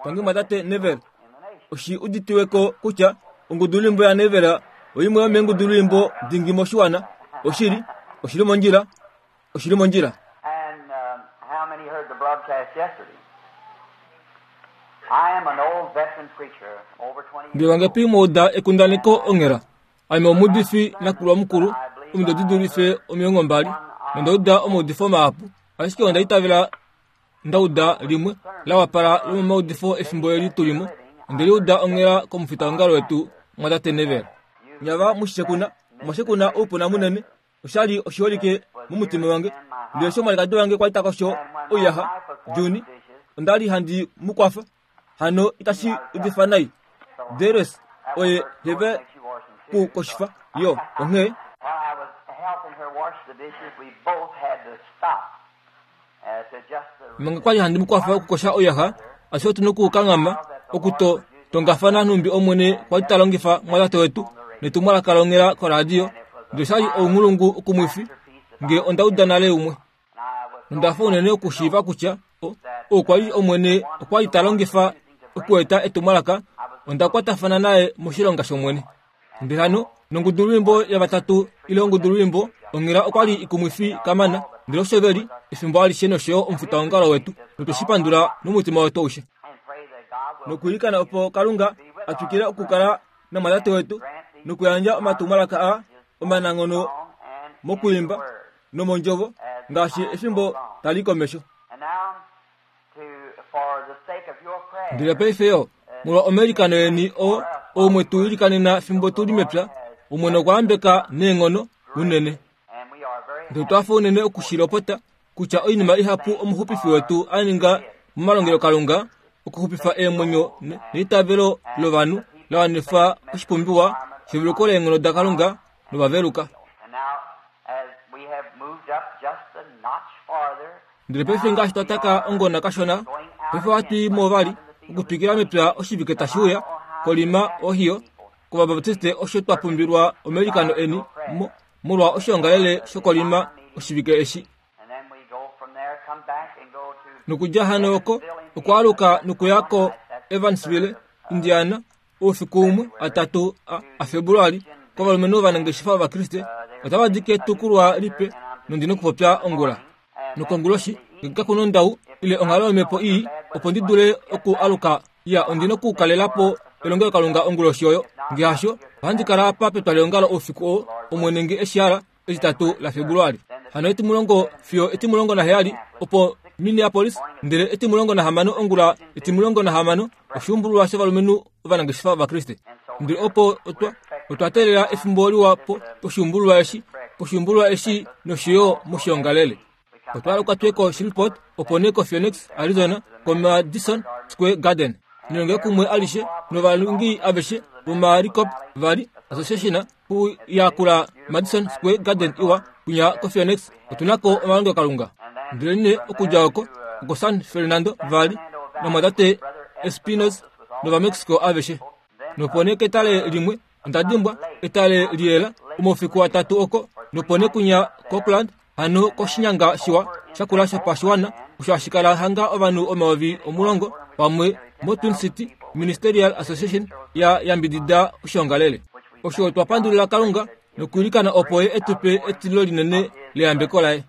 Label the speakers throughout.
Speaker 1: Tangi mwatate Neville. Oshi uditiwe ko kutya ongudulwimbo yaNeville oimwe yomeengudulwimbo dingi moshiwana. Oshili, oshili mondjila, oshili mondjila.
Speaker 2: And um, how many heard the broadcast yesterday? I am an old veteran preacher, over 20 years
Speaker 1: Mbela wangapi mwa uda ekundaneko onghela? Ame omuudifi nakulwa mukulu, omido di dulife 20, nonda uda omaudifo mahapu, ashike onda itavela nda uda limwe la wapala lomomaudifo efimbo eli tu li mo. Onde li uda onghela komufitaongalo wetu mwatate Neville. Nyava mushekuna, omwashekuna oupuna munene, osha li oshiholike momutima wange. Ndele eshi omwalikadi wange kwa li ta kosho oiyaxa, Juni, onda li handi mu kwafa. Hano itashi udifa nai. Darius oye heve ku koshifa yo, onghee
Speaker 2: While I was helping her wash the dishes, we both had to stop uh, to adjust the
Speaker 1: manga kwa li handi mu kwafa okukosha oiyaxa, ashike otu nokukanghama okuto tongafana nhumbi Omwene kwa li ta longifa mwatate wetu netumwalaka longhela koradio. Ndele osha li ounghulungu ukumwifi nge onda uda nale umwe. Onda fa unene okushiiva kutya okwa li Omwene okwa li ta longifa okueta etumwalaka. Onda kwatafana naye moshilonga shOmwene. Ndele hano nongudulwimbo yavatatu ile ongudulwimbo onghela okwa li ikumwifi kamana, ndele osho ve li efimbo alishe nosho yo omufitaongalo wetu, notwe shi pandula nomutima wetu aushe.
Speaker 2: and pray that God will
Speaker 1: Nokwiilikana opo Kalunga a twikile okukala namwatate wetu nokuyandja omatumwalaka a omananghono
Speaker 2: on and
Speaker 1: mokwiimba nomondjovo ngaashi efimbo tali komesho.
Speaker 2: and now to for the sake of your prayer
Speaker 1: Ndele paife yo, molwa omailikano eni oo oumwe tu ilikanena fimbo tu li mepya, Omwene okwa yambeka neenghono unene.
Speaker 2: and we are very
Speaker 1: Ndele otwa fa unene okushilopota kutya oinima ihapu omuxupifi wetu a ninga momalongelokalunga okuxupifa eemwenyo neitavelo lovanhu la wanifa oshipumbiwa sheveluko leenghono daKalunga novaveluka.
Speaker 2: and now as we have moved up just a notch farther
Speaker 1: Ndele paife ngaashi twa taka ongona kashona, paife ohatu i mo vali okutwikila mepya oshivike tashi uya, koLima, Ohio, kOvabaptiste osho twa pumbilwa omailikano eni mo, molwa oshiongalele shokoLima oshivike eshi.
Speaker 2: and then we go from there come back and go to
Speaker 1: Nokudja hano oko, okwaaluka nokuya ko Evansville, Indiana, oufiku umwe atatu a, aFebruali, kovalumenhu ovanangeshefa Ovakriste, otava di ketukulwa lipe nondi nokupopya ongula. Nokonguloshi, nge kaku nondau ile onghalo yomhepo ii, opo ndi dule oku aluka ya ondi nokukalela po elongelokalunga onguloshi oyo. Nge hasho, ohandi kala apa petwaleongalo oufiku oo, Omwene nge eshi hala, etitatu laFebruali. Hano etimulongo fiyo 17 opo Minneapolis, ndele 16 ongula 16 oshuumbululwa shovalumenhu ovanangeshefa Ovakriste. Ndele opo otwa otwa teelela efimbo liwa po poshuumbululwa eshi, poshuumbululwa eshi nosho yo moshiongalele. Otwa aluka tuye ko Shreveport, opo nee ko Phoenix, Arizona, ko Madison Square Garden. Nelonge kumwe alishe novalungi aveshe vomalikop vali Association ku yakula Madison Square Garden iwa kunya ko Phoenix. Otu na ko omalongelokalunga. Ndele nee okudja oko oko San Fernando Valley nomwatate Espinos nOvamexico aveshe. Nopo nee ketale limwe onda dimbwa etale liyela omaufiku atatu oko nopo nee kunya Copeland hano koshinyanga shiwa shakula shopashiwana osho hashi kala hanga ovanhu 10,000 pamwe moTwin City Ministerial Association ya yambidida oshiongalele. Osho otwa pandulila Kalunga nokwiilikana opo ye etu pe etilo linene leyambeko laye.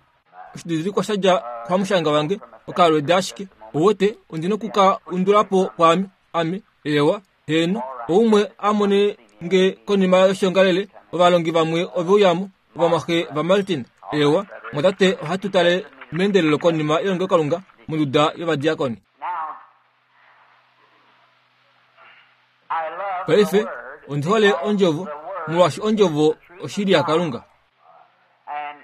Speaker 1: Oshididilikwa sha dja kuhamushanga wange okalwedi ashike ouwete ondi noku ka undula po kwaame ame ewa heeno oumwe a mone nge konima yoshiongalele ovalongi vamwe ove uyamo ovamwaxe vaMartin ewa mwatate ohatu tale meendelelo konima yelongelokalunga monduda yovadiakoni.
Speaker 2: Now I love the
Speaker 1: Paife
Speaker 2: word
Speaker 1: ondi hole
Speaker 2: because
Speaker 1: ondjovo
Speaker 2: the word
Speaker 1: molwaashi ondjovo
Speaker 2: is the truth
Speaker 1: oshili
Speaker 2: of God.
Speaker 1: yaKalunga.
Speaker 2: And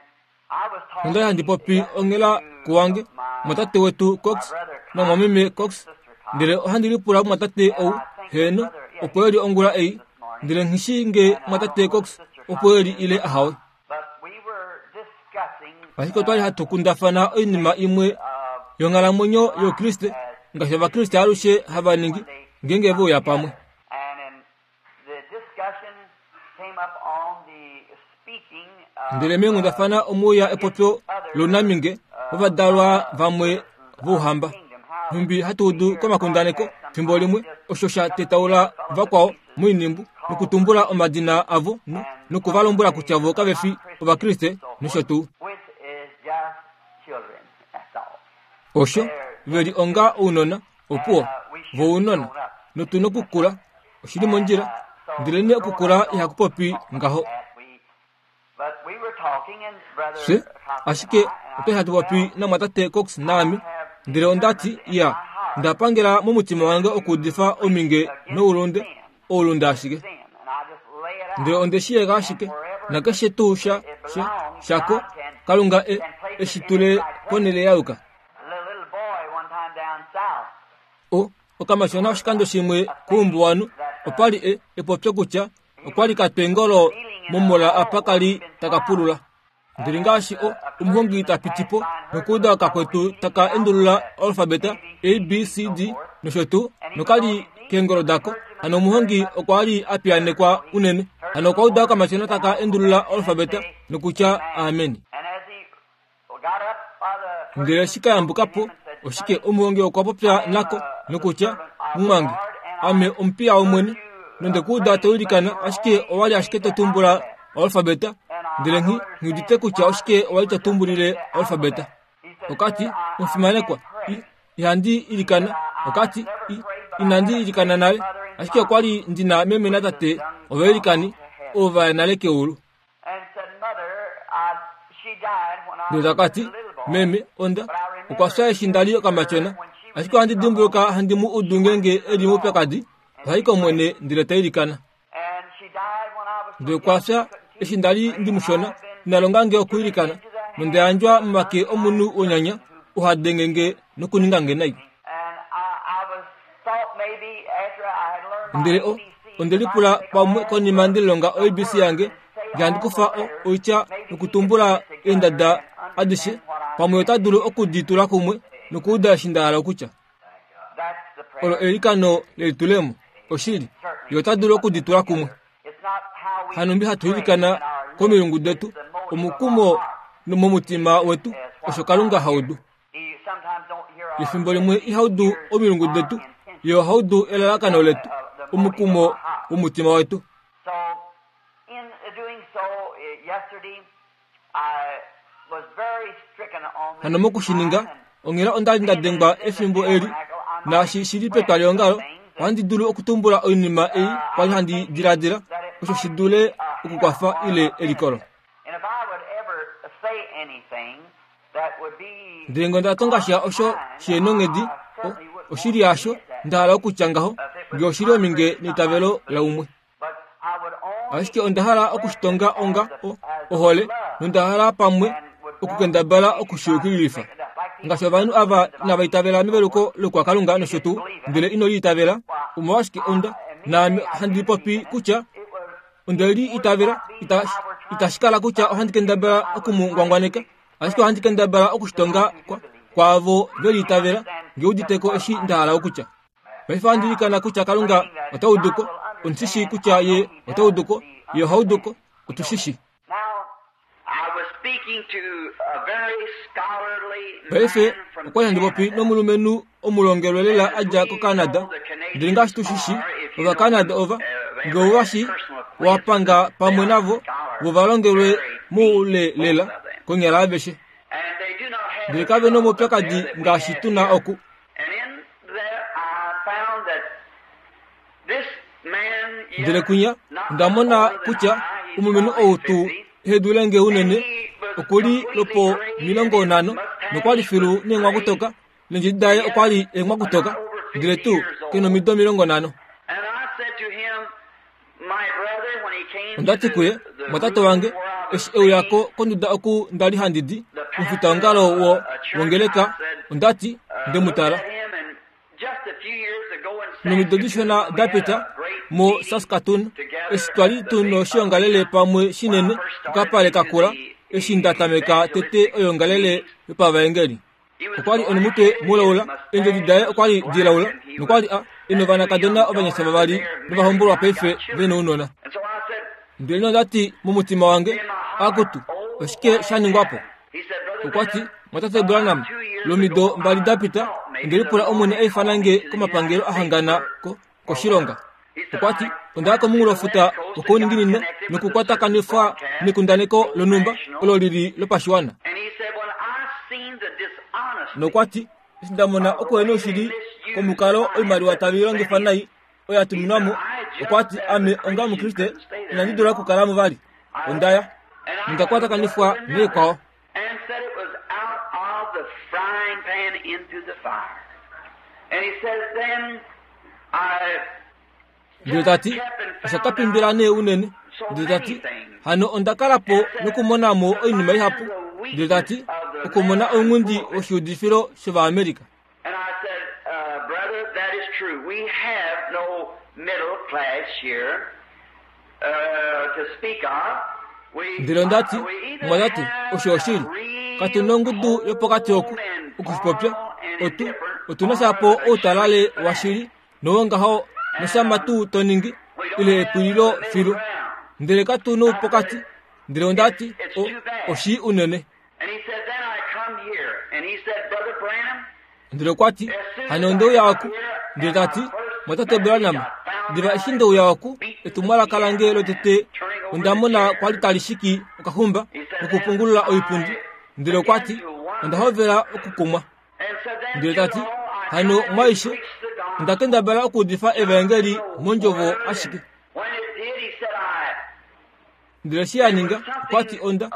Speaker 2: I was
Speaker 1: Onda li handi
Speaker 2: talking
Speaker 1: popi onghela kuwange
Speaker 2: to my
Speaker 1: mwatate wetu
Speaker 2: my
Speaker 1: Cox
Speaker 2: brother Cox
Speaker 1: namwameme
Speaker 2: and
Speaker 1: Cox,
Speaker 2: sister Cox,
Speaker 1: ndele ohandi lipula mwatate
Speaker 2: and
Speaker 1: ou
Speaker 2: I think that
Speaker 1: heeno
Speaker 2: brother, yeah,
Speaker 1: opo eli
Speaker 2: he's
Speaker 1: ongula
Speaker 2: here
Speaker 1: ei,
Speaker 2: this morning,
Speaker 1: ndele nghishi nge
Speaker 2: and I don't
Speaker 1: mwatate
Speaker 2: know whether
Speaker 1: Cox
Speaker 2: sister Cox
Speaker 1: opo eli
Speaker 2: is
Speaker 1: ile
Speaker 2: or
Speaker 1: ahawe.
Speaker 2: not. But we were discussing
Speaker 1: Ashike otwa li hatu kundafana oinima imwe
Speaker 2: of
Speaker 1: yonghalamwenyo
Speaker 2: life
Speaker 1: youKriste
Speaker 2: as
Speaker 1: ngaashi Ovakriste alushe hava
Speaker 2: when
Speaker 1: ningi
Speaker 2: they
Speaker 1: ngeenge ve
Speaker 2: come
Speaker 1: uya pamwe.
Speaker 2: together. And in the discussion came up on the speaking of
Speaker 1: Ndele meenghundafana omwe uya epopyo
Speaker 2: other
Speaker 1: lounaminge vovadalwa vamwe vOuhamba. Nhumbi hatu udu komakundaneko fimbo limwe osho sha tetaula vakwao moinimbu nokutumbula omadina avo noku va lombwela kutya vo kave fi Ovakriste nosho tuu. Osho ve li onga ounona, opuwo, vo ounona, notu nokukula. Oshi li mondjila, ndelenee okukula ihaku popi ngaho. Fye ashike otwa li hatu popi namwatate Cox naame, ndele onda ti, Ya, nda pangela momutima wange okuudifa ominge noulunde, oulunde ashike. Ndele onde shi yega ashike, nakeshe tuu sha, sha, shako, Kalunga e, e shi tule ponhele ya yuka. O, okamatyona oshikando shimwe koumbuwanhu, opa li e, epopyo kutya okwa li ka twa eengolo momola apa ka li taka pulula. Ndele ngaashi o, omuhongi ta piti po nokuuda okakwetu taka endulula oalfabeta A, B, C, D nosho tuu, noka li keengolo dako, hano omuhongi okwa li a piyaanekwa unene. Hano okwa uda okamatyona taka endulula oalfabeta nokutya Amen. Ndele eshi ka yambuka po, oshike omuhongi okwa popya nako nokutya, Mumwange, ame omupiya wOmwene, nonde ku uda to ilikana, ashike owa li ashike to tumbula oalfabeta, ndele nghi nghi udite kutya oshike owa li to tumbulile oalfabeta. Okati, Omufimanekwa, i, ihandi ilikana. Okati, i, inandi ilikana nale, ashike okwa li ndi na meme natate ovailikani, ovo va ya nale keulu. Ndele taka ti, Meme, onda, okwa fya eshi nda li okamatyona. Ashike ohandi dimbuluka handi mu udu ngeenge e li moupyakadi, oha i kOmwene ndele ta ilikana. Ndele okwa fya eshi nda li ndi mushona, ina longa nge okwiilikana, nonda yandjwa momake omunhu wonyanya, oo ha denge nge nokuninga nge nai. Ndele o, onde lipula pamwe konima nde lilonga oABC yange, nge handi kufa o, oitya nokutumbula eendada adishe, pamwe ota dulu oku di tula kumwe nokuuda eshi nda hala okutya. Olo eilikano lelitulemo. Oshili, ye ota dulu oku di tula kumwe. Hanumbi hatu ilikana komilungu detu, omukumo momutima wetu, osho Kalunga ha udu. Efimbo limwe iha udu omilungu detu, ye oha udu elalakano letu, omukumo womutima wetu. Hano moku shi ninga, onghela onda li nda dengwa efimbo eli, naashi shi li petwaliongalo, ohandi dulu okutumbula oinima ei kwa li handi diladila, osho shi dule okukwafa ile elikolo. Ndele ngee onda tonga sha osho shi nonghedi, oshili yasho, nda hala okutya ngaho, ngee oshi li ominge neitavelo laumwe. Ashike onda hala oku shi tonga onga o, ohole, nonda hala pamwe okukendabala oku shi yukililifa. Ngaashi ovanhu ava inava itavela meveluko lokuhakalunga nosho tuu, ndele ino li itavela, omolwashike onda, naame handi popi kutya onde li itavela, ita, itashi kala kutya ohandi kendabala oku mu ngwangwaneka, ashike ohandi kendabala oku shi tonga kwa, kwaavo ve li itavela, nge udite ko eshi nda hala okutya. Paife ohandi ilikana kutya Kalunga ota udu ko. Ondi shi shii kutya Ye ota udu ko. Ye oha udu ko. Otu shi shii. Paife, okwa li handi popi nomulumenhu omulongelwe lela a dja koCanada. Ndele ngaashi tu shi shii, Ovacanada ova, nge ou va shii, wa panga pamwe navo, vo va longelwe moule lela, konyala aveshe. Ndele kave nomaupyakadi ngaashi tu na oku. Ndele kwinya onda mona kutya omulumenhu ou tuu ehe dule nge unene oku li lopo 50 nokwa li filu neenghwakutoka neendjedi daye okwa li eenghwakutoka ndele tuu ke nomido 50. Onda ti kuye, Mwatate wange, eshi e uya ko konduda oku nda li handi di, omufitaongalo wo wongeleka, onda ti, nde mu tala. Nomido dishona da pita, mo Saskatoon, eshi twa li tu noshiongalele pamwe shinene kokapale kakula, eshi nda tameka tete oiongalele yopavaengeli. Okwa li onomutwe mulaula, eendjodi daye okwa li dilaula, nokwa li a e novanakadona ovanyasha vavali novahombolwa paife ve nounona. Ndele nonda ti momutima wange, Akutu, oshike sha ningwa po? Okwa ti, Mwatate Branham, Lomido mbali da pita, onde lipula Omwene a ifana nge komapangelo a hangana ko, koshilonga. Okwa ti, Onda ya komunghulofuta wokouninginino nokukwatakanifwa nekundaneko lonhumba olo li li lopashiwana. Nokwa ti, Eshi nda mona okuhenoushili komukalo oimaliwa tave i longifa nai oyo ya tuminwa mo, okwa ti, Ame onga Omukriste inandi dula okukala mo vali. Onda ya. Nonda kwatakanifwa naikwao.
Speaker 2: And said it was out of the frying pan into the fire. And he says, then I
Speaker 1: Ndele ta ti, Osha ka pimbila nee unene. Ndele ta ti, Hano onda kala po nokumona mo oinima ihapu. Ndele ta ti, Okumona ounghundi woshiudifilo shOvaamerika.
Speaker 2: And I said, brother, that is true. We have no middle class here to speak of.
Speaker 1: Ndele onda ti, Mumwatate, osho oshili. Katu nongudu yopokati oku, oku shi popya. Otu, otu na shapo outalale washili, nowongaho noshama tuu to ningi, ile epwililo filu. Ndele katu noupokati. Ndele onda ti, O, oshii unene. Ndele okwa ti, Hano onde uya oku. Ndele ta ti, Mwatate Branham, diva eshi nde uya oku, etumwalaka lange lotete onda mona kwa li tali shiki okaxumba nokupungulula oipundi. Ndele okwa ti, Onda hovela okukumwa. Ndele ta ti, Hano mwaaishe, onda kendabala okuudifa evaengeli mondjovo ashike. Ndele eshi a ninga, okwa ti, Onda,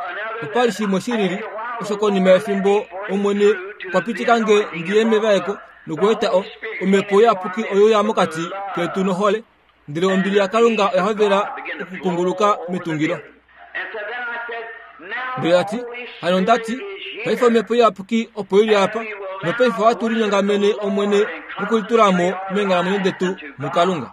Speaker 1: opa li shimwe shi lili, osho konima yefimbo Omwene okwa pitika nge ndi ye mevaeko nokueta o, Omhepo Iyapuki oyo ya mokati ketu nohole, ndele ombili yaKalunga oya hovela okukunguluka metungilo. Ndele ta ti, Hano onda ti, paife Omhepo Iyapuki opo i li apa, nopaife ohatu linyongamene Omwene mokulitula mo meenghalamwenyo detu muKalunga.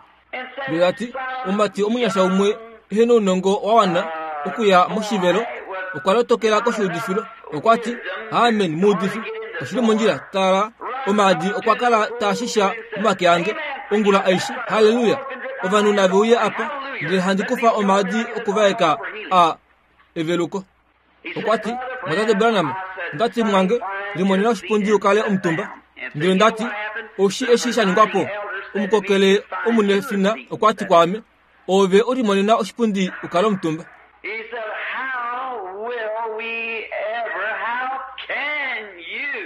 Speaker 1: Ndele ta ti, Omumati omunyasha umwe ehe nounongo wa wana okuya moshivelo okwa lotokela koshiudifilo. Okwa ti, Amen, muudifi, oshi li mondjila. Tala, omaadi okwa kala taa shisha momake ange ongula aishe. Halleluya! Ovanhu nave uye apa, ndele handi kufa omaadi okuvaeka a eveluko. Okwa ti, Mwatate Branham, onda ti mwange, limonena oshipundi u kale omutumba. Ndele nda ti, Oshi eshi sha ningwa po? Omukokele omunefina okwa ti kwaame, Ove u limonena oshipundi u kale omutumba.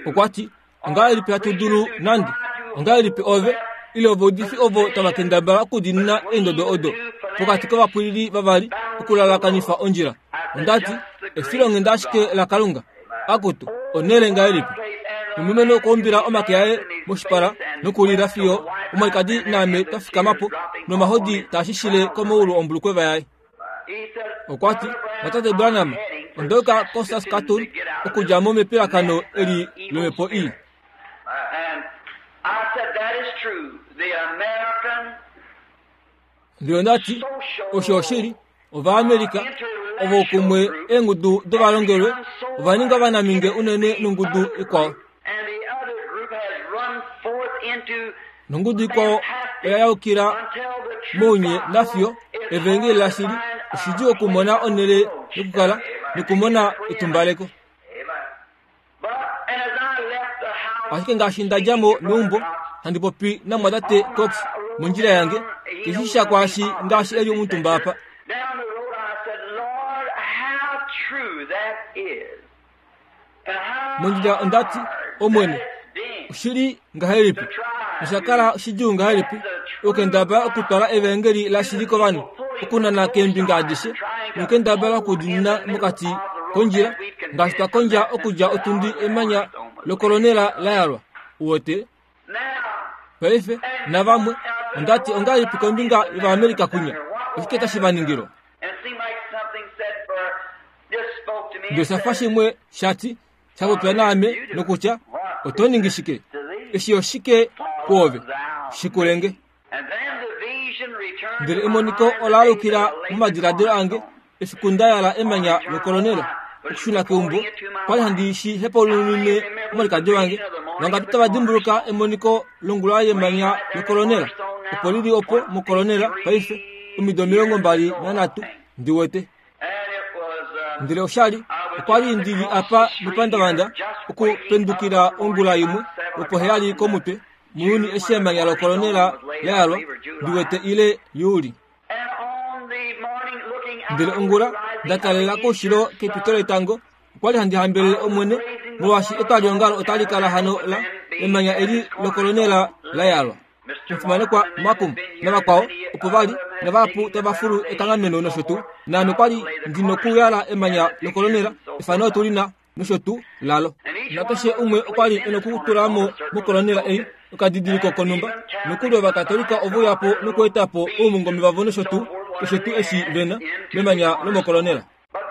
Speaker 1: Okwa ti, Ongahelipi hatu dulu nande? Ongahelipi ove, ile ovaudifi ovo tava kendabala okudiinina eendodo odo pokati kovapwilili vavali okulalakanifa ondjila? Onda ti, Efilonghenda ashike laKalunga. Akutu, onhele ngahelipi! Nomulumenhu okwa umbila omake aye moshipala nokulila fiyo omwalikadi naame twa fikama po, nomahodi taa shishile komaulu ombulukweva yaye. Okwa ti, Mwatate Branham, onda yuka koSaskatoon okudja mo mepilakano eli lomhepo ii. Ndele onda ti, Osho oshili, Ovaamerica ovo kumwe eengudu dovalongelwe ova ninga ovanamhinge unene nongudu ikwao. Nongudu ikwao oya yaukila mounye nafiyo evengeli lashili oshidjuu okumona onhele yokukala nokumona etumbaleko. Ashike ngaashi nda dja mo meumbo handi popi namwatate Cox mondjila yange, keshi sha kwaashi ngaashi e li omutumba apa. Mondjila onda ti, Omwene, oshi li ngahelipi nosha kala shidjuu ngahelipi okukendabala okutwala evaengeli lashili kovanhu, okunana keembinga adishe nokukendabala okudiinina mokati kondjila ngaashi twa kondja okudja otundi emanya lokolonela la yalwa. Uwete? Paife, navamwe, onda ti ongahelipi kombinga yOvaamerika kunya? Oshike tashi va ningilwa? Ndele osha fa shimwe sha ti, sha popya naame nokutya, Oto ningi shike? Eshi oshike kwoove? Shikule nge. Ndele emoniko ola alukila momadiladilo ange efiku nda yala emanya lokolonela okushuna keumbo. Kwali handi shi hepaululile omwalikadi wange. Vangapi tava dimbuluka emoniko longula yemanya lokolonela? Opo li li opo mokolonela paife, omido 23, ndi wete. Ndele osha li, okwa li ndi li apa mepandavanda. okupendukila ongula imwe lwopoheyali komutwe muuyuni eshi emanya lokolonela la yalwa ndi wete ile Juli. Ndele ongula nda talela koushilo kepito letango okwa li handi hambelele Omwene molwaashi etwaliongalo otali kala hano la emanya eli lokolonela la yalwa. Omufimanekwa Malcolm navakwao opo va li navahapu tava fulu ekanghameno nosho tuu, naame kwa li ndi nokuyala emanya lokolonela, efano otu li na nosho tuu lalo. Nakeshe umwe okwa li e nokutula mo mokolonela ei okadidiliko konhumba. Nokuli Ovakatolika ove uya po nokueta po oumungome vavo nosho tuu, keshe tuu eshi ve na, memanya lomokolonela.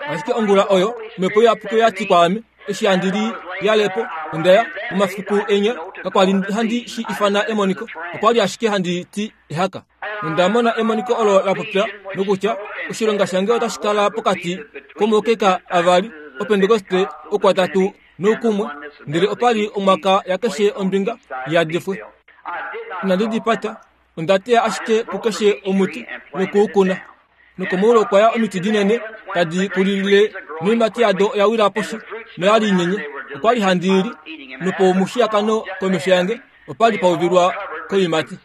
Speaker 1: Ashike ongula oyo, Omhepo Iyapuki oya ti kwaame, eshi handi li yale po, onda ya, momafiku enya, kakwa li handi shi ifana emoniko, okwa li ashike handi ti ehaka. Onda mona emoniko olo la popya nokutya oshilonga shange otashi kala pokati komaukeka avali Opentekoste okwatatu noukumwe, ndele opa li omwaka yakeshe ombinga yadifwe. Inandi di pata, onda teya ashike kukeshe omuti noku u kuna. Nokomoulo okwa ya omiti dinene tadi kulilile noiimati yado oya wila poshi noya li inyenye. Okwa li handi i li, nopomushiyakano komesho yange opa li pa uvilwa koiimati.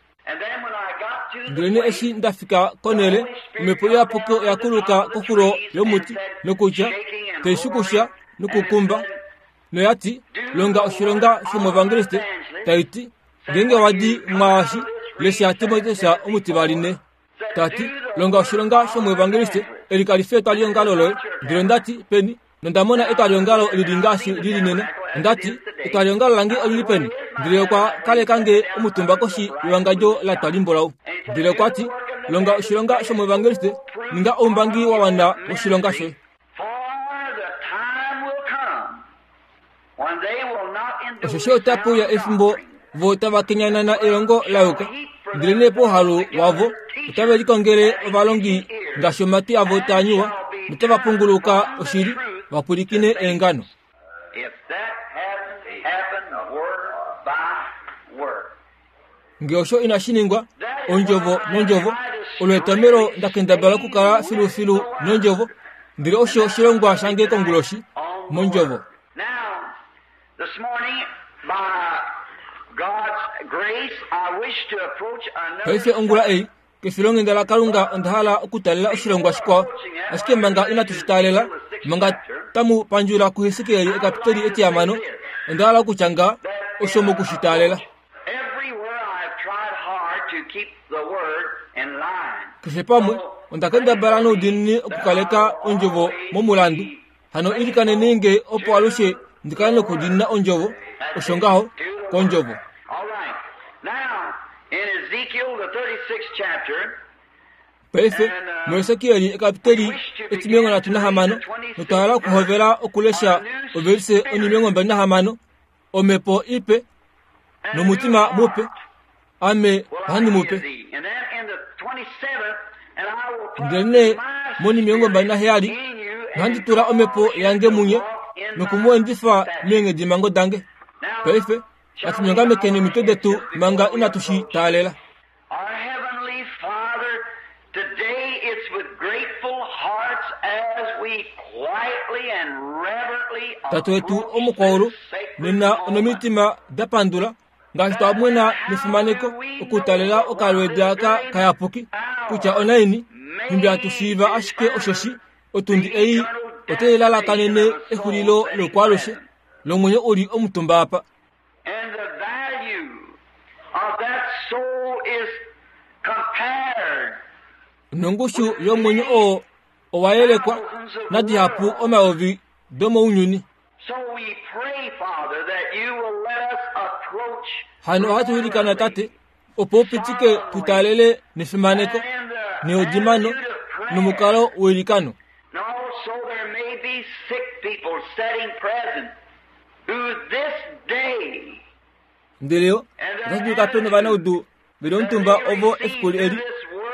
Speaker 1: Ndelenee eshi nda fika konhele, omhepo iyapuki oya kuluka koxulo yomuti nokutya, tai shukusha nokukumba, noya ti, Longa oshilonga shomuevangeliste, tai ti, Ngeenge wa di mwaashi, lesha Timoteus omutivali ne. Ta ti, Longa oshilonga shomuevangeliste, eli kali fi etwaliongalo loye. Ndele onda ti, Peni? Nonda mona etwaliongalo li li ngaashi li li nena. Onda ti, Etwaliongalo lange oli li peni? Ndele okwa kaleka nge omutumba koshi yewangadjo la twa limbulau. Ndele okwa ti, Longa oshilonga shomuevangeliste, ninga oumbangi wa wana woshilonga shoye. Osheshi otape uya efimbo vo tava kenyanana elongo la yuka, ndelenee pouhalu wavo otave likongele ovalongi ngaashi omatwi avo taa nyuwa, notava punguluka oshili, va pwilikine eengano. Nge osho inashi ningwa, ondjovo nondjovo, olo etomelo nda kendabala okukala filufilu nondjovo, ndele osho oshilongwa shange konguloshi, mondjovo. Paife ongula ei, kefilonghenda laKalunga onda hala okutaalela oshilongwa shikwao. Ashike manga inatu shi taalela, manga tamu pandjula kuHesekiel ekapiteli etihamano, onda hala okutya nga osho moku shi taalela. Keshe pamwe, onda kendabala noudiinini okukaleka ondjovo momulandu. Hano ilikaneni nge opo alushe ndi kale nokudiinina ondjovo, osho ngaho, kondjovo. Paife, muHesekiel ekapiteli etimilongo nhatu nahamano, notwa hala okuhovela okulesha ovelise onimilongo mbali nahamano, Omhepo ipe nomutima mupe, Ame ohandi mu pe. Ndelenee monimilongo 27 ohandi tula omhepo yange munye noku mu endifa meenghedimhango dange. Paife natu nyongamekeni omitwe detu manga inatu shi taalela.
Speaker 2: Our Heavenly Father, today it's with grateful hearts as we quietly and reverently
Speaker 1: Tate wetu omukwaulu, nena onomitima da pandula ngaashi twa mwena nefimaneko okutalela okalweedi aka kayapuki kutya onaini nhumbi hatu shiiva ashike osheshi otundi ei otai lalakanene exulilo loukwalushe lomwenyo u li omutumba apa.
Speaker 2: And the value of that soul is compared
Speaker 1: Nongushu yomwenyo oo owa yelekwa nadihapu omayovi domounyuni.
Speaker 2: So we pray, Father, that you will let us approach
Speaker 1: Hano ohatu ilikana Tate opo u pitike tu taalele nefimaneko, neudimano nomukalo weilikano.
Speaker 2: And also there may be sick people sitting present who this day
Speaker 1: Ndele yo otashi dulika pe novanaudu ve li omutumba ovo efiku eli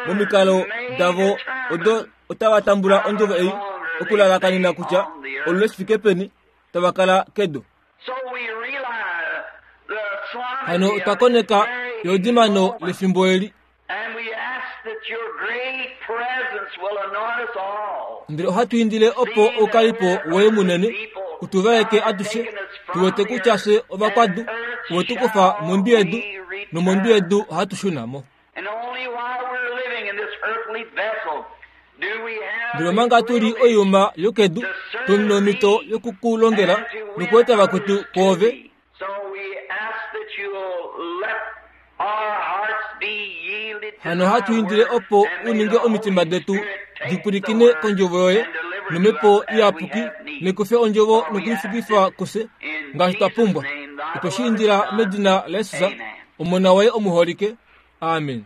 Speaker 1: momikalo davo odo otava tambula ondjovo ei okulalakanena kutya olule shi fike peni tava kala kedu.
Speaker 2: So we realize the
Speaker 1: Hano
Speaker 2: solemnity
Speaker 1: otwa
Speaker 2: of
Speaker 1: koneka
Speaker 2: this very
Speaker 1: eudimano
Speaker 2: moment.
Speaker 1: lefimbo eli.
Speaker 2: And we ask that your great presence will anoint us all.
Speaker 1: Ndele ohatu indile opo oukalipo woye munene U tu vaeke atushe, tu wete kutya fye ovakwadu, owe tu kufa mondwi yedu, nomondwi yedu ohatu shuna mo. Ndele omanga tu li oiyuma yokedu, tu na omhito yoku ku longela nokueta vakwetu kwoove. Hano ohatu indile opo u ninge omitima detu di pwilikine kondjovo yoye nomhepo iyapuki nekufe ondjovo nokuifikifa kufye ngaashi twa pumbwa. Otwe shi indila medina laJesus, Omona waye omuholike. Amen.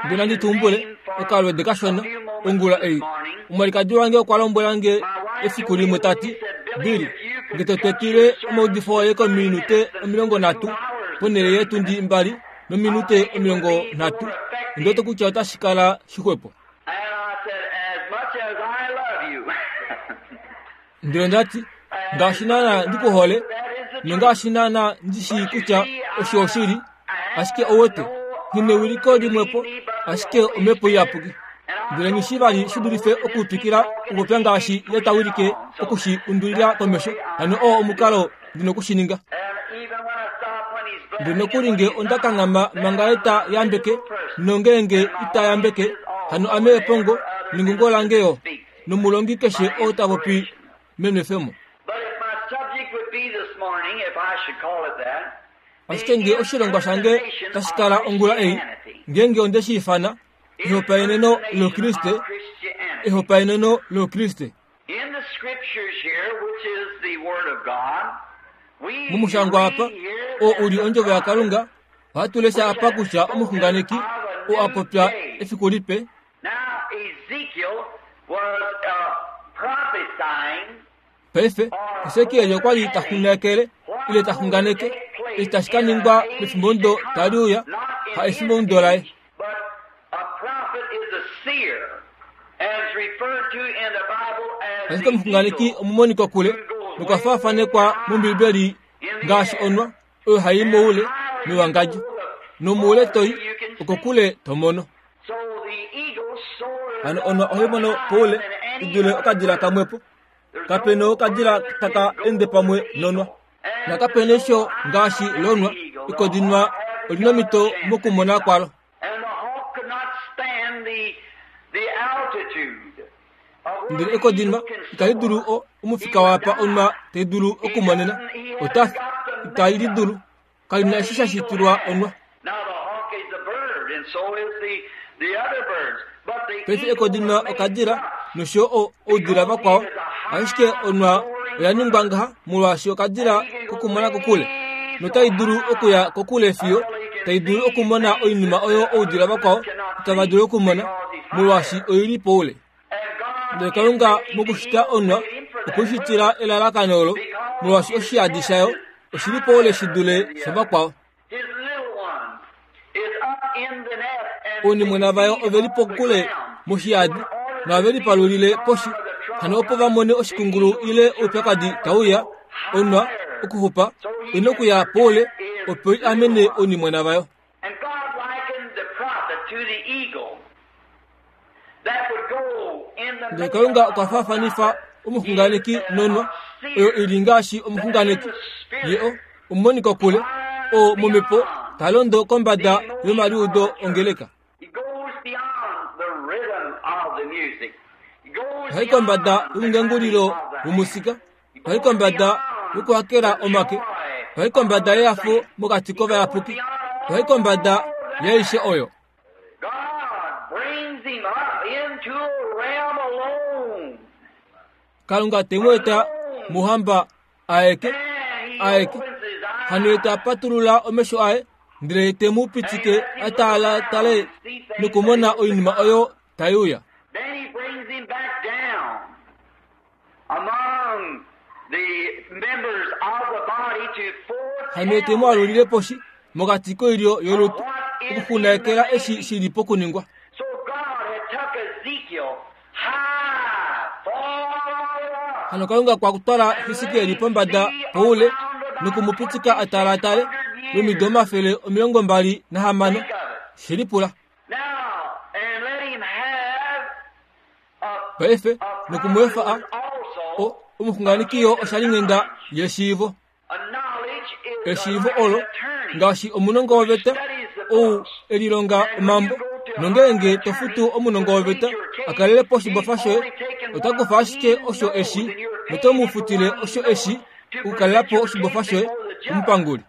Speaker 1: Ndele nandi tumbule okalwede kashona ongula ei. Omwalikadi wange okwa lombwela nge efiku limwe ta ti, Billy, nge to twetile omaudifo oye kominute 30 ponhele yeetundi mbali nominute 30, ondi wete kutya otashi kala shixwepo. Ndele onda ti, Ngaashi naana ndi ku hole, nongaashi naana ndi shii kutya osho oshili, ashike ou wete, nghi newiliko limwepo, ashike Omhepo Iyapuki. Ndele nghi shii vali shi dulife okutwikila okupopya ngaashi Ye ta wilike oku shi undulila komesho, hano oo omukalo ndi noku shi ninga. Ndele nokuli nge onda kanghama manga Ye ta yambeke, nongeenge ita yambeke, hano ame epongo, nengungo lange yo. nomulongi keshe oo ta popi menwefemo. Ashike nge oshilongwa shange tashi kala ongula ei, ngeenge onde shi ifana, Ehopaeneno lOukriste, Ehopaeneno lOukriste. Momushangwa apa, oo u li Ondjovo yaKalunga, ohatu lesha apa kutya omuxunganeki oo a popya efiku lipe, Paife, Hesekiel okwa li ta xunganekele, ile ta xunganeke, eshi tashi ka ningwa mefimbomudo tali uya, ha efimbomudo laye. Ashike omuxunganeki omumonikokule nokwa faafanekwa mOmbibeli ngaashi onwa oyo hai i moule mewangadjo, nomoule to i, okokule to mono. Hano onwa ohai mono poule i dule okadila kamwepo. Kape na okadila taka ende pamwe nonwa. Na kape nesho ngaashi lonwa, ekodinwa oli nomhito mokumona kwalo. Ndele ekodinwa itali dulu o, omufika waapa onwa tai dulu okumonena. Ota fi. Itali li dulu. Kali na eshi sha shitilwa onwa. Paife ekodinwa okadila nosho yo oudila vakwao, ashike onwa oya ningwa ngaha molwaashi okadila kokumona kokule notai dulu okuya kokule fiyo tai dulu okumona oinima oyo oudila vakwao itava dulu okumona molwaashi oi li poule. Ndele Kalunga mokushita onwa okwe shitila elalakano olo molwaashi oshiyadi shayo oshi li poule shi dule shavakwao. Ounimwena vayo ove li pokule moshiyadi nohave lipalulile poshi hano opo va mone oshikungulu ile oupyakadi tau ya onwa okuxupa oi na okuya poule opo i amene ounimwena vayo. Ndele Kalunga okwa faafanifa omuxunganeki nonwa oyo i li ngaashi omuxunganeki ye o omumonikokule oo momhepo ta londo kombada yomaliudo ongeleka. Ohai kombada yomungengulilo womusika, ohai kombada yokuhakela omake, ohai kombada yehafo mokati kovayapuki, ohai kombada yaaishe oyo. Kalunga te mu eta mouhamba aeke, aeke. Hano ye ta patulula omesho aye, ndele te mu pitike a taalatale nokumona oinima oyo tai uya. Hano ye te mu alulile poshi mokati koilyo yolutu okuxunakela eshi shi li pokuningwa. Hano Kalunga kwa twala Hesekiel pombada poule noku mu pitika a talaatale lomido 260. She lipula. Paife noku mu efa a o, Omuxunganeki yo oshalinghenda yeshiivo. Eshiivo olo ngaashi omunongo woveta ou e lilonga omambo, nongeenge to futu omunongo woveta a kalele po oshibofa shoye, ota kufa ashike osho eshi noto mu futile osho eshi okukalela po oshibofa shoye komupanguli.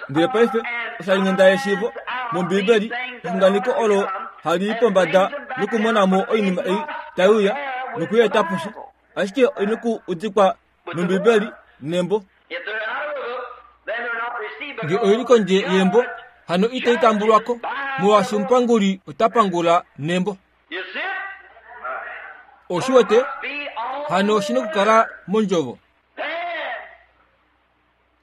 Speaker 1: Ndele paife oshalinghenda yeshiivo mOmbiibeli exunganeko olo hali i pombada nokumona mo oinima ei tai uya noku i eta poshi. Ashike oi noku udikwa nOmbiibeli nembo. Nge oi li kondje yembo, hano itai tambulwa ko, molwaashi omupanguli ota pangula nembo. Oshi wete? Hano oshi nokukala mondjovo.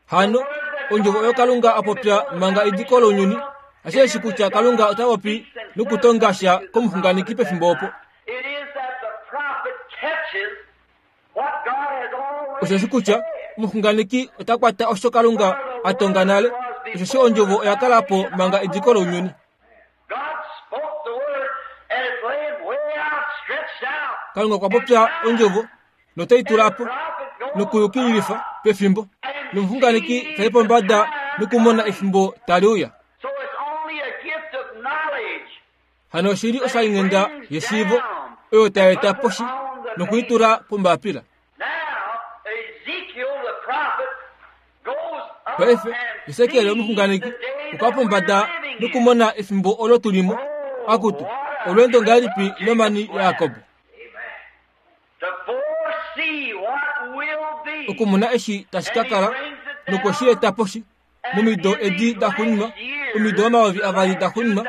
Speaker 1: Hano, ondjovo oyo Kalunga a popya manga ediko lounyuni, ashike eshi kutya Kalunga ota popi nokutonga sha komuxunganeki pefimbo opo. Osheshi kutya omuxunganeki ota kwata osho Kalunga a tonga nale, osheshi ondjovo oya kala po manga ediko lounyuni. Kalunga okwa popya ondjovo notai tula po nokuyukililifa pefimbo, nomuxunganeki ta i pombada nokumona efimbo tali uya. Hano oshi li oshalinghenda yeshiivo oyo tai eta poshi noku i tula pombapila. Paife, Hesekiel omuxunganeki okwa pombada nokumona efimbo olo tu li mo. Akutu, olweendo ngahelipi lomani yaJakob! Okumona eshi tashi ka kala nokwe shi eta poshi momido edi daxuuninwa, omido 2000 daxuuninwa,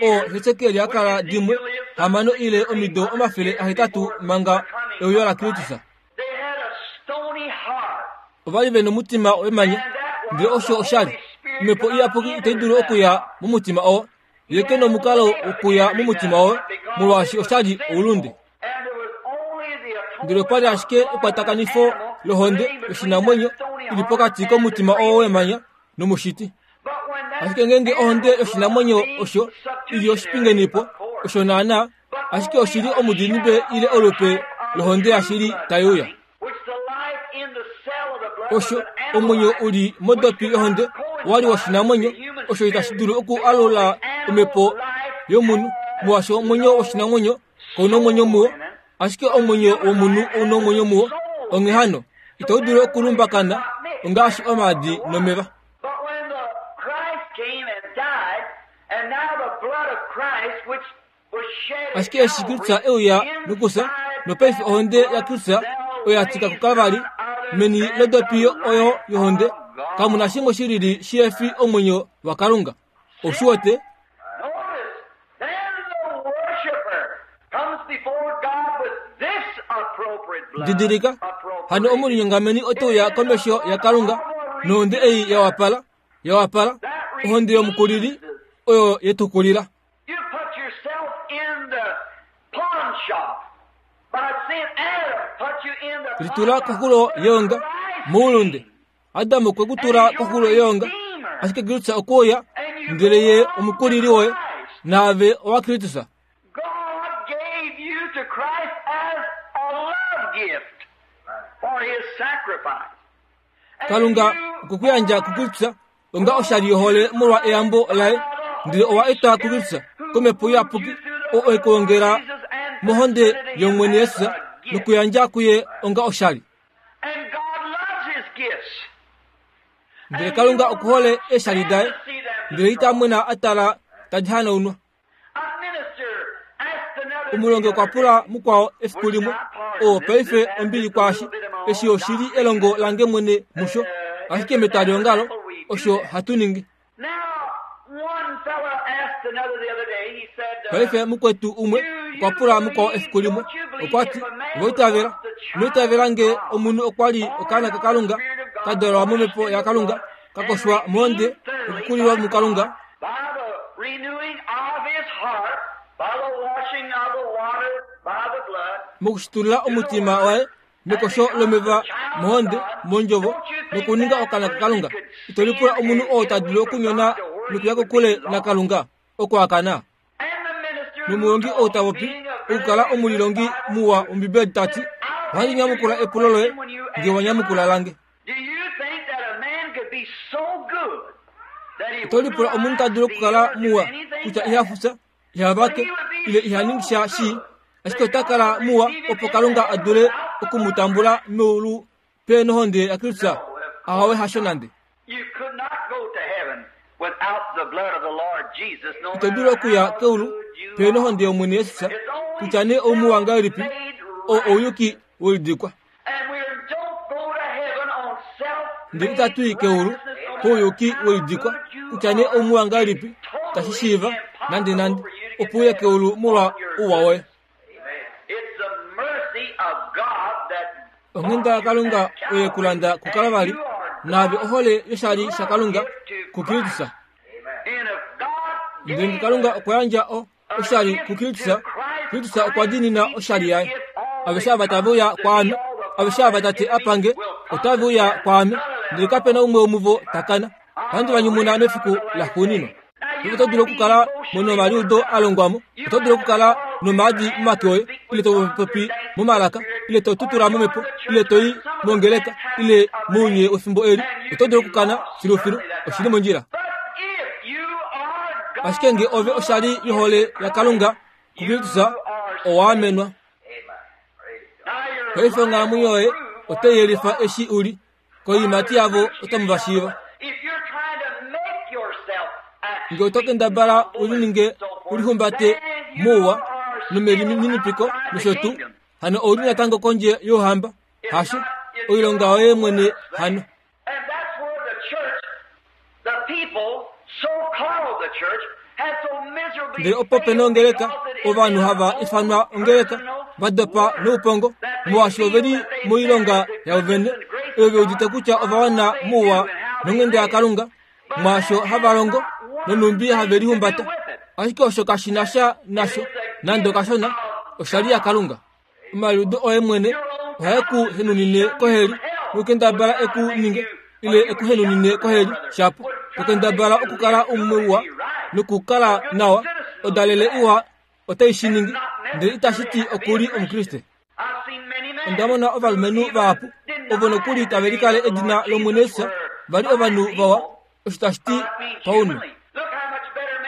Speaker 1: oo Hesekiel a kala dimwe hamano ile omido 800 manga euyo laKristus. Ova li ve nomutima wemanya, ndele osho osha li. Omhepo Iyapuki itai dulu okuya momutima oo. Ye ke nomukalo wokuya momutima woye, molwaashi osha li oulunde. Ndele opa li ashike ekwatakanifo lohonde yoshinamwenyo i li pokati komutima oo wemanya nomushiti. Ashike ngeenge ohonde yoshinamwenyo osho i li oshipingenipo, osho naanaa, ashike oshi li omudidimbe ile olupe lohonde yashili tai uya. Osho omwenyo u li modopi yohonde owa li woshinamwenyo osho itashi dulu oku alula omhepo yomunhu, molwaashi omwenyo woshinamwenyo kau na omwenyo muwo, ashike omwenyo womunhu ou na omwenyo muwo. Onghee hano, itau dulu okulumbakana ongaashi omaadi nomeva. Ashike eshi Kristus e uya nokufya, nopaife ohonde yaKristus oya tika kuKalvari, meni lodopi oyo yohonde kamu na shimwe shi lili shi fi omwenyo waKalunga. Ou shi wete? Didilika, hano omulinyongameni ote uya komesho yaKalunga nohonde ei ya wapala, ya wapala, ohonde yomukulili oyo ye tu kulila. Litula koxulo yeonga moulunde. Adam okwe ku tula koxulo yeonga, ashike Kristus okwe uya, ndele ye omukulili woye, naave owa Kristus. Kalunga okwe ku yandja kuKristus onga oshali yohole molwa eyambo laye, ndele owa etwa kuKristus kOmhepo Iyapuki, oo e ku ongela mohonde yOmwene Jesus nokuyandja kuye onga oshali. Ndele Kalunga oku hole eeshali daye, ndele ita mwena a tala tadi hanaunwa. Omulongi okwa pula mukwao efiku limwe, oo paife ombili kwaashi, eshi oshi li elongo lange mwene musho, ashike metwaliongalo osho hatu ningi. Paife mukwetu umwe okwa pula mukwao efiku limwe, okwa ti, Owa itavela? Ino itavela nge omunhu okwa li okaana kaKalunga, ka dalwa momhepo yaKalunga, ka koshwa mohonde nokukulilwa muKalunga? Mokushitulula omutima waye mekosho lomeva mohonde mondjovo nokuninga okana kaKalunga. Ito lipula omunhu oo ta dulu okunyona nokuya kokule naKalunga oko a kana. Nomulongi ou ta popi, okukala omulilongi muwa wOmbibeli ta ti, Ohandi nyamukula epulo loye nge wa nyamukula lange. Oto lipula omunhu ta dulu okukala muwa kutya iha fufya, iha vake ile iha ningi sha shii, ashike ota kala muwa opo Kalunga a dule oku mu tambula meulu pe nohonde yaKristus? Ahowe, hasho nande. Ito dulu okuya keulu pe nohonde yOmwene Jesus, kutya nee oumuwa ngahelipi, oo ouyuki welidikwa. Ndele itatu i keulu kouyuki welidikwa, kutya nee oumuwa ngahelipi, tashi shiiva nandenande opo uye keulu molwa ouwa woye. Onghenda yaKalunga oye ku landa kuKalvari, naave ohole yoshali shaKalunga kuKristus. Ndele nge Kalunga okwa yandja o, oshali kuKristus, Kristus okwa diinina oshali yaye. Aveshe ava tave uya kwaame, aveshe ava Tate a pa nge, otave uya kwaame, ndele kape na umwe womuvo ta kana. Ohandi va nyumuna mefiku laxuuninwa. Ove oto dulu okukala mo nomaliudo a longwa mo, oto dulu okukala nomaadi momake oye, ile to popi momalaka, ile to tutula momhepo, ile to i mongeleka, ile mounye wefimbo eli, oto dulu okukana filufilu. Oshi li mondjila. Ashike nge ove oshali yohole yaKalunga kuKristus, owa amenwa. Paife onghalamwenyo yoye otai yelifa eshi u li. Koiimati yavo otamu va shiiva. Nge oto kendabala u lininge u lihumbate mouwa nomelininipiko nosho tuu, hano ou li natango kondje youhamba. Hasho, oilonga yoye mwene hano. Ndele opo pe na ongeleka, ovanhu hava ifanwa ongeleka, va dopa noupongo, molwaashi ove li moilonga yavo vene, oyo ve udite kutya ova wana mouwa nonghenda yaKalunga, mwaasho hava longo nonhumbi have lihumbata. Ashike osho kashi na sha nasho nande okashona, oshali yaKalunga. Omaliudo oye mwene ohae ku henunine koheli nokukendabala e ku ninge ile e ku henunine koheli shapo tokendabala okukala umwe uwa nokukala nawa odalele iwa otai shi ningi ndele itashi ti oku li omukriste onda mona ovalumenhu vahapu ovo nokuli tave likale edina lOmwene Jesus va li ovanhu vawa osho tashi ti paunhu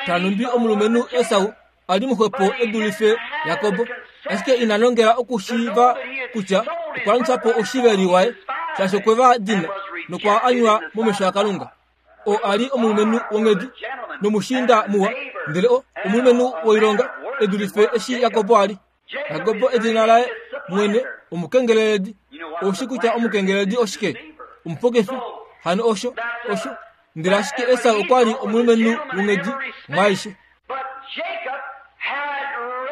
Speaker 1: tanumbi omulumenhu Esau a li muxwepo e dulife Jakob, ashike ina nongela okushiiva kutya okwa landifa po oushiveli waye, shaashi okwe va dina nokwa anywa momesho aKalunga. Oo a li omulumenhu wonghedi nomushiinda muwa, ndele o omulumenhu woilonga e dulife eshi Jakob a li. Jakob edina laye mwene omukengeleledi. Ou shi kutya omukengeleledi oshike? Omupokefi. Hano osho, osho. Ndele ashike Esau okwa li omulumenhu wonghedi mwaaishe.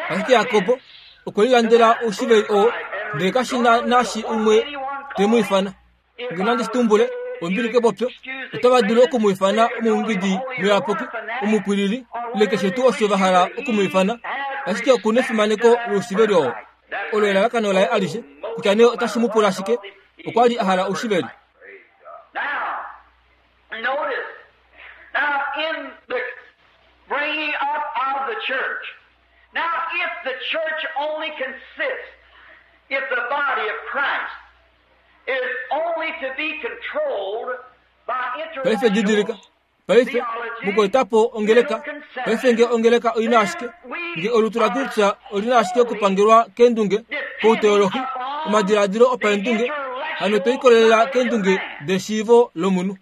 Speaker 1: Ashike Jakob okwe lilandela oushiveli oo, ndele kashi na naashi umwe te mu ifana. Nge nandi shi tumbule, ombili kepopyo, otava dulu oku mu ifana omuungidi muyapuki, omupwilili, ile keshe tuu osho va hala oku mu ifana, ashike oku nefimaneko loushiveli oo. Olo elalakano laye alishe, kutya nee otashi mu pula shike, okwa li a hala oushiveli.
Speaker 2: Now, if the church only consists, if the body of Christ
Speaker 1: Paife didilika, paife, mukueta po ongeleka. Paife nge ongeleka oi na ashike, nge olutu laKristus oli na ashike okupangelwa keendunge, kouteolohi, omadiladilo opaendunge, hano to ikolelela keendunge deshiivo lomunhu.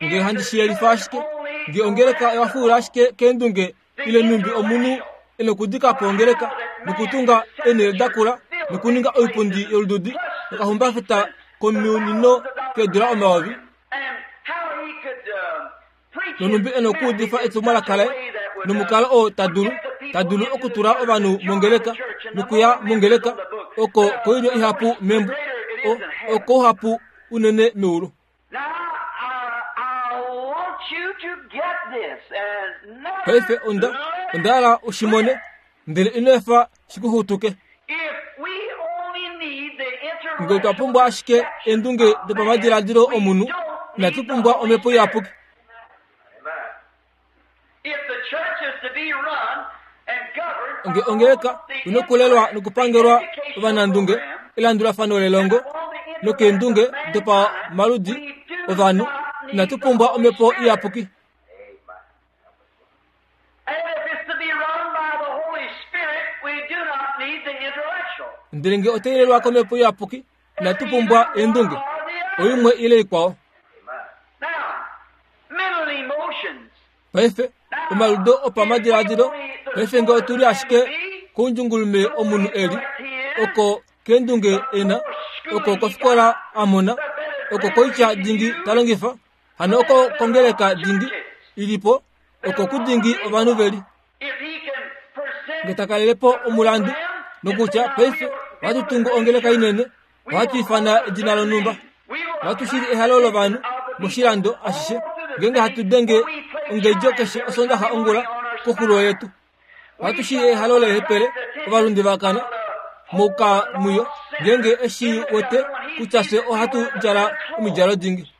Speaker 1: Nge handi shi yelifa ashike, nge ongeleka oya fuula ashike keendunge ile nhumbi omunhu e nokudika po ongeleka nokutunga eenhele da kula nokuninga oipundi yolududi nokahumbafeta komunino keedula omayovi nonhumbi e nokuudifa etumwalaka laye nomukalo oo ta dulu ta dulu okutula ovanhu mongeleka nokuya mongeleka oko koilyo ihapu membo okouhapu unene meulu. Paife onda, onda hala u shi mone, ndele ino efa shi ku xutuke. Nge otwa pumbwa ashike eendunge dopamadiladilo omunhu, inatu pumbwa Omhepo Iyapuki. Nge ongeleka inokulelwa nokupangelwa ovanandunge, elandulafano lelongo nokeendunge dopamaludi ovanhu, inatu pumbwa omhepo iyapuki. Ndele nge otai lelwa komhepo iyapuki, inatu pumbwa eendunge, oimwe ile ikwao. Paife, omaludo opamadiladilo, paife nge otu li ashike koundjungulume omunhu e li, oko keendunge e na, oko kofikola a mona, oko koitya dingi ta longifa, hano oko kongeleka dingi i li po, oko kudingi ovanhu ve li. Nge ta kalele po omulandu, nokutya paife ohatu tungu ongeleka inene, Ohatu ifana edina lonhumba. Ohatu shili ehalo lovanhu moshilando ashishe ngeenge hatu denge ongedjo keshe Osondaxa ongula koxulo yetu. Ohatu shili ehalo leehepele ovalunde va kana moukamwiyo ngeenge eshi wete kutya fye ohatu djala omidjalo dingi.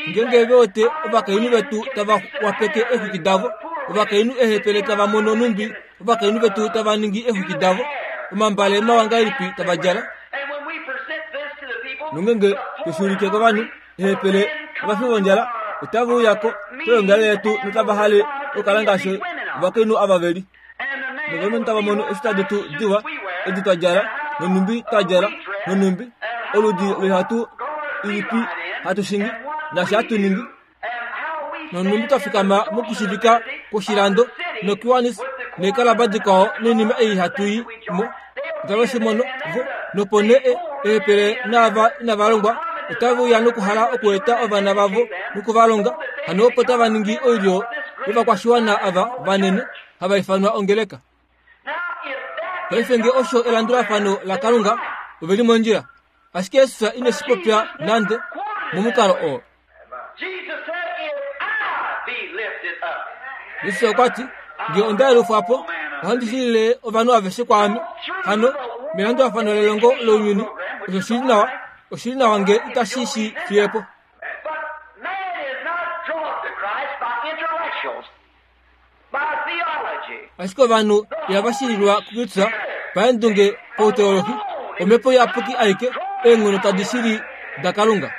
Speaker 1: Ngeenge ve wete ovakainhu vetu tava wapeke eexwiki davo, ovakainhu eehepele tava mono nhumbi ovakainhu vetu tava ningi eexwiki davo, omambale mawa ngahelipi tava djala. Nongeenge to shi ulike kovanhu, eehepele ovafi vondjala otave uya ko koyoongalele yetu notava hale okukala ngaashi ovakainhu ava ve li. Novalumenhu tava mono eeshita detu diwa edi twa djala, nonhumbi twa djala, nonhumbi oludi loihatu ilipi hatu shingi, naashi hatu ningi, nonhumbi twa fikama mokushivika kwoshilando noKiwanis neekalaba dikwao noinima ei hatu i mo. Otave shi mono vo, nopo nee eehepele naava inava longwa otave uya nokuhala okueta ovana vavo noku va longa, hano opo tava ningi oilyo yovakwashiwana ava vanene hava ifanwa ongeleka. Paife nge osho elandulafano laKalunga, ove li mondjila. Ashike Jesus ine shi popya nande momukalo oo. Jesus okwa ti, Nge onda yelufwa po, ohandi shilile ovanhu aveshe kwaame. Hano, melandulafano lelongo lounyuni, osho shi li nawa, oshi li nawa nge itashi shi fiye po. Ashike ovanhu ihava shililwa kuKristus paendunge pauteolohi, omhepo iyapuki aike, eenghono tadi shili daKalunga.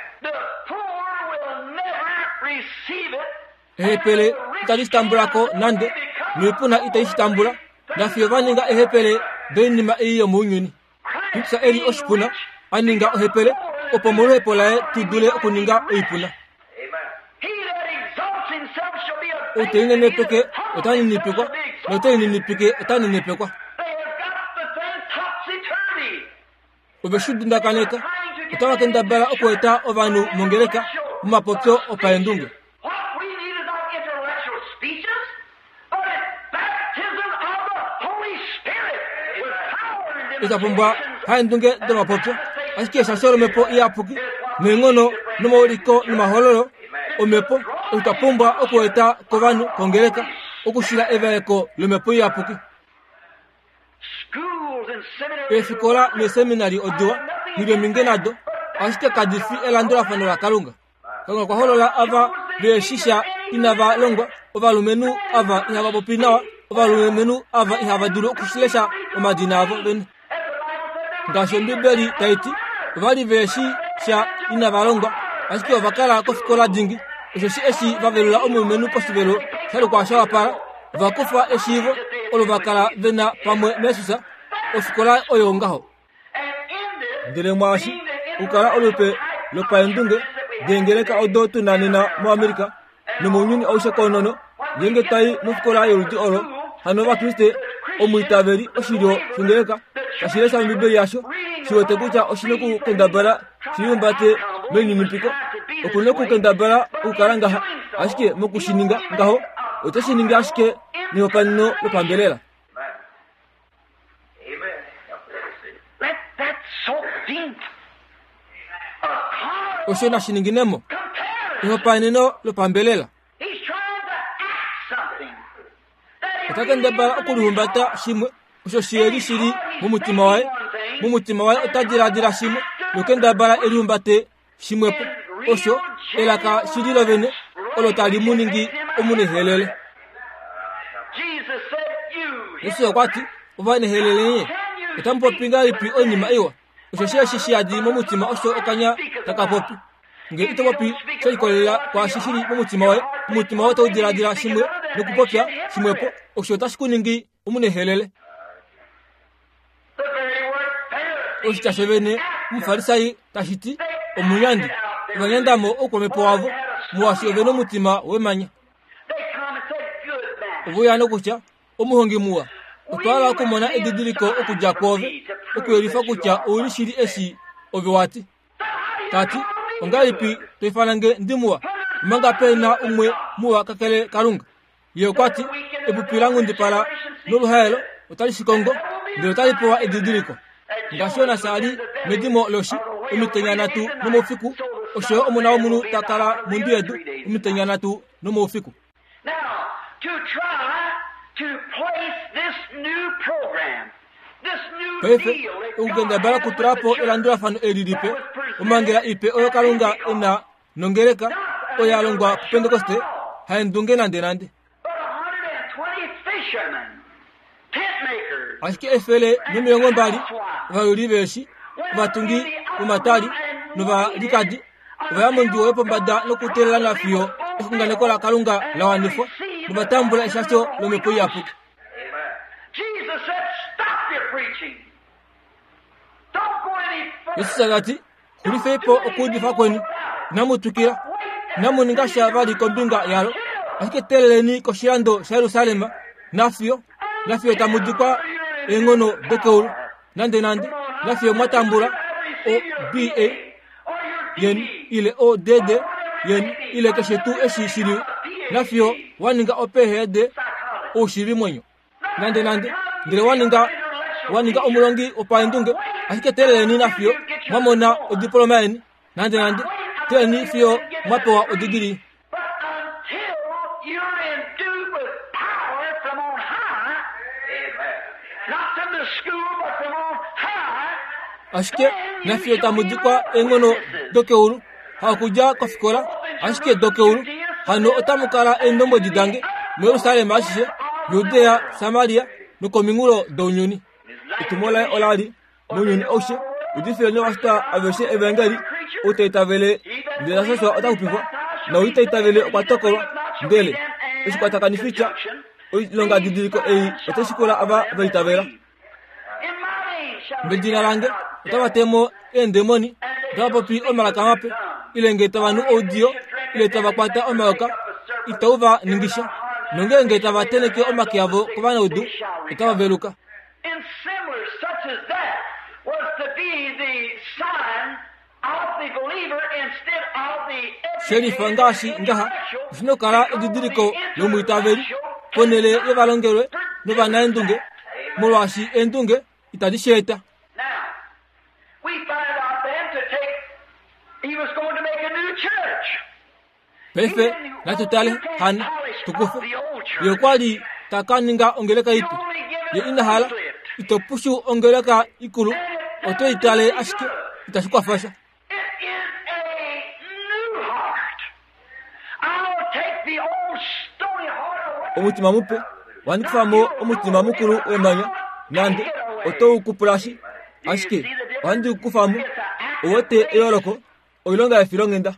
Speaker 1: Ehepele itali shi tambula ko nande, noipuna itai shi tambula, nafiyo va ninga eehepele doinima ei yomounyuni. Kristus e li oshipuna, a ninga ohepele, opo moluhepo laye tu dule okuninga oipuna. Ou te linenepeke ota ninipikwa, note lininipike ota nenepekwa. Ove shi dundakaneka, otava kendabala okueta ovanhu mongeleka momapopyo opaendunge. Ita pumbwa paendunge domapopyo, ashike eshasho lomhepo iyapuki neenghono nomauliko nomahololo omhepo osho twa pumbwa okueta kovanhu kongeleka okushila evaeko lomhepo iyapuki. Eefikola neeseminari odiwa, nghi li ominge nado, ashike kadi fi elandulafano laKalunga. Kalunga okwa holola ava ve shi sha inava longwa, ovalumenhu ava ihava popi nawa, ovalumenhu ava ihava dulu okushilesha omadina avo vene. Ngaashi Ombibeli tai ti, ova li ve shi sha inava longwa, ashike ova kala kofikola dingi. Osheshi eshi va velula omulumenhu poshivelo sha lukwa sha wapala, ova kufa eshiivo olo va kala ve na pamwe naJesus, ofikola oyo ngaho. Ndele mwaashi, okukala olupe lopaendunge deengeleka odo tu na nena moAmerica nomounyuni aushe koonono, ngeenge twa i mofikola yoludi olo, hano Ovakriste omwiitaveli oshilyo shongeleka tashi lesha Ombibeli yasho shi wete kutya oshi nokukendabala shi lihumbate melininipiko. Oku nokukendabala okukala ngaha, ashike moku shi ninga ngaho, ote shi ningi ashike nehopaeneno lopambelela. Osho nashi ningine mo ehopaeneno lopambelela. Ota kendabala okulihumbata shimwe osho shiyeli shili momutima waye. Momutima waye ota diladila shimwe nokendabala elihumbate shimwepo osho elaka shili lovene olo tali mu ningi omunehelele. Jesus okwa ti, Ovanehelele nye, otamu popi ngahelipi oinima iwa? Osheshi eshi shi yadi momutima osho okanya taka popi. Ngee ito popi she likolelela kwaashi shi li momutima woye, omutima woye otau diladila shimwe nokupopya shimwepo, osho otashi ku ningi omunehelele. Oshitya shovene Omufarisai tashi ti omunyandi. Ova nyanda mo oukwamhepo wavo, molwaashi ove nomutima wemanya. Ove uya nokutya, Omuhongi muwa, otwa hala okumona edidiliko okudja kwoove okuyelifa kutya ou li shili eshi ove wa ti. Ta ti, Ongahelipi to ifana nge ndi muwa, omanga pe na umwe muwa kakele Kalunga? Ye okwa ti, Epupi la nghundipala noluhaelo otali shi kongo, ndele otali pewa edidiliko. Ngaashi Jonas a li medimo loshi omitenya nhatu nomoufiku, osho yo Omona wOmunhu ta kala mondwi yedu omitenya nhatu nomoufiku. Paife, okukendabala okutula po elandulafano eli lipe, omhangela ipe oyo Kalunga e na nongeleka oyo ya longwa kuPentekoste, haendunge nandenande. Ashike 120 ovayuli veeshi, ovatungi vomatwali novalikadi ova ya mondjuwo yopombada nokuteelela nafiyo exunganeko laKalunga la wanifwa nova tambula eshasho lOmhepo Iyapuki. Jesus ta ti, Xulifei po okuudifa kweni, inamu twikila, inamu ninga sha vali kombinga yalo, ashike teeleleni koshilando shaJerusalem nafiyo nafiyo tamu dikwa eenghono dokeulu, nandenande nafiyo mwa tambula o-BA yeni ile o-DD yeni ile keshe tuu eshi shi li nafiyo wa ninga o-PhD oushiivimwenyo. Nande nande, ndele wa ninga wa ninga omulongi wopaendunge, ashike teeleleni nafiyo mwa mona odiploma yeni. Nande nande, teeleleni fiyo mwa pewa odigili. Ashike nafiyo tamu dikwa eenghono dokeulu, hakudja kofikola, ashike dokeulu, hano otamu kala eendombwedi dange muJerusalem ashishe, Judea, Samaria nokominghulo dounyuni. Etumo laye ola li mounyuni aushe, udifileni ovashitwa aveshe evangeli, ou ta itavele ndele ta shashwa ota xupifwa, naou ita itavele okwa tokolwa. Ndele oshikwatakanifitya oilongadidiliko ei otai shikula ava va itavela. Medina lange otava te mo eendemoni, otava popi omalaka mape, ile nge tava nu oudiyo, ile tava kwata omayoka, itau va ningi sha. Nongeenge tava tenheke omake avo kovanaudu, otava veluka. Shelifa ngaashi ngaha, oshi na okukala edidiliko lomwiitaveli ponhele yovalongelwe novanaendunge, molwaashi eendunge itadi shi eta. Paife natu tale hano, tu kufe. Ye okwa li ta ka ninga ongeleka ipe. Ye ina hala, ito pushu ongeleka ikulu, oto i tale ashike, itashi kwafa sha. Omutima mupe, ohandi kufa mo omutima mukulu wemanya, nande oto u kupulashi, ashike ohandi u kufa mo. Ou wete eyooloko? Oilonga yefilonghenda.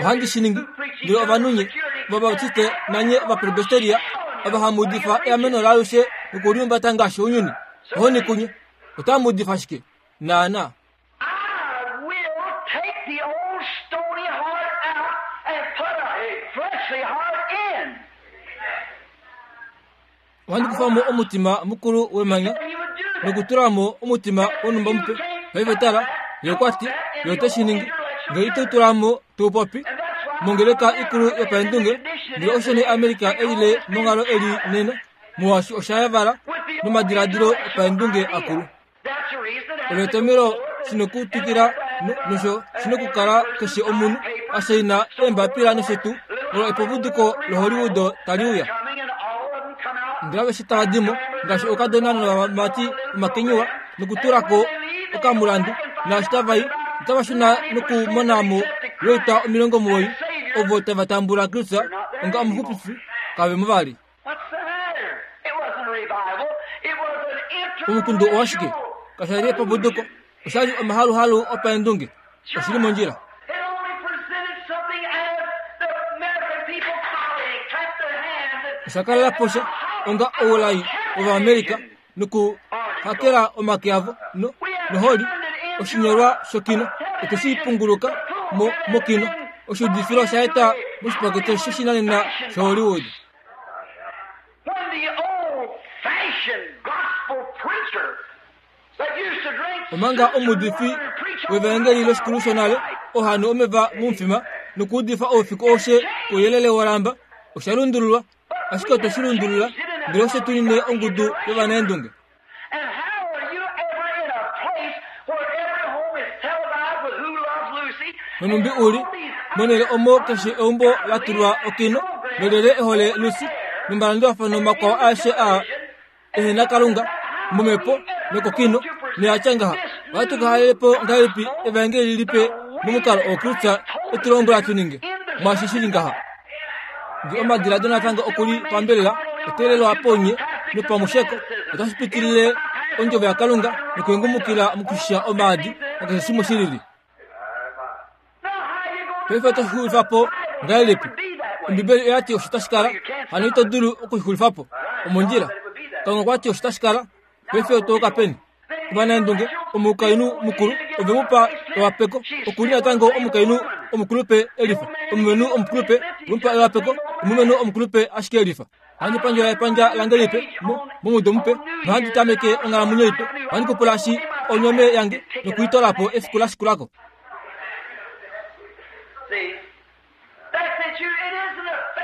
Speaker 1: Ohandi shi ningi ndele ovanhu nye Ovabautiste nanye Ovapresbiteria ava hamu udifa eameno laalushe nokulihumbata ngaashi ounyuni, ohoni kunye. Otamu udifa shike? Naanaa. Ohandi kufa mo omutima mukulu wemanya nokutula mo omutima wonhumba mupe. Paife tala, ye okwa ti, ye ote shi ningi. Nge ito tula mo tuu popi mongeleka ikulu yopaendunge, ndele osho nee America e lile monghalo eli nena, molwaashi osha yavala nomadiladilo opaendunge akulu. Olo etomhelo shi nokutwikila nosho shi nokukala keshe omunhu a shaina eembapila nosho tuu olo epupuduko loHollywood tali uya. Ndele aveshe tava di mo, ngaashi oukadona novamati omakenyuwa, nokutula ko okamulandu, naashi tava i, otava shuna nokumona mo loita 90 ovo tava tambula Kristus onga omuxupifi kave mo vali. Omukundu owashike? Kasha li epapuduko, osha li omahaluhalu opaendunge. Oshi li mondjila. Osha kalela po sha onga oulai wOvaamerica nokuhakela omake avo no, noholi oshinyolwa shokino ote shi punguluka mo mokino oshuudifilo osha eta moshipakete shoshinanena shaHollywood. Omanga omuudifi wevaengeli loshikulu shonale oha nu omeva momufima nokuudifa oufiku aushe kouyelele wolamba, osha lundululwa ashike otwe shi lundulula ndele oshe tu nine ongudu yovanaendunge. Nonhumbi u li monhele omo keshe eumbo la tulwa okino nolyelye e hole Lucy nomalandulafano makwao aeshe aa ehe na Kalunga momhepo nokokino noya tya ngaha ohatu ka halele po ngahelipi evaengeli lipe momukalo oo Kristus e tu lombwela tu ninge mwaashi shi li ngaha nge omadiladilo natango oku li pambelela oteelelwa ponye nopamusheko otashi pitilile ondjovo yaKalunga nokuhengumukila mokushisha omaadi nakeshe shimwe shi lili Paife oto shi xulifa po ngahelipi? Ombibeli oya ti osho tashi kala, hano ito dulu oku shi xulifa po. Omondjila. Kalunga okwa ti osho tashi kala. Paife oto ka peni? Ovanaendunge, omukainhu mukulu, ove mu pa ewapeko. Oku li natango omukainhu omukulupe elifa. Omulumenhu omukulupe, ove mu pa ewapeko. Omulumenhu omukulupe ashike elifa. Ohandi pandjula epandja lange lipe momudo mupe nohandi tameke onghalamwenyo ipe. Ohandi kupulashi onyome yange nokuitola po efiku la shikula ko.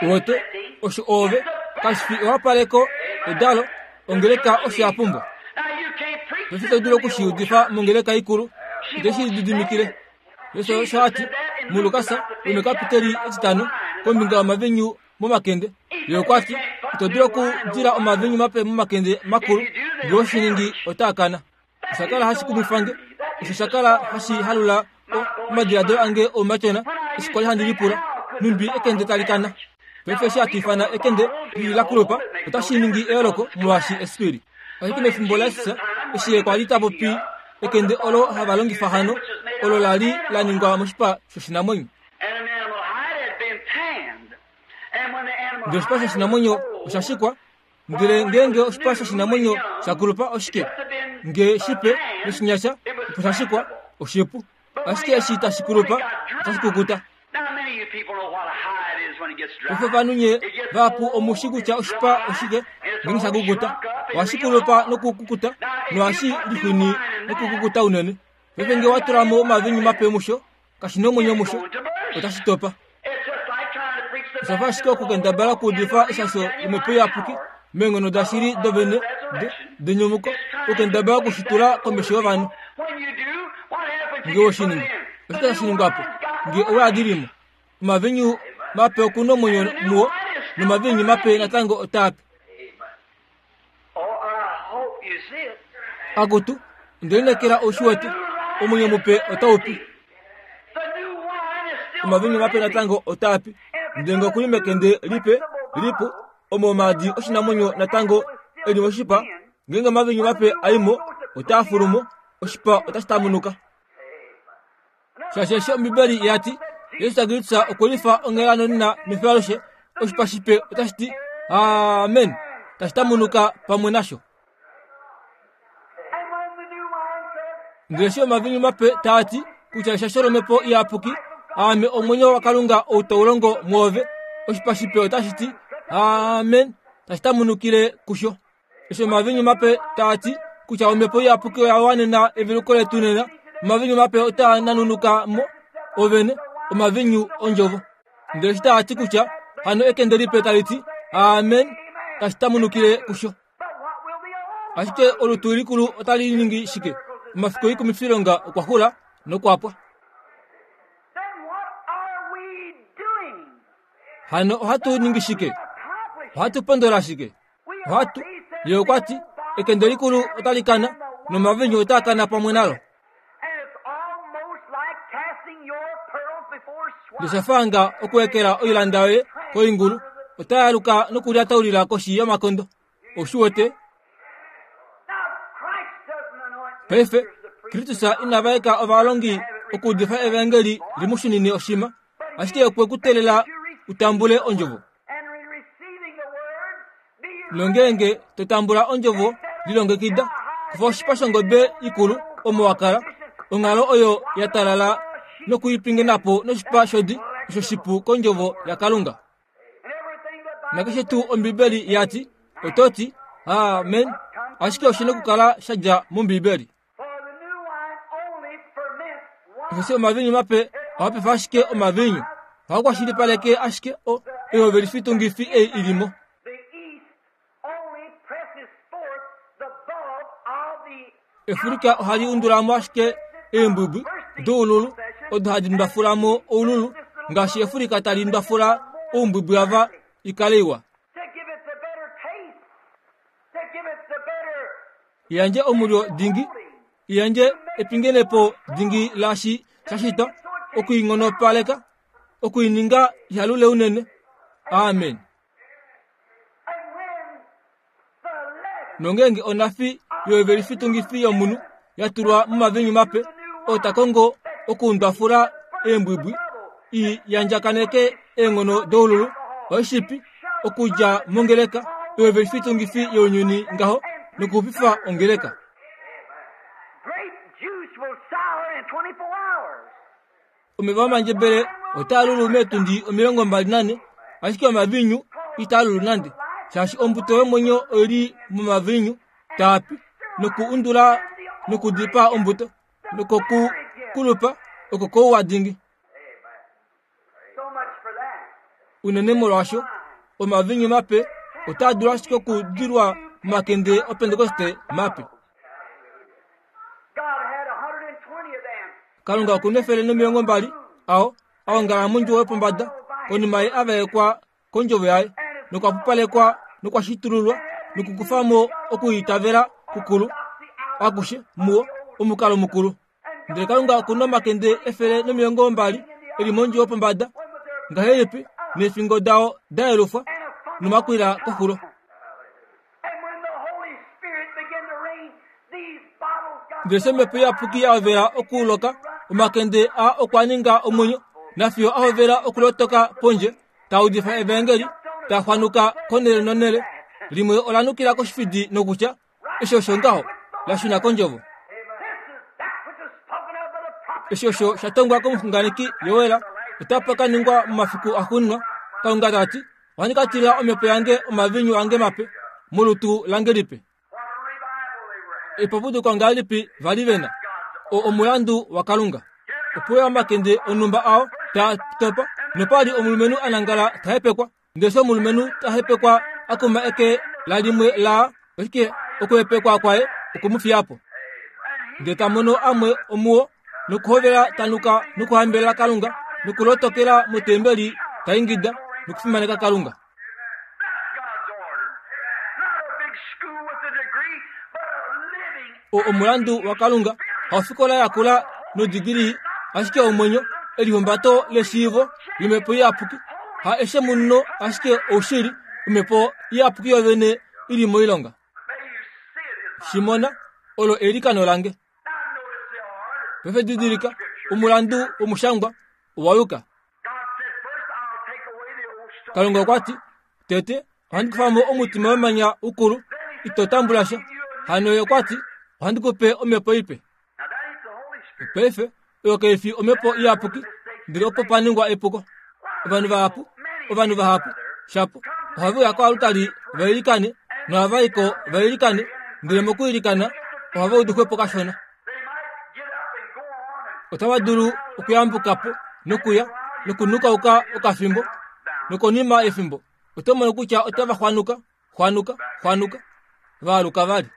Speaker 1: Uwete, osho oove, kashi fi ewapaleko, edalo, ongeleka osho ya pumbwa. Paife to dulu oku shi udifa mongeleka ikulu, ite shi lididimikile. Jesus osho a ti muLukas womekapiteli etitano kombinga yomavinyu momakende. Ye okwa ti, Ito dulu okudila omavinyu mape momakende makulu, ngee oshi ningi otaa kana. Osha kala hashi kumwifa nge. Osho sha kala hashi halula omadiladilo ange oumatyona eshi kwali handi lipula, Nhumbi ekende tali kana? Paife eshi hatu ifana ekende li la kulupa, otashi ningi eyooloko molwaashi esipili. Ashike mefimbo laJesus, eshi ye kwa li ta popi ekende olo hava longifa hano, olo la li la ningwa moshipa shoshinamwenyo. Ndele oshipa shoshinamwenyo osha shikwa, ndele ngeenge oshipa shoshinamwenyo sha kulupa oshike? Nge shipe noshinyasha opo sha shikwa, oshipu. Ashike eshi tashi kulupa, otashi kukuta. Paife ovanhu nye vahapu omu shi kutya oshipa oshike ngeenge sha kukuta. Ohashi kulupa nokukukuta nohashi lixwini nokukukuta unene. Paife nge wa tula mo omavinyu mape musho, kashi na omwenyo musho, otashi topa. Osha fa ashike okukendabala okuudifa eshasho lomhepo iyapuki meenghono dashili dovene denyumuko, okukendabala oku shi tula komesho yovanhu. Nge we shi ningi, oshike tashi ningwa po? Nge owe a dili mo, omavinyu mape oku na omwenyo muo, nomavinyu mape natango otaa pi. Akutu, onde lineekela ou shi wete, omwenyo mupe otau pi. Omavinyu mape natango otaa pi. Ndele nge oku li mekende lipe, lipu, omo omaadi oshinamwenyo natango e li moshipa, ngeenge omavinyu mape a i mo, otaa fulu mo, oshipa otashi tamunuka. Shaashi eshi Ombibeli ya ti, Jesus Kristus okwe lifa onghela nonena mefyo alushe, oshipa shipe otashi ti amen, tashi tamunuka pamwe nasho. Ndele eshi omavinyu mape taa ti kutya eshasho lomhepo iyapuki, aame omwenyo waKalunga ou tau longo mwoove, oshipa shipe otashi ti amen, tashi tamunukile kusho. Eshi omavinyu mape taa ti kutya omhepo iyapuki oya wanena eveluko letu nena, omavinyu mape otaa nanunuka mo ovene, omavinyu ondjovo. Ndele eshi taa ti kutya hano ekende lipe tali ti amen, tashi tamunukile kusho. Ashike olutu likulu otali ningi shike? Omafiku oikumifilonga okwa xula nokwa pwa. Hano ohatu ningi shike? Ohatu pondola shike? Ohatu, ye okwa ti, ekende likulu otali kana, nomavinyu otaa kana pamwe nalo. Ndele osha fanga okuekela oilanda yoye koingulu, otai aluka nokulyataulila koshi yomakondo. Ou shi wete? Paife, Kristus ina vaeka ovalongi okuudifa evaengeli li mu shunine oshima, ashike okwe ku teelela u tambule ondjovo. Nongeenge to tambula ondjovo, lilongekida. Kufa oshipa shongobe ikulu omo wa kala, onghalo oyo ya talala noku i pingena po noshipa shodi osho shipu kondjovo yaKalunga. Nakeshe tuu Ombibeli ya ti, oto ti, Amen, ashike oshi na okukala sha dja mOmbibeli. Osheshi omaviinyu mape ohaa pefa ashike omaviinyu, ohaa kwashilipaleke ashike o, oihovelifitungifi ei i li mo. Efulika ohali undula mo ashike eembwibwi doululu odo hadi ndwafula mo oululu ngaashi efulika tali ndwafula oumbwibwi ava i kale iwa. Yandje omulyo dingi, yandje epingenepo dingi laashi sha shitwa, oku i nghonopaleka, oku i ninga ihalule unene. Amen. Nongeenge onhafi yoivelifitungifi yomunhu ya tulwa momaviinyu mape, oo ta kongo okuundwafula eembwibwi i yandjakaneke eenghono doululu, oishipi, okudja mongeleka yoivelifitungifi younyuni ngaho nokuxupifa ongeleka.
Speaker 2: Grape juice will sour in 24 hours.
Speaker 1: Omeva omandjebele otaa lulu meetundi 24, ashike omaviinyu itaa lulu nande, shaashi ombuto yomwenyo oi li momaviinyu taa pi noku undula nokudipaa ombuto, nokokukulupa oko kouwa dingi.
Speaker 2: So much for that.
Speaker 1: Unene molwaasho omaviinyu mape otaa dulu ashike okudilwa momakende Opentekoste mape.
Speaker 2: God had 120 of them.
Speaker 1: Kalunga oku na 120 ao a ongala mondjuwo yopombada konima ye a vaekwa kondjovo yaye nokwa pupalekwa nokwa shitululwa nokukufa mo okwiitavela kukulu akushe muwo omukalo mukulu. Ndele Kalunga oku na omakende 120 e li mondjuwo yopombada ngahelipi neefingo dao da yelufwa nomakwila koxulo.
Speaker 2: And when the Holy Spirit began to rain, these bottles got
Speaker 1: Ndele eshi omhepo iyapuki ya hovela okuloka, omakende aa okwa ninga omwenyo, nafiyo a hovela okulotoka pondje, taa udifa evaengeli, taa xwanuka konhele nonhele. Limwe ola nukila koshifidi nokutya, Eshi osho ngaho, la shuna kondjovo.
Speaker 2: This is that which was spoken of by the prophet.
Speaker 1: Eshi osho sha tongwa komuxunganeki Joel, otapa ka ningwa momafiku axuuninwa, Kalunga ta ti, Ohandi ka tila omhepo yange omaviinyu ange mape molutu lange lipe. Epapuduko ngahelipi va li ve na? O omulandu waKalunga. Ope uya omakende onhumba ao taa topa, nopa li omulumenhu a nangala ta hepekwa. Ndele eshi omulumenhu ta hepekwa a kuma eke lalimwe laa, ashike okuhepekwa kwaye okwe mu fiya po. Ndele ta mono amwe omuo nokuhovela ta nuka nokuhambelela Kalunga nokulotokela motembeli ta ingida nokufimaneka Kalunga.
Speaker 2: That's God's order. Not a big school with a degree, but a living
Speaker 1: O omulandu waKalunga haufikola yakula nodigilii, ashike omwenyo, elihumbato leshiivo lomhepo iyapuki, ha eshe muno ashike oushili, omhepo iyapuki yovene i li moilonga.
Speaker 2: May you see it is my
Speaker 1: Shi mona, olo eilikano lange.
Speaker 2: Now notice the order.
Speaker 1: Paife didilika, omulandu womushangwa owa yuka.
Speaker 2: God said, First I'll take away the old stone.
Speaker 1: Kalunga okwa ti, Tete, ohandi kufa mo omutima wemanya ukulu, ito tambula sha. Hano ye okwa ti, Ohandi ku pe omhepo ipe.
Speaker 2: Now that ain't the Holy Spirit.
Speaker 1: Paife, oyo kai fi omhepo iyapuki, ndele opo pa ningwa epuko. Ovanhu vahapu, ovanhu vahapu, shapo, ohave uya koalutali va ilikane, nohava i ko va ilikane, ndele mokuilikana ohava udu xwepo kashona.
Speaker 2: They might get up and go on and
Speaker 1: Otava dulu okuyambuka po nokuya nokunukauka okafimbo, nokonima yefimbo oto mono kutya otava xwanuka, xwanuka, xwanuka, va aluka vali.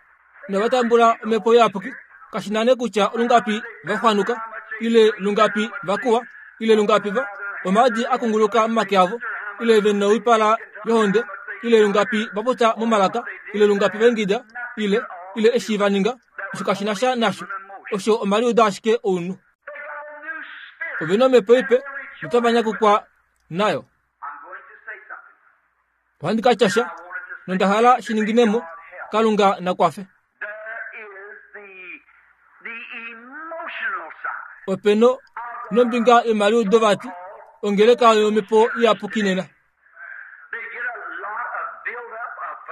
Speaker 1: Inava tambula omhepo iyapuki, kashi na nee kutya olungapi va xwanuka, ile lungapi va kuwa, ile lungapi va omaadi a kunguluka momake avo, ile ve noipala yohonde, ile lungapi va popya momalaka, ile lungapi va ingida, ile, ile eshi va ninga, osho kashi na sha nasho. Osho omaliudo ashike ounhu. Ove na omhepo ipe, notava nyakukwa nayo. Ohandi ka tya sha, nonda hala shi ninginemo, Kalunga na kwafe. Ope no, nombinga yomaliudo vati, ongeleka yomhepo iyapuki nena.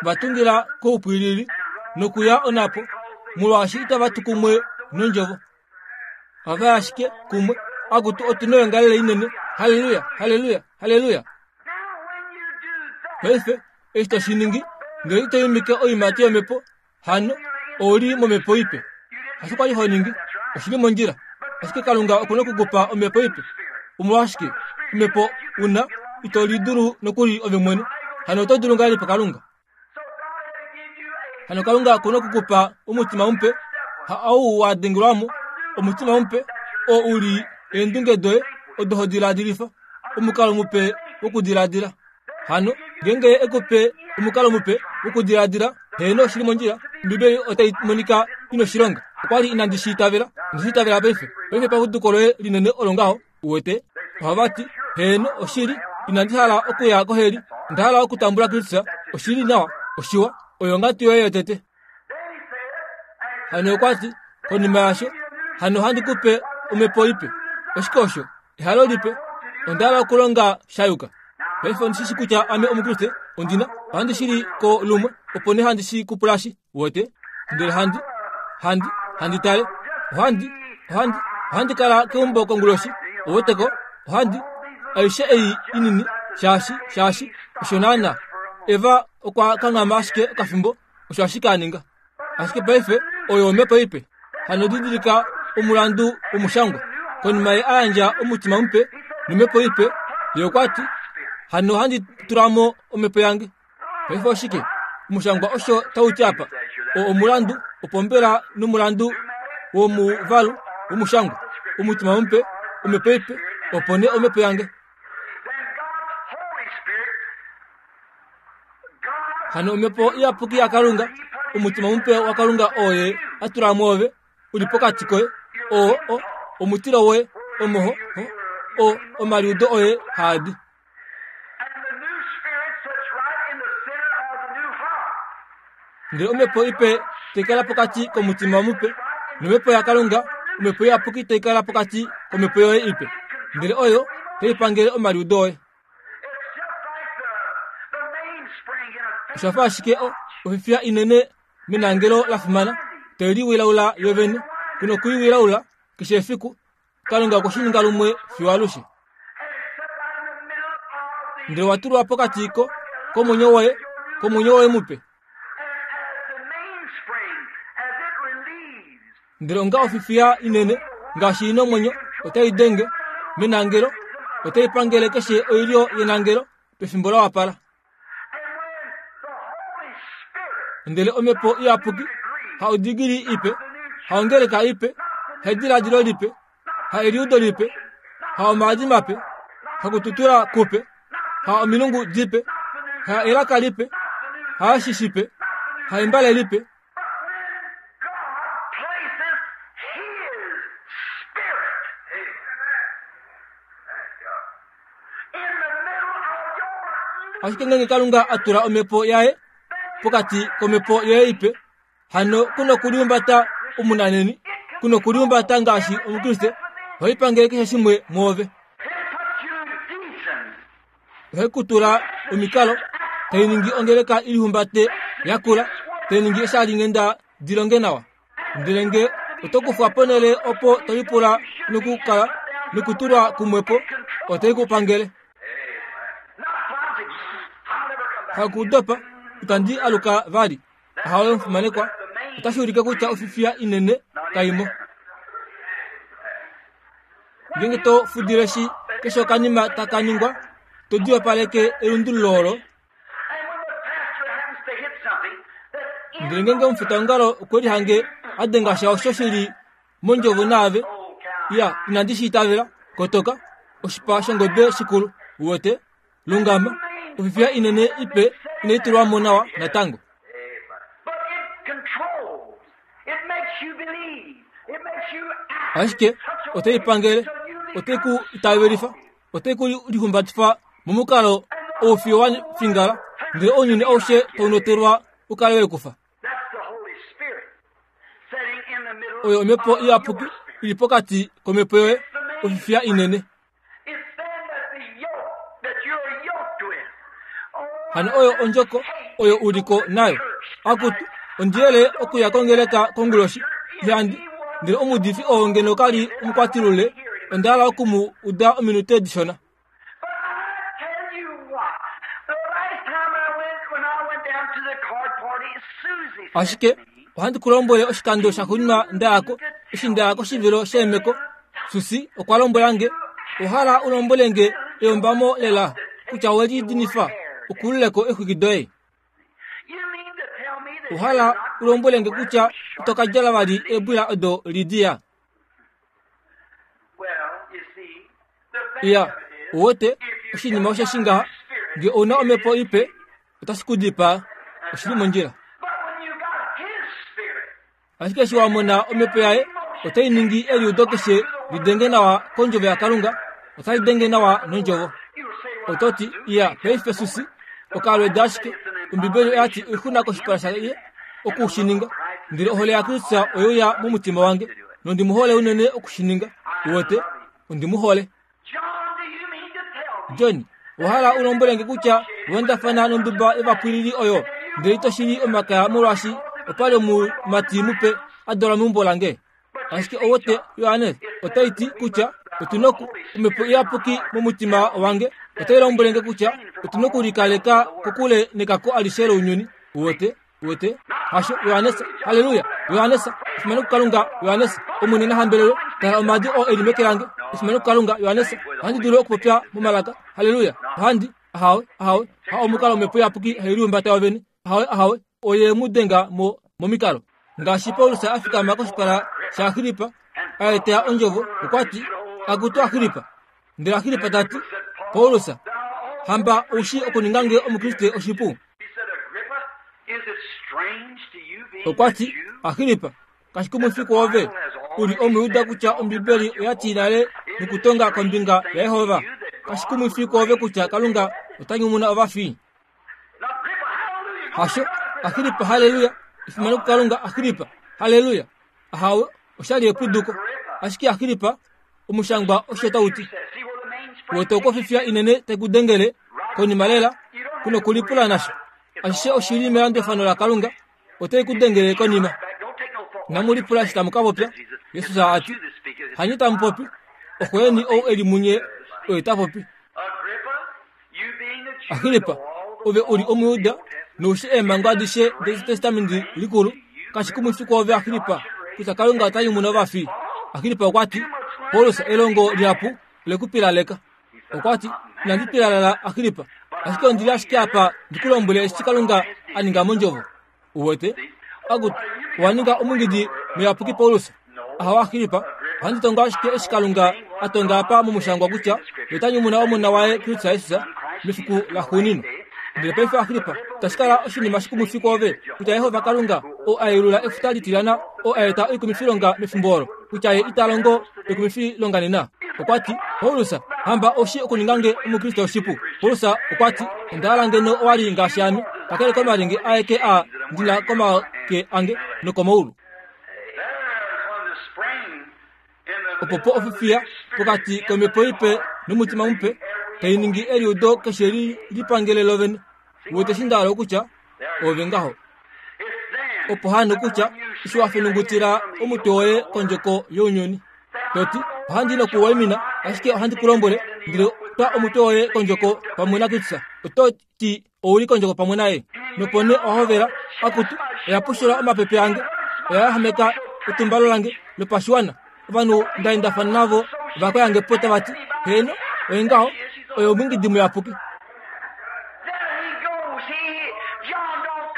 Speaker 1: Va tungila koupwilili nokuya onapo, molwaashi itava tu kumwe nondjovo. Ohava yi ashike kumwe, Akutu, otu noyongalele inene! Halleluya! Halleluya! Halleluya! Paife, eshi to shi ningi, ngele ito imike oiimati yomhepo, hano ou li momhepo ipe. Hasho kwa li ho ningi, oshi li mondjila. Ashike Kalunga oku na oku ku pa omhepo ipe. Omolwashike, omhepo u na, ito lidulu nokuli ove mwene. Hano oto dulu ngahelipi Kalunga? Hano Kalunga oku na oku ku pa omutima mupe, ha ou wa dengelwa mo, omutima mupe, oo u li eendunge doye odo ho diladilifa, omukalo mupe wokudiladila. Hano ngeenge ye e ku pe omukalo mupe wokudiladila, heeno oshi li mondjila, Ombibeli otai monika ina oshilonga. Okwa li inandi shi itavela, onde shi itavela paife. Paife paputuko loye linene olo ngaho, uwete. Ohava ti, Heeno, oshili, inandi hala okuya koheli, onda hala okutambula Kristus. Oshi li nawa, oshiwa, oyo onghatu yoye yotete. Hano okwa ti, konima yaasho, hano ohandi ku pe omhepo ipe. Oshike osho? Ehalo lipe. Onda hala okulonga sha yuka. Paife ondi shi shi kutya ame Omukriste, ondi na, ohandi shi li ko lumwe, opo nee handi shi kupulashi, uwete. Ndele handi, handi, handi tale. Ohandi, ohandi, ohandi kala keumbo konguloshi, uweteko, ohandi, aishe ei inini, shaashi, shaashi, osho naana. Eva okwa kanghama ashike okafimbo, osho ashike a ninga. Ashike paife oyo omhepo ipe. Hano didilika omulandu womushangwa. Konima ye a yandja omutima mupe nomhepo ipe, ye okwa ti, Hano ohandi tula mo omhepo yange. Paife oshike? Omushangwa osho tau ti apa. O omulandu, opo mbela nomulandu womuvalu womushangwa. Omutima mupe, omhepo ipe, opo nee omhepo yange. Hano omhepo iyapuki yaKalunga, omutima mupe waKalunga oo ye a tula mwoove, u li pokati koye, oo o, omutilo woye, omo ho, ho, o, omaliudo oye haa di. Ndele omhepo ipe tai kala pokati komutima mupe, nomhepo yaKalunga, omhepo iyapuki tai kala pokati komhepo yoye ipe, ndele oyo tai pangele omaliudo oye. Osha fa ashike ofifiya inene menangelo la fimana tai liwilaula yo vene. Ku noku i wilaula keshe efiku. Kalunga okwe shi ninga lumwe fiyo alushe. Ndele wa tulwa pokati ko komwenyo woye, komwenyo woye mupe. Ndele onga ofifiya inene ngaashi ina omwenyo otai denge menangelo, otai pangele keshe oilyo yenangelo pefimbo la wapala. Ndele omhepo iyapuki ha odigili ipe, ha ongeleka ipe, ha ediladilo lipe, ha eliudo lipe, ha omaadi mape, ha kututula kupe, ha omilungu dipe, ha elaka lipe, ha eshi shipe, ha embale lipe. Ashike ngeenge Kalunga a tula omhepo yaye pokati komhepo yoye ipe, hano ku nokulihumbata omunanheni, ku nokulihumbata ngaashi Omukriste, ohai pangele keshe shimwe mwoove. Ohai ku tula omikalo, tai ningi ongeleka i lihumbate ya kula, tai ningi eeshalinghenda di longe nawa. Ndele nge oto kufwa ponhele opo to lipula nokukala nokutulwa kumwe po, otai ku pangele. Hakudopa, itandi aluka vali. Ahawe omufimanekwa, otashi ulike kutya ofifiya inene kai mo. Ngeenge to fudile shi keshe okanima taka ningwa, to diwapaleke elundululo olo. Ndele ngeenge omufitaongalo okwe lihange a denga sha osho shi li mondjovo naave, ya, inandi shi itavela, kotoka, oshipa shongobe shikulu, uwete, Lungama, ofifiya inene ipe inai tulwa mo nawa natango. Ashike otai pangele, otai ku itavelifa. Otai ku lihumbatifa momukalo oufiyo wa fingala, ndele ounyuni aushe tau notelwa u kale we kufa. Oyo omhepo iyapuki i li pokati komhepo yoye, ofifiya inene. Hano oyo ondjoko oyo u liko nayo. Akutu, ondi yele okuya kongeleka konguloshi, ihandi. Ndele omuudifi oo ngeno ka li omukwatilule, onda hala oku mu uda ominute dishona. Ashike ohandi ku lombwele oshikando shaxuuninwa nda ya ko, eshi nda ya koshivilo sheemeko, Susi okwa lombwela nge, Owa hala u lombwele nge eyombamo lela kutya owe lidinifa ukulule ko eexwiki doye? Owa hala u lombwele nge kutya ito ka djala vali eebwila odo Lidia? Iya, uwete, oshinima osheshi ngaha, nge ou na omhepo ipe, otashi ku dipaa. Oshi li mondjila. Ashike eshi wa mona omhepo yaye, otai ningi eliudo keshe li denge nawa kondjovo yaKalunga, otali denge nawa nondjovo. Oto ti, Iya, paife Susi, okalweda ashike. Ombibeli oya ti oixuna koshipala shaye oku shi ninga. Ndele ohole yaKristus oye uya momutima wange, nondi mu hole unene oku shi ninga. Uwete, ondi mu hole. John, owa hala u lombwele nge kutya owa endafana nonduba yovapwilili oyo ndele ito shili omakaya molwaashi opa li omumati mupe a dalwa meumbo lange? Ashike owote Johannes otai ti kutya otu noku omhepo iyapuki momutima wange otai lombwele nge kutya otu nokulikaleka kokule nekako alishe lounyuni. Uwete? Uwete? Hasho, Johannes. Halleluya! Johannes, efimano kuKalunga, Johannes. Omwene na hambelelwe. Tala omaadi oo e li meke lange. Efimano kuKalunga, Johannes. Ohandi dulu okupopya momalaka. Halleluya! Ohandi. Ahawe, ahawe. Ha omukalo omhepo iyapuki hai lihumbata yovene. Ahawe, ahawe. Oye mu denga mo momikalo. Ngaashi Paulus a fikama koshipala shaAgrippa, a eta ondjovo, okwa ti, Akutu Agrippa, Ndele Agripa ta ti, Paulus, hamba ou shii okuninga nge Omukriste oshipu? Okwa ti, Agripa, kashi kumwifi kwoove u li Omuyuda kutya Ombibeli oya ti nale nokutonga kombinga yaJehova? Kashi kumwifi kwoove kutya Kalunga ota nyumuna ovafi? Hasho, Agripa, halleluya! Efimano kuKalunga, Agripa, halleluya! Ahawe, osha li epuduko. Ashike Agripa, omushangwa osho tau ti. Wete okofifya inene tai ku dengele konima lela, ku nokulipula nasho. Ashishe oshi li melandulafano laKalunga, otai ku dengele konima. Inamu lipula eshi tamu ka popya, Jesus a ti. Hanye tamu popi, oxo yeni ou e li munye oye ta popi. Agripa, ove u li Omuyuda nou shi eemhango adishe dEtestamenti Likulu, kashi kumwifi kwoove Agripa kutya Kalunga ota nyumuna ovafi? Agripa okwa ti, Paulus, elongo lihapu ole ku pilaleka. Okwa ti, Inandi pilalala Agripa, ashike ondi li ashike apa ndi ku lombwele eshi Kalunga a ninga mondjovo. Uwete? Akutu, owa ninga omungidi muyapuki Paulus. Ahawa Agripa, ohandi tongo ashike eshi Kalunga a tonga apa momushangwa kutya ye ota nyumuna omona waye Kristus Jesus mefiku laxuuninwa. Ndele paife Agripa, itashi kala oshinima shikumwifi kwoove kutya Jehova Kalunga oo a yelula efuta litilyana oo a eta oikumifilonga mefimbo olo, kutya ye ita longo oikumifilonga nena? Okwa ti, Paulus, hamba oshi okuninga nge Omukriste oshipu. Paulus okwa ti, Onda hala ngeno owa li ngaashi ame, kakele komalyenge aeke a ndi na komake ange nokomaulu. Opo po ofifiya pokati komhepo ipe nomutima mupe tai ningi eliudo keshe li lipangele lovene. Wete eshi nda hala okutya? Ove ngaho. Opo hano kutya eshi wa fenungutila omutwe woye kondjoko younyuni, to ti, Ohandi nokuwaimina, ashike ohandi ku lombwele, ndele twa omutwe woye kondjoko pamwe naKristus. Oto ti ou li kondjoko pamwe naye. Nopo nee owa hovela, Akutu, oya pushula omapepe ange, oya yahameka etumbalo lange lopashiwana. Ovanhu nda endafana navo ova koya nge po tava ti, Heeno, oye ngaho, oye omwiingidi muyapuki.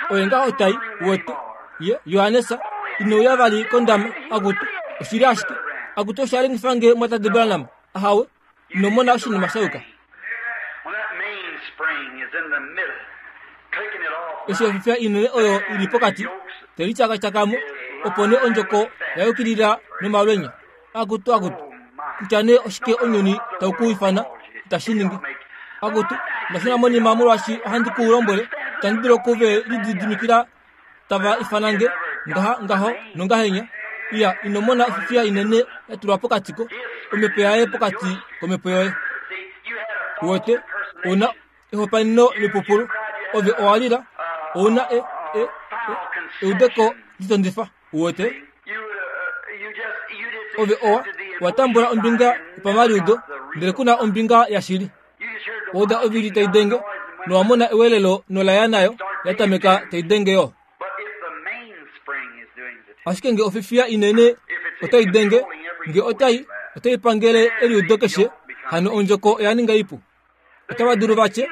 Speaker 1: Oye ngaho tai, wete, ye, Johannes, ine uya vali kondama, akutu, oshili ashike. Akutu, osha lengifa nge mwatate Branham. Ahawe, ino mona oshinima sha yuka. Eshi ofifya inene oyo i li pokati, te lityakatyaka mo, opo nee ondjoko ya yukilila nomalwenya. Akutu, akutu, kutya nee oshike ounyuni tau ku ifana, Itashi ningi. Akutu, onda shuna monima molwaashi ohandi ku lombwele, itandi dulu oku ve lididimikila tava ifana nge ngaha ngaho nongahenya. Iya, ino mona ofifiya inene ya tulwa pokati ko omhepo yaye pokati komhepo yoye. Uwete, ou na ehopaeneno lipupulu. Ove owa lila, ou na e, e, e, eudeko litondifa. Uwete? Ove owa, wa tambula ombinga yopamaliudo, ndele ku na ombinga yashili. Wa uda ovili tai denge, nowa mona ewelelo nola ya nayo ya tameka tai denge yo. Ashike nge ofifiya inene otai denge, nge otai, otai pangele eliudo keshe, hano ondjoko oya ninga ipu. Otava dulu va tye,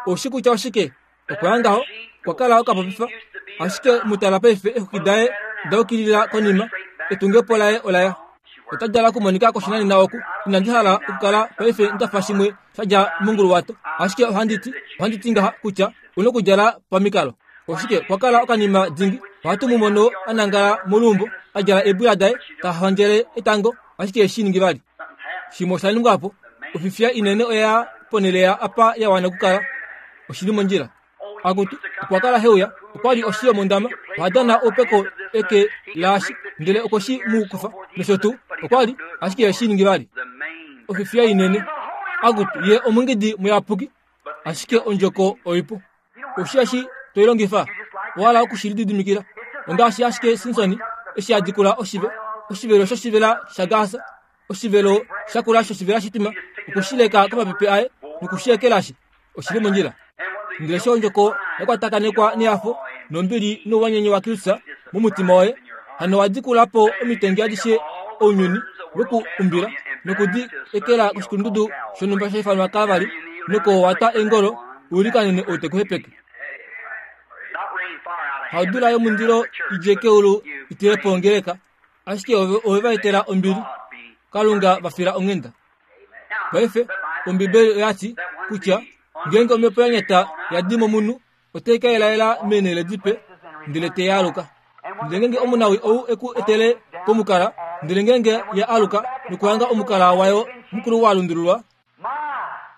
Speaker 1: Oushi kutya oshike? Okwa ya ngaho, okwa kala okapopifa, ashike mu tala paife eexwiki daye da yukilila konima, etungepo laye ola ya. Ota dala okumonika koshinanena oku. Inandi hala okukala paife nda fa shimwe sha dja monguluwato, ashike ohandi ti, ohandi ti ngaha kutya u nokudjala pamikalo. Oshike, okwa kala okanima dingi. Ohatu mu mono a nangala moluumbo, a djala eebwila daye, ta hondjele etango, ashike eshi ningi vali. Shimwe osha ningwa po. Ofifiya inene oya ponhele ya apa ya wana okukala. Oshi li mondjila. Akutu, okwa kala he uya, okwa li oshi yomondama, oha dana oupeko eke laashi, ndele okwe shi mu kufa, nosho tuu. Okwa li, ashike eshi ningi vali. Ofifiya inene. Akutu, ye omungidi muyapuki, ashike ondjoko oipu. Oshi eshi to i longifa, owa hala oku shi lididimikila. Ongaashi ashike Simson eshi a dikula oshive, oshivelo shoshivela shaGasa, oshivelo sha kula shoshivela shitima, oku shi leka komapepe aye noku shi ekelashi. Oshi li mondjila. Ndele eshi ondjoko ya kwatakanekwa nehafo nombili nouwanyenye waKristus momutima woye, hano wa dikula po omitengi adishe ounyuni we ku umbila noku di ekela koshikulundudu shonhumba sha ifanwa Kalvari, noko wa twa eengolo u likanene ou te ku hepeke. Haudula yomundilo i dje keulu i tile po ongeleka, ashike ove ove va etela ombili. Kalunga va fila onghenda. Paife, Ombibeli oya ti kutya ngeenge omhepo ya nyata ya di momunhu, otai ka elaela meenhele dipe, ndele te ya aluka. Ndele ngeenge omunawii ou e ku etele komukala, ndele ngeenge ye aluka nokuhanga omukala wayo mukulu wa lundululwa,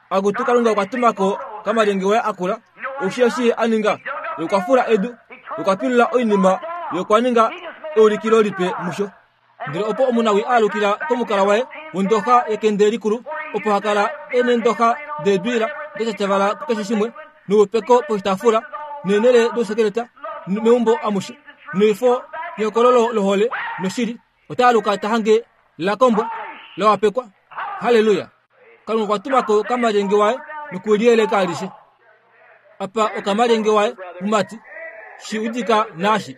Speaker 1: Akutu Kalunga okwa tuma ko kamalyenge waye akula, oushi eshi ye a ninga? Ye okwa fula edu, ye okwa pilula oinima, ye okwa ninga eulikilo lipe musho. Ndele opo omunawii a alukila komukala waye wondoxa yekende likulu, opo ha kala e neendoxa deebiila da tyatyavala kukeshe shimwe, noupeko poshitaafula, neenhele dousekeleta meumbo amushe, noifo yehokololo lohole noshili, ota aluka ta hange la kombwa, la wapekwa. Halleluya! Kalunga okwa tuma ko okamalyenge waye nokuliyeleka alishe. Apa okamalyenge waye mumati, shi udika naashi.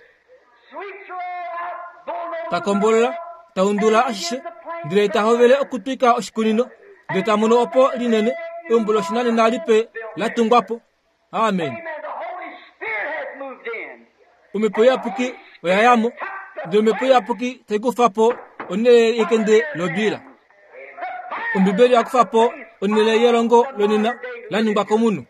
Speaker 1: Ta kombolola, ta undula ashishe, ndele ta hovele okutwika oshikunino, ndele ta mono opo linene, eumbo loshinanena lipe la tungwa po. Amen. Omhepo Iyapuki oya ya mo, ndele Omhepo Iyapuki tai kufa po onhele yekende lobiila. Ombibeli oya kufa po onhele yelongo lonena la ningwa komunhu.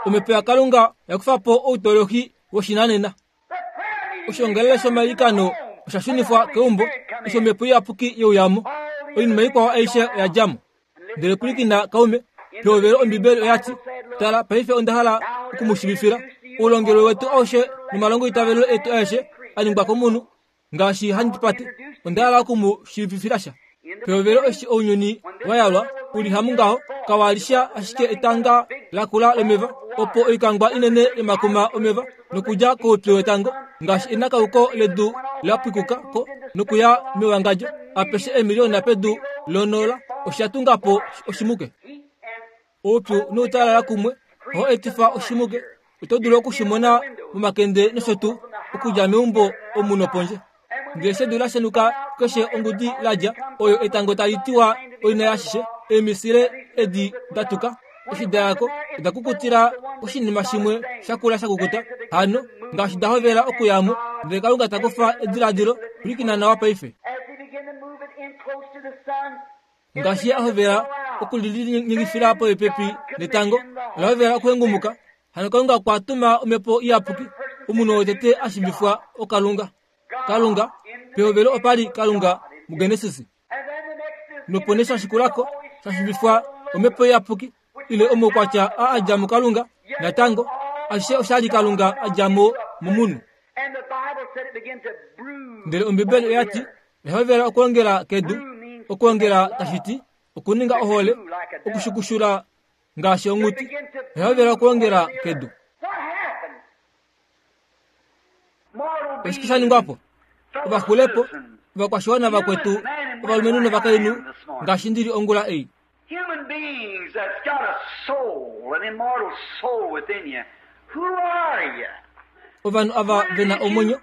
Speaker 1: Omhepo yaKalunga oya kufa po outolohi woshinanena. Oshiongalele shomailikano osha shunifwa keumbo eshi omhepo iyapuki ye uya mo. Oinima ikwao aishe oya dja mo. Ndele pwilikina kaume, pehovelo Ombibeli oya ti, Tala, paife onda hala oku mu shiivifila oulongelwe wetu aushe nomalongoitavelo etu aeshe a ningwa komunhu Ngaashi handi pate, onda hala oku mu shiivifila sha. Pehovelo eshi ounyuni wa yalwa u li hamungaho, kawa li sha ashike etanga lakula lomeva, opo oikangwa inene yomakuma omeva nokudja koupyu wetango, ngaashi enakauko ledu la pwikuka ko nokuya mewangadjo apeshe eemiliyona pedu lonola, osha tunga po oshimuke. Oupyu noutalala kumwe ohau etifa oshimuke. Oto dulu oku shi mona momakende nosho tuu okudja meumbo omu nopondje. Ndele eshi edu la shenuka keshe ongudi la dja, oyo etango tali tiwa oina yashishe, eemisile edi da tuka, eshi da ya ko, oda kukutila oshinima shimwe sha kula sha kukuta. Hano, ngaashi da hovela okuya mo, ndele Kalunga ta kufa ediladilo, pwilikina nawa paife. Ngaashi ye a hovela okulinyengifila popepi netango, ola hovela okuhengumuka. Hano Kalunga okwa tuma omhepo iyapuki, omunhu wotete a shiivifwa oKalunga. Kalunga, pehovelo opa li Kalunga muGenesis. Nopo nee sha shikulako sha shivifwa Omhepo Iyapuki ile omaukwatya a a dja muKalunga. Natango, ashishe osha li Kalunga a dja mo momunhu. Ndele Ombibeli oya ti, Oya hovela okwoongela kedu, okwoongela tashi ti okuninga ohole, okushukushula ngaashi onghuti. Oya hovela okwoongela kedu. Oshike sha ningwa po? Ovaxulepo, ovakwashiwana vakwetu, ovalumenhu novakainhu, ngaashi ndi li ongula ei.
Speaker 2: Human beings that's got a soul, an immortal soul within you, who are you?
Speaker 1: Ovanhu ava ve na omwenyo,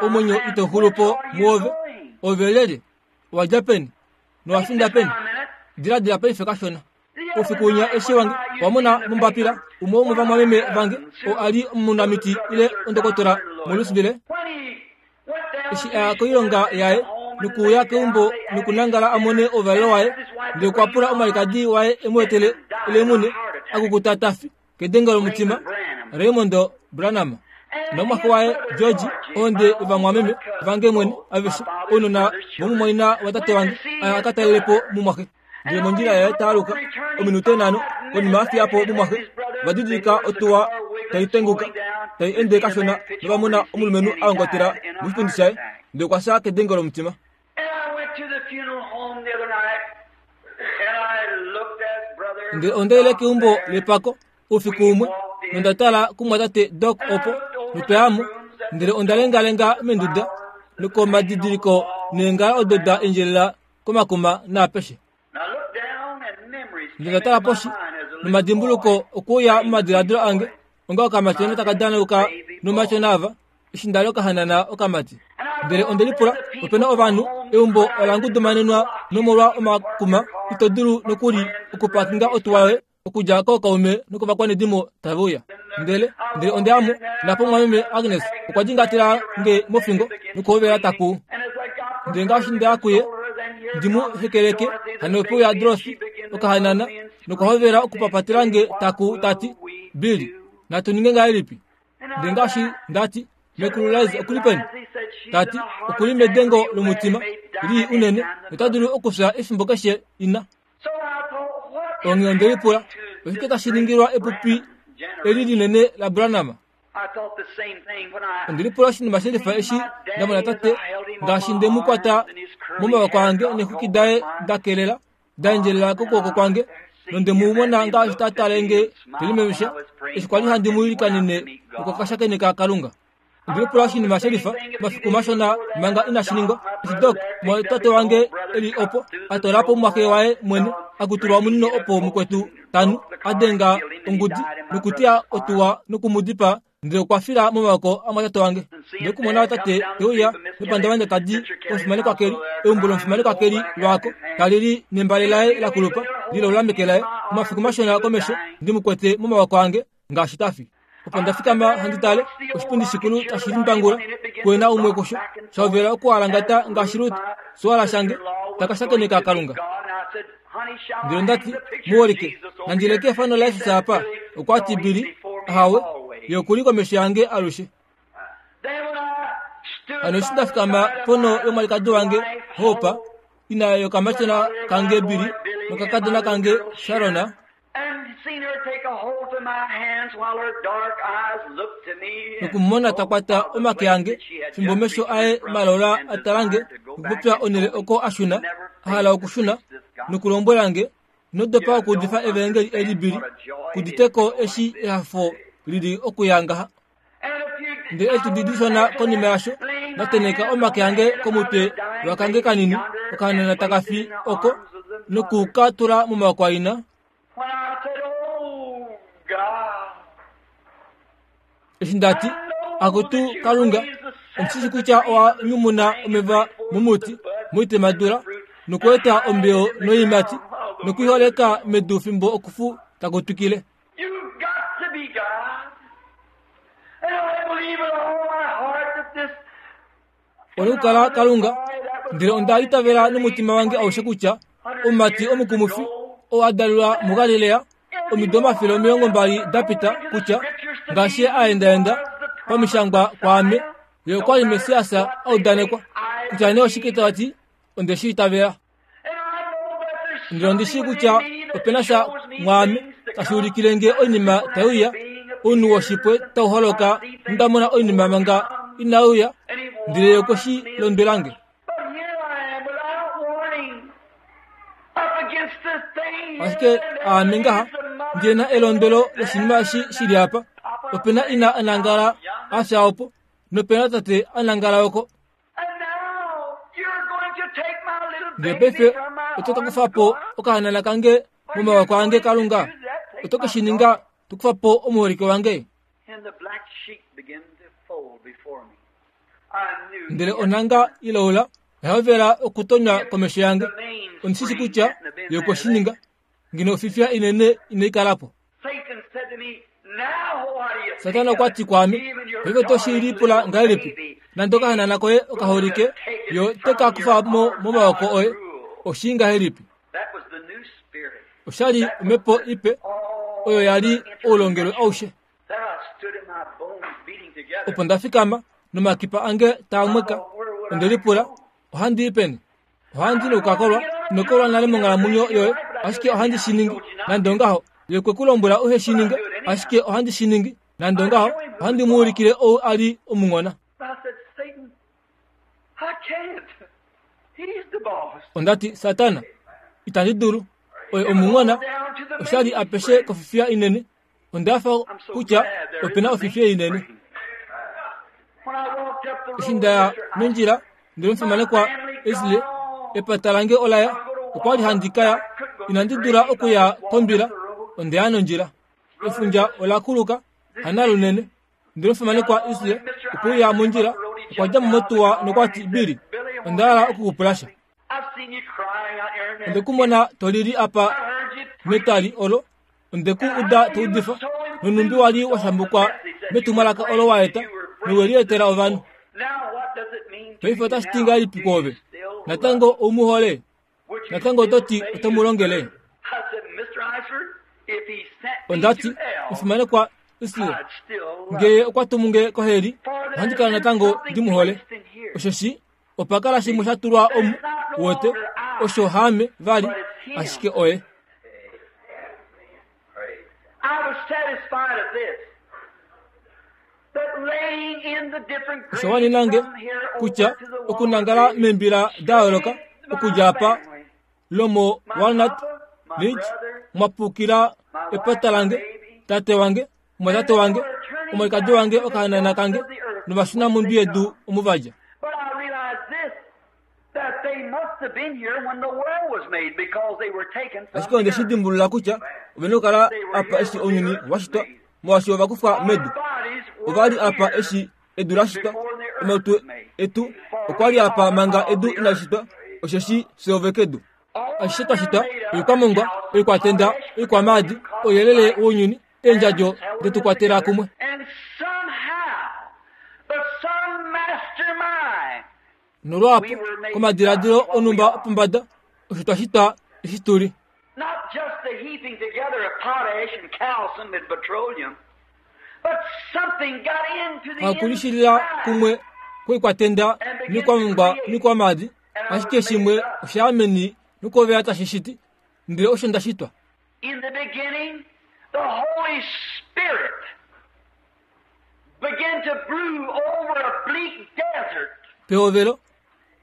Speaker 1: omwenyo ito xulu po muove, ove lyelye? Owa dja peni? Nowa finda peni? Diladila paife kashona. Oufiku winya eshi wange wa mona mombapila umwe womovamwameme vange oo a li omunamiti ile ondokotola moLouisville, eshi a ya koilonga yaye nokuuya keumbo nokunangala a mone ouvalelo waye, ndele okwa pula omwalikadi waye e mu etele elemune a kukuta ta fi kedengo lomutima, Raymond Branham nomumwaxe waye George, ohonde yovamwameme vange mwene aveshe, ounona vomumwaina watate wange, a ya a ka talele po mumwaxe. Ndele mondjila yaye ta aluka, ominute nhano konima a fiya po mumwaxe, ova didilika otuwa tai tenguka, tai ende kashona nova mona omulumenhu a ongotela moshipundi shaye, ndele okwa fya kedengo lomutima. Ndele onda ile keumbo lepako oufiku umwe nonda tala kumwatate Doc opo notwa ya mo, ndele onda lengalenga menduda nokomadidiliko neengala odo da endjelela komakuma naapeshe. Ndele nda tala poshi, nomadimbuluko okuuya momadiladilo ange onga okamatyona taka danauka nomatyona ava, eshi nda li okahanana okamati. Ndele onde lipula, ope na ovanhu, eumbo ola ngudumanenwa nomolwa omakuma, ito dulu nokuli okupakinga otuwa yoye okudja kookaume nokovakwanedimo tave uya. Ndele, ndele onde ya mo, napo mumwameme Agnes okwa dingatela nge mofingo nokuhovela ta kuu. Ndele ngaashi nda ya kuye ndi mu hekeleke, hano ope uya Dorothy, okahanana, nokwa hovela okupapatela nge ta kuu ta ti, Billy, natu ninge ngahelipi? Ndele ngaashi nda ti, Mekulu Liz oku li peni? Ta ti, oku li medengo lomutima lii unene nota dulu okufya efimbo keshe ina. Onghee onde lipula, oshike tashi ningilwa epupi eli linene laBranham? Onde lipula oshinima she lifa eshi nda mona tate, ngaashi nde mu kwata momavako ange neexwiki daye da kelela da endjelela kokwooko kwange, nonde mu mona ngaashi ta tale nge te limemesha eshi kwa li handi mu ilikanene nokwa Kalunga. Onde lipula oshinima she lifa omafiku mashona manga inashi ningwa, eshi Doc, tate wange e li opo, a toola po omumwaxe waye mwene, a kutulwa omunino opo mukwetu tanu, a denga ongudi nokuteya otuwa noku mu dipaa, ndele okwa fila momavako amwatate wange. Ndele okumona tate te uya mepandavanda ta di komufimanekwa Kelly, eumbo lomufimanekwa Kelly lwaako, tali li nembale laye la kulupa lilaula meke laye, omafiku mashona komesho ndi mu kwete momavako ange ngaashi ta fi. Opo nda fikama handi tale, oshipundi shikulu tashi limbangula, kuena umwe kusho, sha hovela okualangata ngaashi Rut, suwala shange, ta ka shakeneka Kalunga. Ndele onda ti, Muholike, nandi leke efano laJesus apa? Okwa ti, Billy, ahawe, ye oku li komesho yange alushe. Hano eshi nda fikama ponho yomwalikadi wange, Hope, ina yokamatyona kange Billy nokakadona kange Sharon, Nokumumona ta kwata omake ange, fimbo omesho aye malola a tala nge, nokupopya onhele oko a shuna, a hala okushuna, nokulombwela nge, Ino dopa okuudifa evaengeli eli, Billy, kudite ko eshi ehafo li li okuya ngaha. Ndele eetudi dishona konima yasho, nda tenheka omake ange komutwe wakange kanini, okahanana taka fi oko, noku ka tula momaoko aina. Eshi nda ti, Akutu Kalunga, ondi shi kutya owa nyumuna omeva momuti moitemadula nokweeta ombeo noiimati nokuiholeka medu fimbo okufu taku twikile. Ole kukala Kalunga, ndele onda itavela nomutima wange aushe kutya omumati omukumufi oo a dalelwa muGalilea omido 120 da pita kutya ngaashi ye a endaenda pamishangwa kwaame, ye okwa li Messias a udanekwa. Kutya nee oshike ta ti, onde shi itavela. Ndele ondi shii kutya ope na sha mwaame tashi ulikile nge oinima tai uya, ounhu woshipwe tau holoka nonda mona oinima manga inai uya, ndele ye okwe shi londwela nge. Ashike aame ngaha ndi na elondwelo loshinima eshi shi li apa. Ope na ina a nangala a fya opo, nope na tate a nangala oko. Ndele paife oto ka kufa po okahanana kange momawako ange, Kalunga. Oto ke shi ninga to kufa po omuholike wange. Ndele onhanga ilaula oya hovela okutonywa komesho yange. Ondi shi shi kutya ye okwe shi ninga. Ngeno ofifiya inene inai kala po. Satana okwa ti kwaame, Paife oto shi lipula ngahelipi? Nande okahanana koye okaholike, yo te ka kufa mo momawoko oye. Oshii ngahelipi? Osha li omhepo ipe oyo ya li oulongelwe aushe. Opo nda fikama nomakipa ange taa mweka, onde lipula, Ohandi i peni? Ohandi nokukakolwa, ino kolwa nale monghalamwenyo yoye, ashike ohandi shi ningi. Nande ongaho, ye okwe ku lombwela uhe shi ninge, ashike ohandi shi ningi. Nande ongaho, ohandi mu ulikile ou a li omunghona. Onda ti, Satana, itandi dulu. Oye omunghona. Osha li apeshe kofifiya inene. Onda hafa kutya ope na ofifiya inene. Eshi nda ya nondjila ndele omufimanekwa Esle, epata lange ola ya. Okwa li handi ka ya, inandi dula okuya kombila, onde ya nondjila. Efundja ola kuluka, hanalunene. Ndele omufimanekwa Esle okwe uya mondjila, okwa dja mo motuwa nokwa ti, Billy, onda hala oku ku pula sha. Onde ku mona to lili apa metwali olo, onde ku uda to udifa, nonhumbi wa li wa shambukwa metumwalaka olo wa eta, nowe li etela ovanhu. Paife otashi ti ngahelipi kwoove? Natango ou mu hole? Natango oto ti oto mu longele? Onda ti, Omufimanekwa Isle, ngee okwa tumu nge koheli, ohandi kala natango ndi mu hole. Osheshi opa kala shimwe sha tulwa omu, wote, osho haame vali, ashike oye. Osha wanena nge kutya okunangala meembila da yooloka okudja apa lomo Walnut Ridge mwa pukila epata lange, tate wange, omwatate wange, omwalikadi wange, okahanana kange novashuna mondwi yedu omu va dja. Ashike onde shi dimbulula kutya ove na okukala apa eshi ounyuni wa shitwa, molwaashi ova kufwa medu. Ova li apa eshi edu la shitwa. Omalutu etu okwa li apa manga edu inali shitwa, osheshi fye ove kedu. Ashishe twa shitwa, oikwamongwa, oikwatenda, oikwamaadi, ouyelele wounyuni, eendjadjo de tu kwatela kumwe. Nolwaapo, komadiladilo onhumba opombada, osho twa shitwa eshi tu li. Hakulishilila kumwe kwoikwatenda noikwamongwa noikwamaadi, ashike shimwe osha ya meni nokovela tashi shiti, ndele osho nda shitwa.
Speaker 2: In the beginning, the Holy Spirit began to brew over a bleak desert.
Speaker 1: Pehovelo,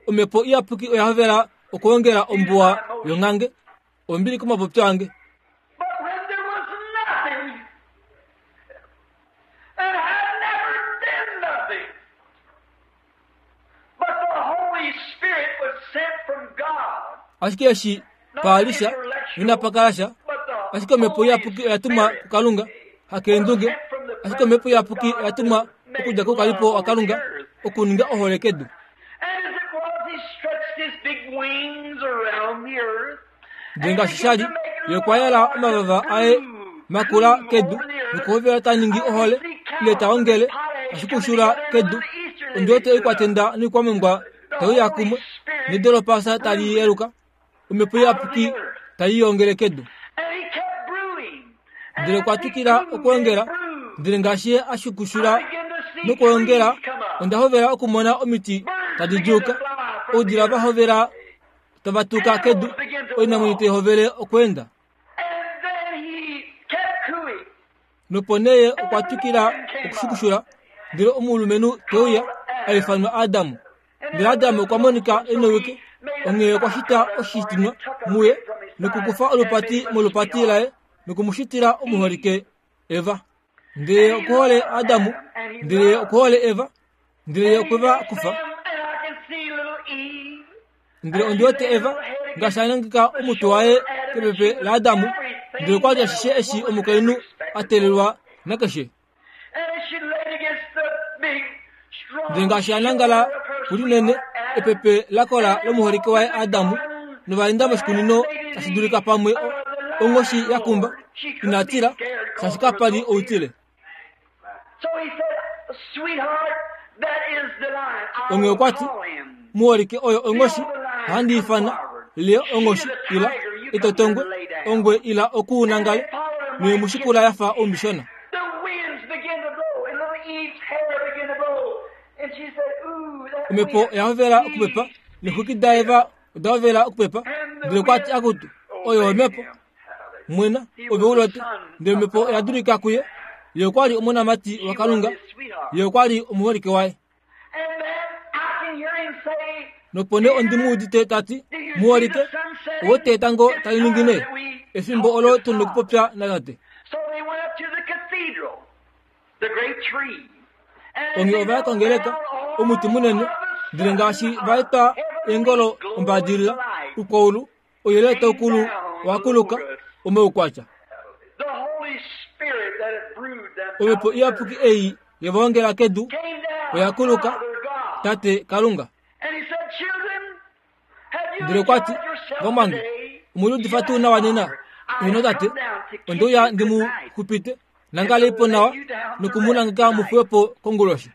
Speaker 1: omhepo iyapuki oya hovela okwoongela ombuwa yonghange ombili komapopyo ange.
Speaker 2: But when there was nothing, and had never been nothing, but the Holy Spirit was sent from God.
Speaker 1: Ashike eshi pa li sha, inapa kala sha, ashike omhepo iyapuki oya tumwa kuKalunga, hakeendunge, ashike omhepo iyapuki oya tumwa okudja koukalipo waKalunga okuninga ohole kedu.
Speaker 2: And as it was, he stretched his big wings around the earth.
Speaker 1: Ndele ngaashi sha li, ye okwa yala omavava aye makula kedu nokuhovela ta ningi ohole ile ta ongele ashikushula kedu ondi wete oikwatenda noikwamongwa tai uya kumwe nedo lopasa tali yeluka omhepo iyapuki tai ongele kedu
Speaker 2: And he kept brewing.
Speaker 1: Ndele okwa twikila okwoongela ndele ngaashi ye a shukushula nokwoongela onda hovela okumona omiti tadi djuuka oudila va hovela Tava tuka kedu, oinamwenyo tai hovele okweenda. Nopo nee ye okwa twikila okushukushula, ndele omulumenhu te uya, a ifanwa Adam. Ndele Adam okwa monika e nowike, onghee okwa shita oshitinwa muye nokukufa olupati molupati laye noku mu shitila omuholike Eva. Ndele ye oku hole Adam, ndele ye oku hole Eva, ndele ye okwe va kufa. Ndele ondi wete Eva ngaashi a nangeka omutwe waye kepepe laAdamu, ndele okwa li ashishe eshi omukainhu a teelelwa nakeshe. Ndele ngaashi a nangala kulinene epepe la kola lomuholike waye Adamu, novaenda moshikunino tashi dulika pamwe onghoshi ya kumba, ina tila, shaashi kapa li outile. Onghee okwa ti, Muholike oyo onghoshi, ohandi ifana Leo onghoshi ila etotongwe, ongwe ila oku nangale, noye mu shikula ya fa oumishona. Omhepo oya hovela okupepa, neexwiki daEva oda hovela okupepa, ndele okwa ti, Akutu, oyo omhepo. Mwena, ove u lote. Ndele omhepo oya dulika kuye. Ye okwa li omonamati waKalunga. Ye okwa li omuholike waye. Nopo nee ondi mu udite ta ti, Muholike, owe te etango tali ningine, efimbo olo tu nokupopya natate. Onghee ova ya kongeleka, omuti munene, ndele ngaashi va eta eengolo ombadilila, ukwaulu, Ouyelele tau kulu owa kuluka omaukwatya. Omhepo Iyapuki ei ye va ongela kedu oya kuluka, Tate Kalunga. Ndele okwa ti, Vamwange, omwe liudifa tuu nawa nena? Eheno tate, onde uya ndi mu xupite, nangalei po nawa noku mu nangeka mu fiwe po konguloshi.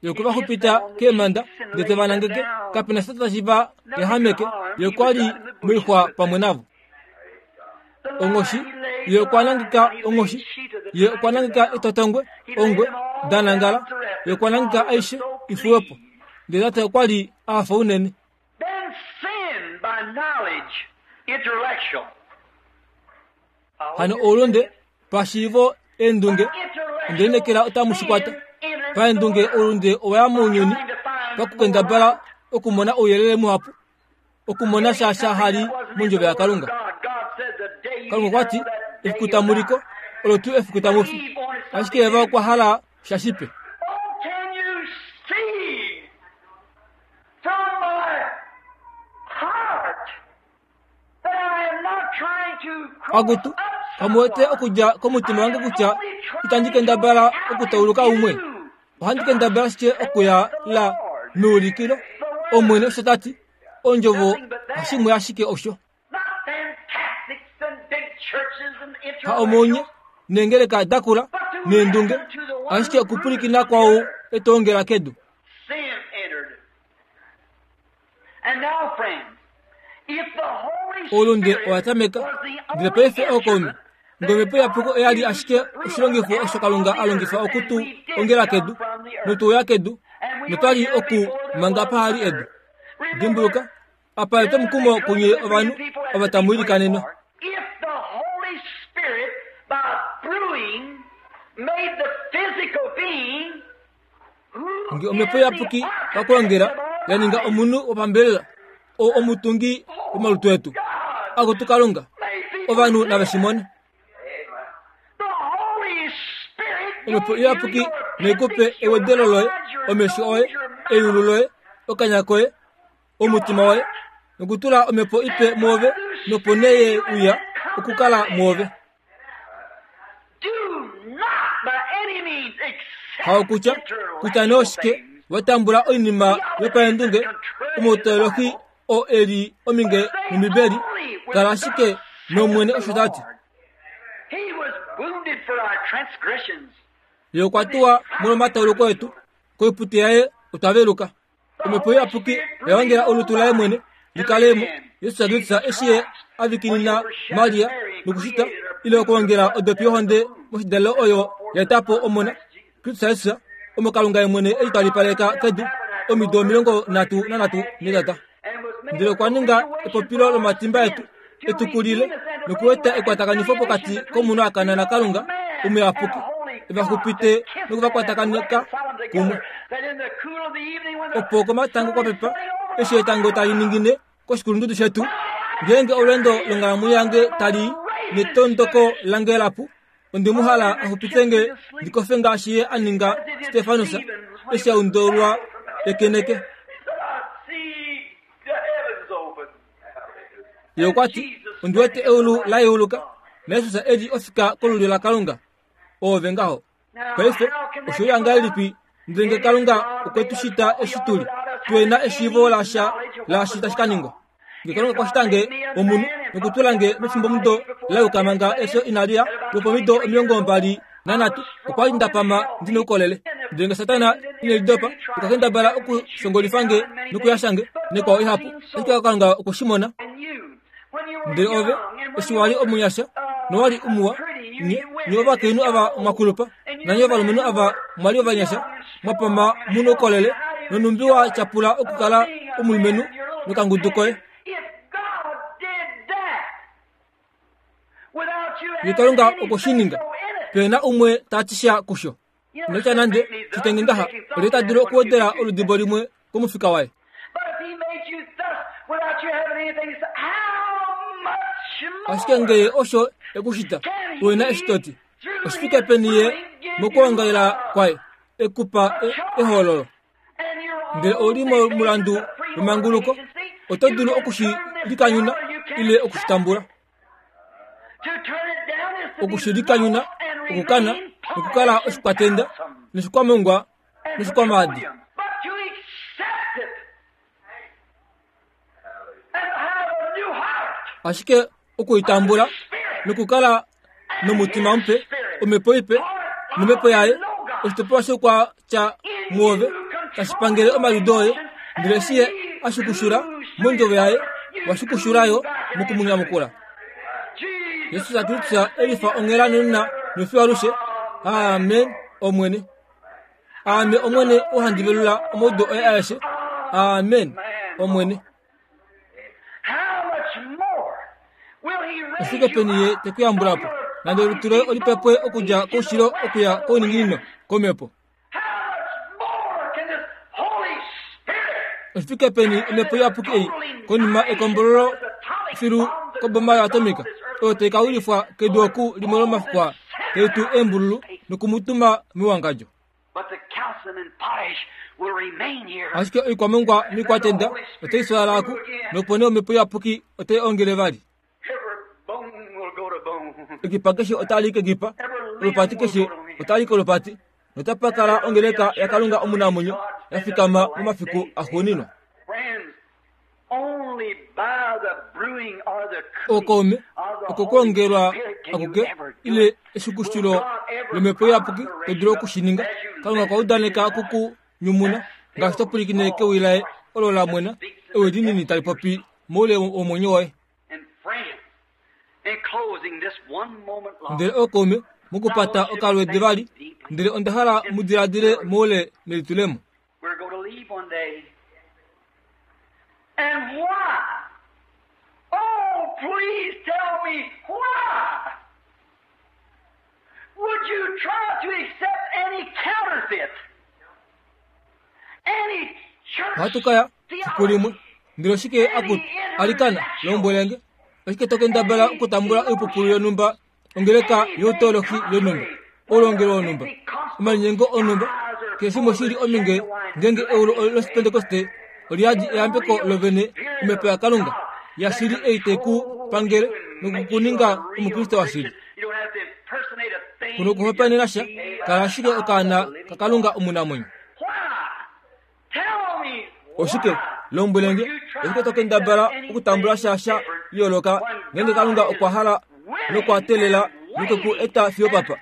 Speaker 1: Ye okwe va xupita keemhanda ndele te va nangeke, kape na sha tashi va yahameke. Ye okwa li moixwa pamwe navo. Onghoshi, ye okwa nangeka onghoshi, ye okwa nangeka etotongwe, ongwe, da nangala, ye okwa nangeka aishe i fuwe po. Ndele tate okwa li a hafa unene. Hano oulunde pashiivo eendunge onde lineekela otamu shi kwata. Paendunge oulunde owa ya mounyuni pakukendabala okumona ouyelele muhapu, okumona sha sha hali mondjovo yaKalunga. Kalunga okwa ti, Efiku tamu liko, olo tuu efiku tamu fi. Ashike Eva okwa hala sha shipe. Akutu, kamu wete okudja komutima wange kutya itandi kendabala okutauluka umwe? Ohandi kendabala ashike okuya la meulikilo. Omwene osho ta ti. Ondjovo hashimwe ashike osho. Ha omounye neengeleka dakula neendunge, ashike okupwilikina kwau e to ongela kedu. Oulunde owa tameka, ndele paife ookaume, nge omhepo iyapuki oya li ashike oshilongifo osho Kalunga a longifa oku tu ongela kedu, notu uya kedu, notwa li oku manga pahali edu. Dimbuluka, apa etwomukumo kunye ovanhu ova tamu ilikanenwa. Nge omhepo iyapuki pakulongela ya ninga omunhu wopambelela oo omutungi womalutu etu, akutu Kalunga, ovanhu nave shi mone. Omhepo iyapuki nai ku pe ewedelo loye, omesho oye, eyulu loye, okanya koye, omutima woye, nokutula omhepo ipe mwoove, nopo nee ye uya okukala mwoove. Haokutya kutya nee oshike wa tambula oinima yopaendunge omautolohi oo e li ominge nOmbibeli, kala ashike nOmwene osho ta ti. Ye okwa tuwa molwomatauluko etu, koipute yaye otwa veluka. Omhepo Iyapuki oya ongela olutu laye mwene li kale mo. Jesus Kristus eshi ye a vikinina Maria nokushita ile okwoongela odopi yohonde moshidalelo oyo ya eta po Omona, Kristus Jesus, omo Kalunga ye mwene e litwalipaleka kedu omido 33 netata. Ndele okwa ninga epopilo lomatimba etu, etukulile nokueta ekwatakanifo pokati komunhu a kana naKalunga omuyapuki, e va xupite noku va kwatakaneka kumwe. Opo komatango kwa pepa, eshi etango tali ningine koshikulundudu shetu, ngeenge olweendo longhalamwenyo yange tali i netondoko lange lapu, Onde mu hala a xupite nge ndi kofe ngaashi ye a ninga Stefanus eshi a undulwa ekeneke. Ye okwa ti, Ondi wete eulu la yeuluka, naJesus e li ofika kolulyo laKalunga. Oove ngaho. Paife, oshe uya ngahelipi ndele nge Kalunga okwe tu shita eshi tu li, tuhe na eshiivo lasha laashi tashi ka ningwa? Nge Kalunga okwa shita nge omunhu nokutula nge mefimbomudo la yuka manga efyo inali ya, lwopomido 23, okwa li nda pama ndi noukolele. Ndele nge Satana ine lidopa, okwa kendabala okushongolifa nge nokuyasha nge, nekwao ihapu, ashike Kalunga okwe shi mona. Ndele ove, eshi wa li omunyasha nowa li umuwa, nye, nye ovakainhu ava mwa kulupa, nanye ovalumenhu ava mwa li ovanyasha, mwa pama mu noukolele, nonhumbi wa tyapula okukala omulumenhu nokangudu koye. Ye Kalunga okwe shi ninga. Pe na umwe ta ti sha kusho. Nokutya nande shitenge ngaha, olye ta dulu okuwedela oludibo limwe komufika waye? Ashike nge ye osho e ku shita, uhe na eshi to ti, oshi fike peni ye mokwoongalela kwaye e ku pa ehoololo? Ndele ou li momulandu wemanguluko, oto dulu oku shi likanyuna ile oku shi tambula. Oku shi likanyuna okukana nokukala oshikwatenda noshikwamongwa noshikwamaadi. Ashike oku i tambula nokukala nomutima mupe, omhepo ipe, nomhepo yaye, oshitopolwa shoukwatya muove tashi pangele omaliudo oye, ndele eshi ye a shukushula mondjovo yaye, wa shukushula yo moku mu nyamukula. Jesus Kristus e lifa onghela nonena nofiyo alushe. Amen, Omwene. Aame Omwene ou handi velula omaudo oye aeshe. Amen, Omwene. Oshike peni ye te ku yambula po, nande olutu loye oli pepwe okudja koushilo okuya kouninginino komhepo? Oshifike peni omhepo iyapuki ei konima ekombololo filu koboma yoatomika oyo tai ka wilifwa kedu oku limwe lomafiku aa tai tu eembululu noku mu tuma mewangadjo? Ashike oikwamongwa mikwatenda otai swalala aku, nopo nee omhepo iyapuki otai ongele vali. Ekipa keshe otali kekipa, olupati keshe otali kolupati, notapa kala ongeleka yaKalunga omunamwenyo ya fikama momafiku axuuninwa. Ookaume, okokwoongelwa akuke ile eshukushulo lomhepo iyapuki to dulu oku shi ninga. Kalunga okwa udaneka oku ku nyumuna ngaashi to pwilikine kewi laye olo la mwena, ewi linini tali popi moule womwenyo woye. Ndele ookaume, mokupata okalweede vali, ndele onda hala mu diladile moule nelitulemo.
Speaker 2: We're going to leave one day. And why? Oh, please tell me why. Would you try to accept any counterfeit? Any church
Speaker 1: Ohatu ka ya fiku limwe. Ndele oshike akutu alikana lombwele nge? Oshike to kendabala okutambula oipupulu yonhumba ongeleka youtoloki yonhumba, oulongelwe wonhumba, omalinyengo onhumba, keshe shimwe shi li ominge ngeenge eulu lOshipentekoste oli yadi eyambeko lovene omhepo yaKalunga yashili ei tai ku pangele noku ku ninga Omukriste washili. Ku nokuhopaenena sha, kala ashike okaana kaKalunga omunamwenyo. Oshike? Lombwele nge, oshike to kendabala okutambula sha sha yooloka ngeenge Kalunga okwa hala nokwa teelela nokwe ku eta fiyo papa,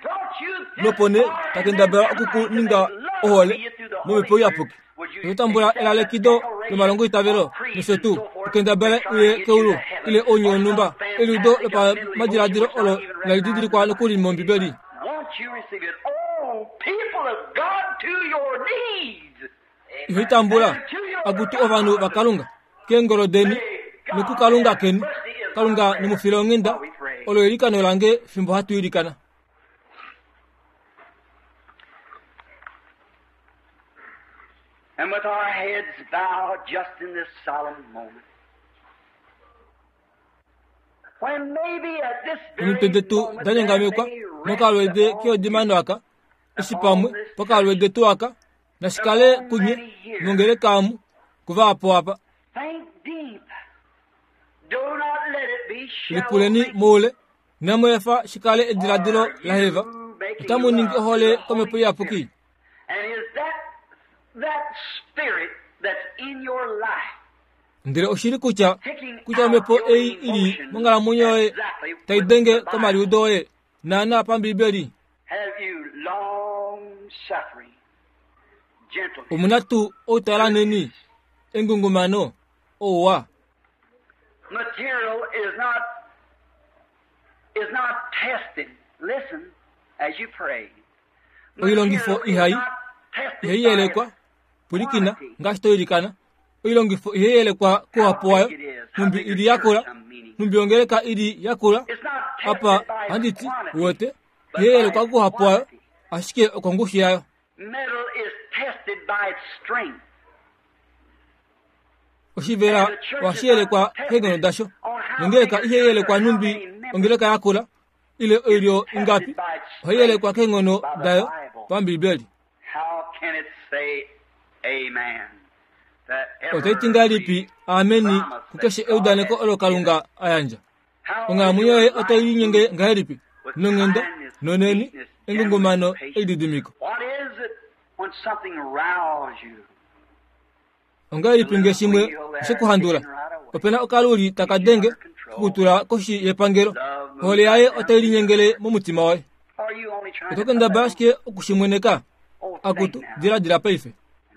Speaker 1: nopo nee ta kendabala oku ku ninga ohole momhepo iyapuki? Oto tambula elalekido lomalongoitavelo nosho tuu, u kendabale uye keulu ile ounye wonhumba, eliudo lopamadiladilo olo inali didilikwa nokuli mOmbibeli.
Speaker 2: Won't you receive it? Oh, people of God, to your knees.
Speaker 1: Iho tambula, akutu ovanhu vaKalunga. keengolo deni nokuKalunga keni. Kalunga ne mu file onghenda. Olo eilikano lange fimbo hatu ilikana.
Speaker 2: And with our heads bowed just in this solemn moment. When maybe at this
Speaker 1: Omitwe
Speaker 2: very
Speaker 1: detu
Speaker 2: moment
Speaker 1: da
Speaker 2: there
Speaker 1: nyangamekwa
Speaker 2: may rest
Speaker 1: mokalwede
Speaker 2: upon
Speaker 1: keodimano aka, eshi pamwe pokalwede tuu aka, nashikale kunye nongeleka amu kuva apo apa.
Speaker 2: Think deep. Do not let it be shallow
Speaker 1: Lipuleni
Speaker 2: thinking.
Speaker 1: moule, inamu efa shikale ediladilo
Speaker 2: Are
Speaker 1: laheva.
Speaker 2: you making
Speaker 1: Otamu ningi
Speaker 2: love to
Speaker 1: ohole
Speaker 2: the
Speaker 1: komhepo
Speaker 2: Holy
Speaker 1: iyapuki.
Speaker 2: Spirit? And is that spirit that's in your life
Speaker 1: Ndele oshili kutya
Speaker 2: picking
Speaker 1: kutya
Speaker 2: out
Speaker 1: omhepo
Speaker 2: your
Speaker 1: ei ili
Speaker 2: emotions
Speaker 1: monghalamwenyo yoye
Speaker 2: exactly
Speaker 1: tai
Speaker 2: with
Speaker 1: denge
Speaker 2: the Bible?
Speaker 1: komaliudo oye naana pambibeli?
Speaker 2: Have you long suffering, gentleness,
Speaker 1: Omuna tuu outalaneni, engungumano, ouwa?
Speaker 2: Material is not tested. Listen as you pray.
Speaker 1: Oilongifo
Speaker 2: Material is
Speaker 1: ihai
Speaker 2: not tested
Speaker 1: ihai
Speaker 2: by
Speaker 1: yelekwa
Speaker 2: its
Speaker 1: pwilikina
Speaker 2: quantity.
Speaker 1: ngaashi to ilikana. Oilongifo ihai yelekwa
Speaker 2: How
Speaker 1: kuhapu
Speaker 2: big
Speaker 1: wayo,
Speaker 2: it is, how
Speaker 1: nhumbi
Speaker 2: big your
Speaker 1: ili yakula,
Speaker 2: church, I'm meaning.
Speaker 1: nhumbi ongeleka ili yakula.
Speaker 2: It's not tested
Speaker 1: Apa
Speaker 2: by its
Speaker 1: handiti
Speaker 2: quantity,
Speaker 1: uwete
Speaker 2: but
Speaker 1: ihai
Speaker 2: by
Speaker 1: yelekwa
Speaker 2: its
Speaker 1: kuhapu wayo,
Speaker 2: quality.
Speaker 1: ashike okongushu yayo.
Speaker 2: Metal is tested by its strength.
Speaker 1: Oshivela
Speaker 2: And the church is
Speaker 1: ohashi
Speaker 2: not
Speaker 1: yelekwa keenghono
Speaker 2: tested
Speaker 1: dasho.
Speaker 2: on how
Speaker 1: Nongeleka
Speaker 2: big a
Speaker 1: ihai
Speaker 2: church or
Speaker 1: yelekwa
Speaker 2: how
Speaker 1: nhumbi
Speaker 2: many members.
Speaker 1: ongeleka yakula, ile
Speaker 2: It's
Speaker 1: oilyo
Speaker 2: tested
Speaker 1: ingapi,
Speaker 2: by its
Speaker 1: ohai yelekwa
Speaker 2: strength
Speaker 1: keenghono
Speaker 2: by the
Speaker 1: dayo
Speaker 2: Bible.
Speaker 1: pambibeli.
Speaker 2: How can it say amen to
Speaker 1: Otaiti
Speaker 2: every
Speaker 1: ngahelipi ameni
Speaker 2: promise that
Speaker 1: kukeshe
Speaker 2: God
Speaker 1: eudaneko
Speaker 2: has
Speaker 1: olo
Speaker 2: given?
Speaker 1: Kalunga a yandja?
Speaker 2: How is
Speaker 1: Onghalamwenyo
Speaker 2: your
Speaker 1: yoye
Speaker 2: life
Speaker 1: otai linyenge
Speaker 2: moving
Speaker 1: ngahelipi?
Speaker 2: with
Speaker 1: Nonghenda,
Speaker 2: kindness,
Speaker 1: noneni,
Speaker 2: meekness, gentleness,
Speaker 1: engungumano,
Speaker 2: patience?
Speaker 1: elididimiko.
Speaker 2: What is it when something rouses you? The
Speaker 1: Ongahelipi
Speaker 2: little
Speaker 1: nge shimwe
Speaker 2: wheel there
Speaker 1: shekuhandula?
Speaker 2: ticking right away
Speaker 1: Opena okaluli taka
Speaker 2: keeps you
Speaker 1: denge
Speaker 2: under control.
Speaker 1: kukutula koshi yepangelo.
Speaker 2: Love moves
Speaker 1: Ohole
Speaker 2: right
Speaker 1: yaye
Speaker 2: down
Speaker 1: otai
Speaker 2: through you.
Speaker 1: linyengele momutima woye.
Speaker 2: Are you only trying
Speaker 1: Oto
Speaker 2: to put
Speaker 1: kendabala
Speaker 2: that on?
Speaker 1: ashike okushimweneka?
Speaker 2: Oh, think
Speaker 1: Akutu,
Speaker 2: now.
Speaker 1: diladila paife.
Speaker 2: And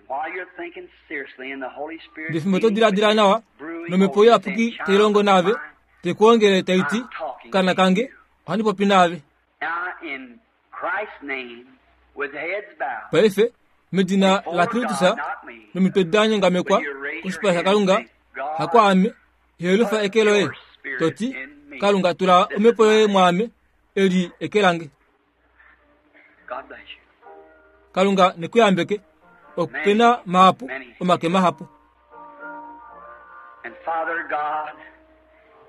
Speaker 2: while you're thinking seriously and the Holy Spirit
Speaker 1: Ndefimbo to
Speaker 2: dealing with
Speaker 1: diladila
Speaker 2: you,
Speaker 1: nawa,
Speaker 2: brewing
Speaker 1: nomhepo
Speaker 2: over you, saying,
Speaker 1: iyapuki tai
Speaker 2: Child
Speaker 1: longo
Speaker 2: of
Speaker 1: naave,
Speaker 2: mine,
Speaker 1: tekuongele tai ti,
Speaker 2: I'm talking
Speaker 1: Kana
Speaker 2: to
Speaker 1: kange,
Speaker 2: you.
Speaker 1: ohandi popi naave.
Speaker 2: Now, in Christ's name, with heads bowed,
Speaker 1: Paife, medina la
Speaker 2: before
Speaker 1: Kristus,
Speaker 2: God, not me,
Speaker 1: nomitwe da nyangamekwa
Speaker 2: will you raise your
Speaker 1: koshipala
Speaker 2: hand and
Speaker 1: shaKalunga,
Speaker 2: say, God,
Speaker 1: hakwaame, ihelufa
Speaker 2: put
Speaker 1: eke loye,
Speaker 2: your spirit
Speaker 1: toti,
Speaker 2: in me.
Speaker 1: Kalunga tula
Speaker 2: This is
Speaker 1: omhepo
Speaker 2: my
Speaker 1: yoye
Speaker 2: hand.
Speaker 1: mwaame, eli eke lange.
Speaker 2: God bless you.
Speaker 1: Kalunga nekuyambeke,
Speaker 2: Many,
Speaker 1: opena mahapu,
Speaker 2: many
Speaker 1: omake
Speaker 2: hands.
Speaker 1: mahapu.
Speaker 2: And Father God,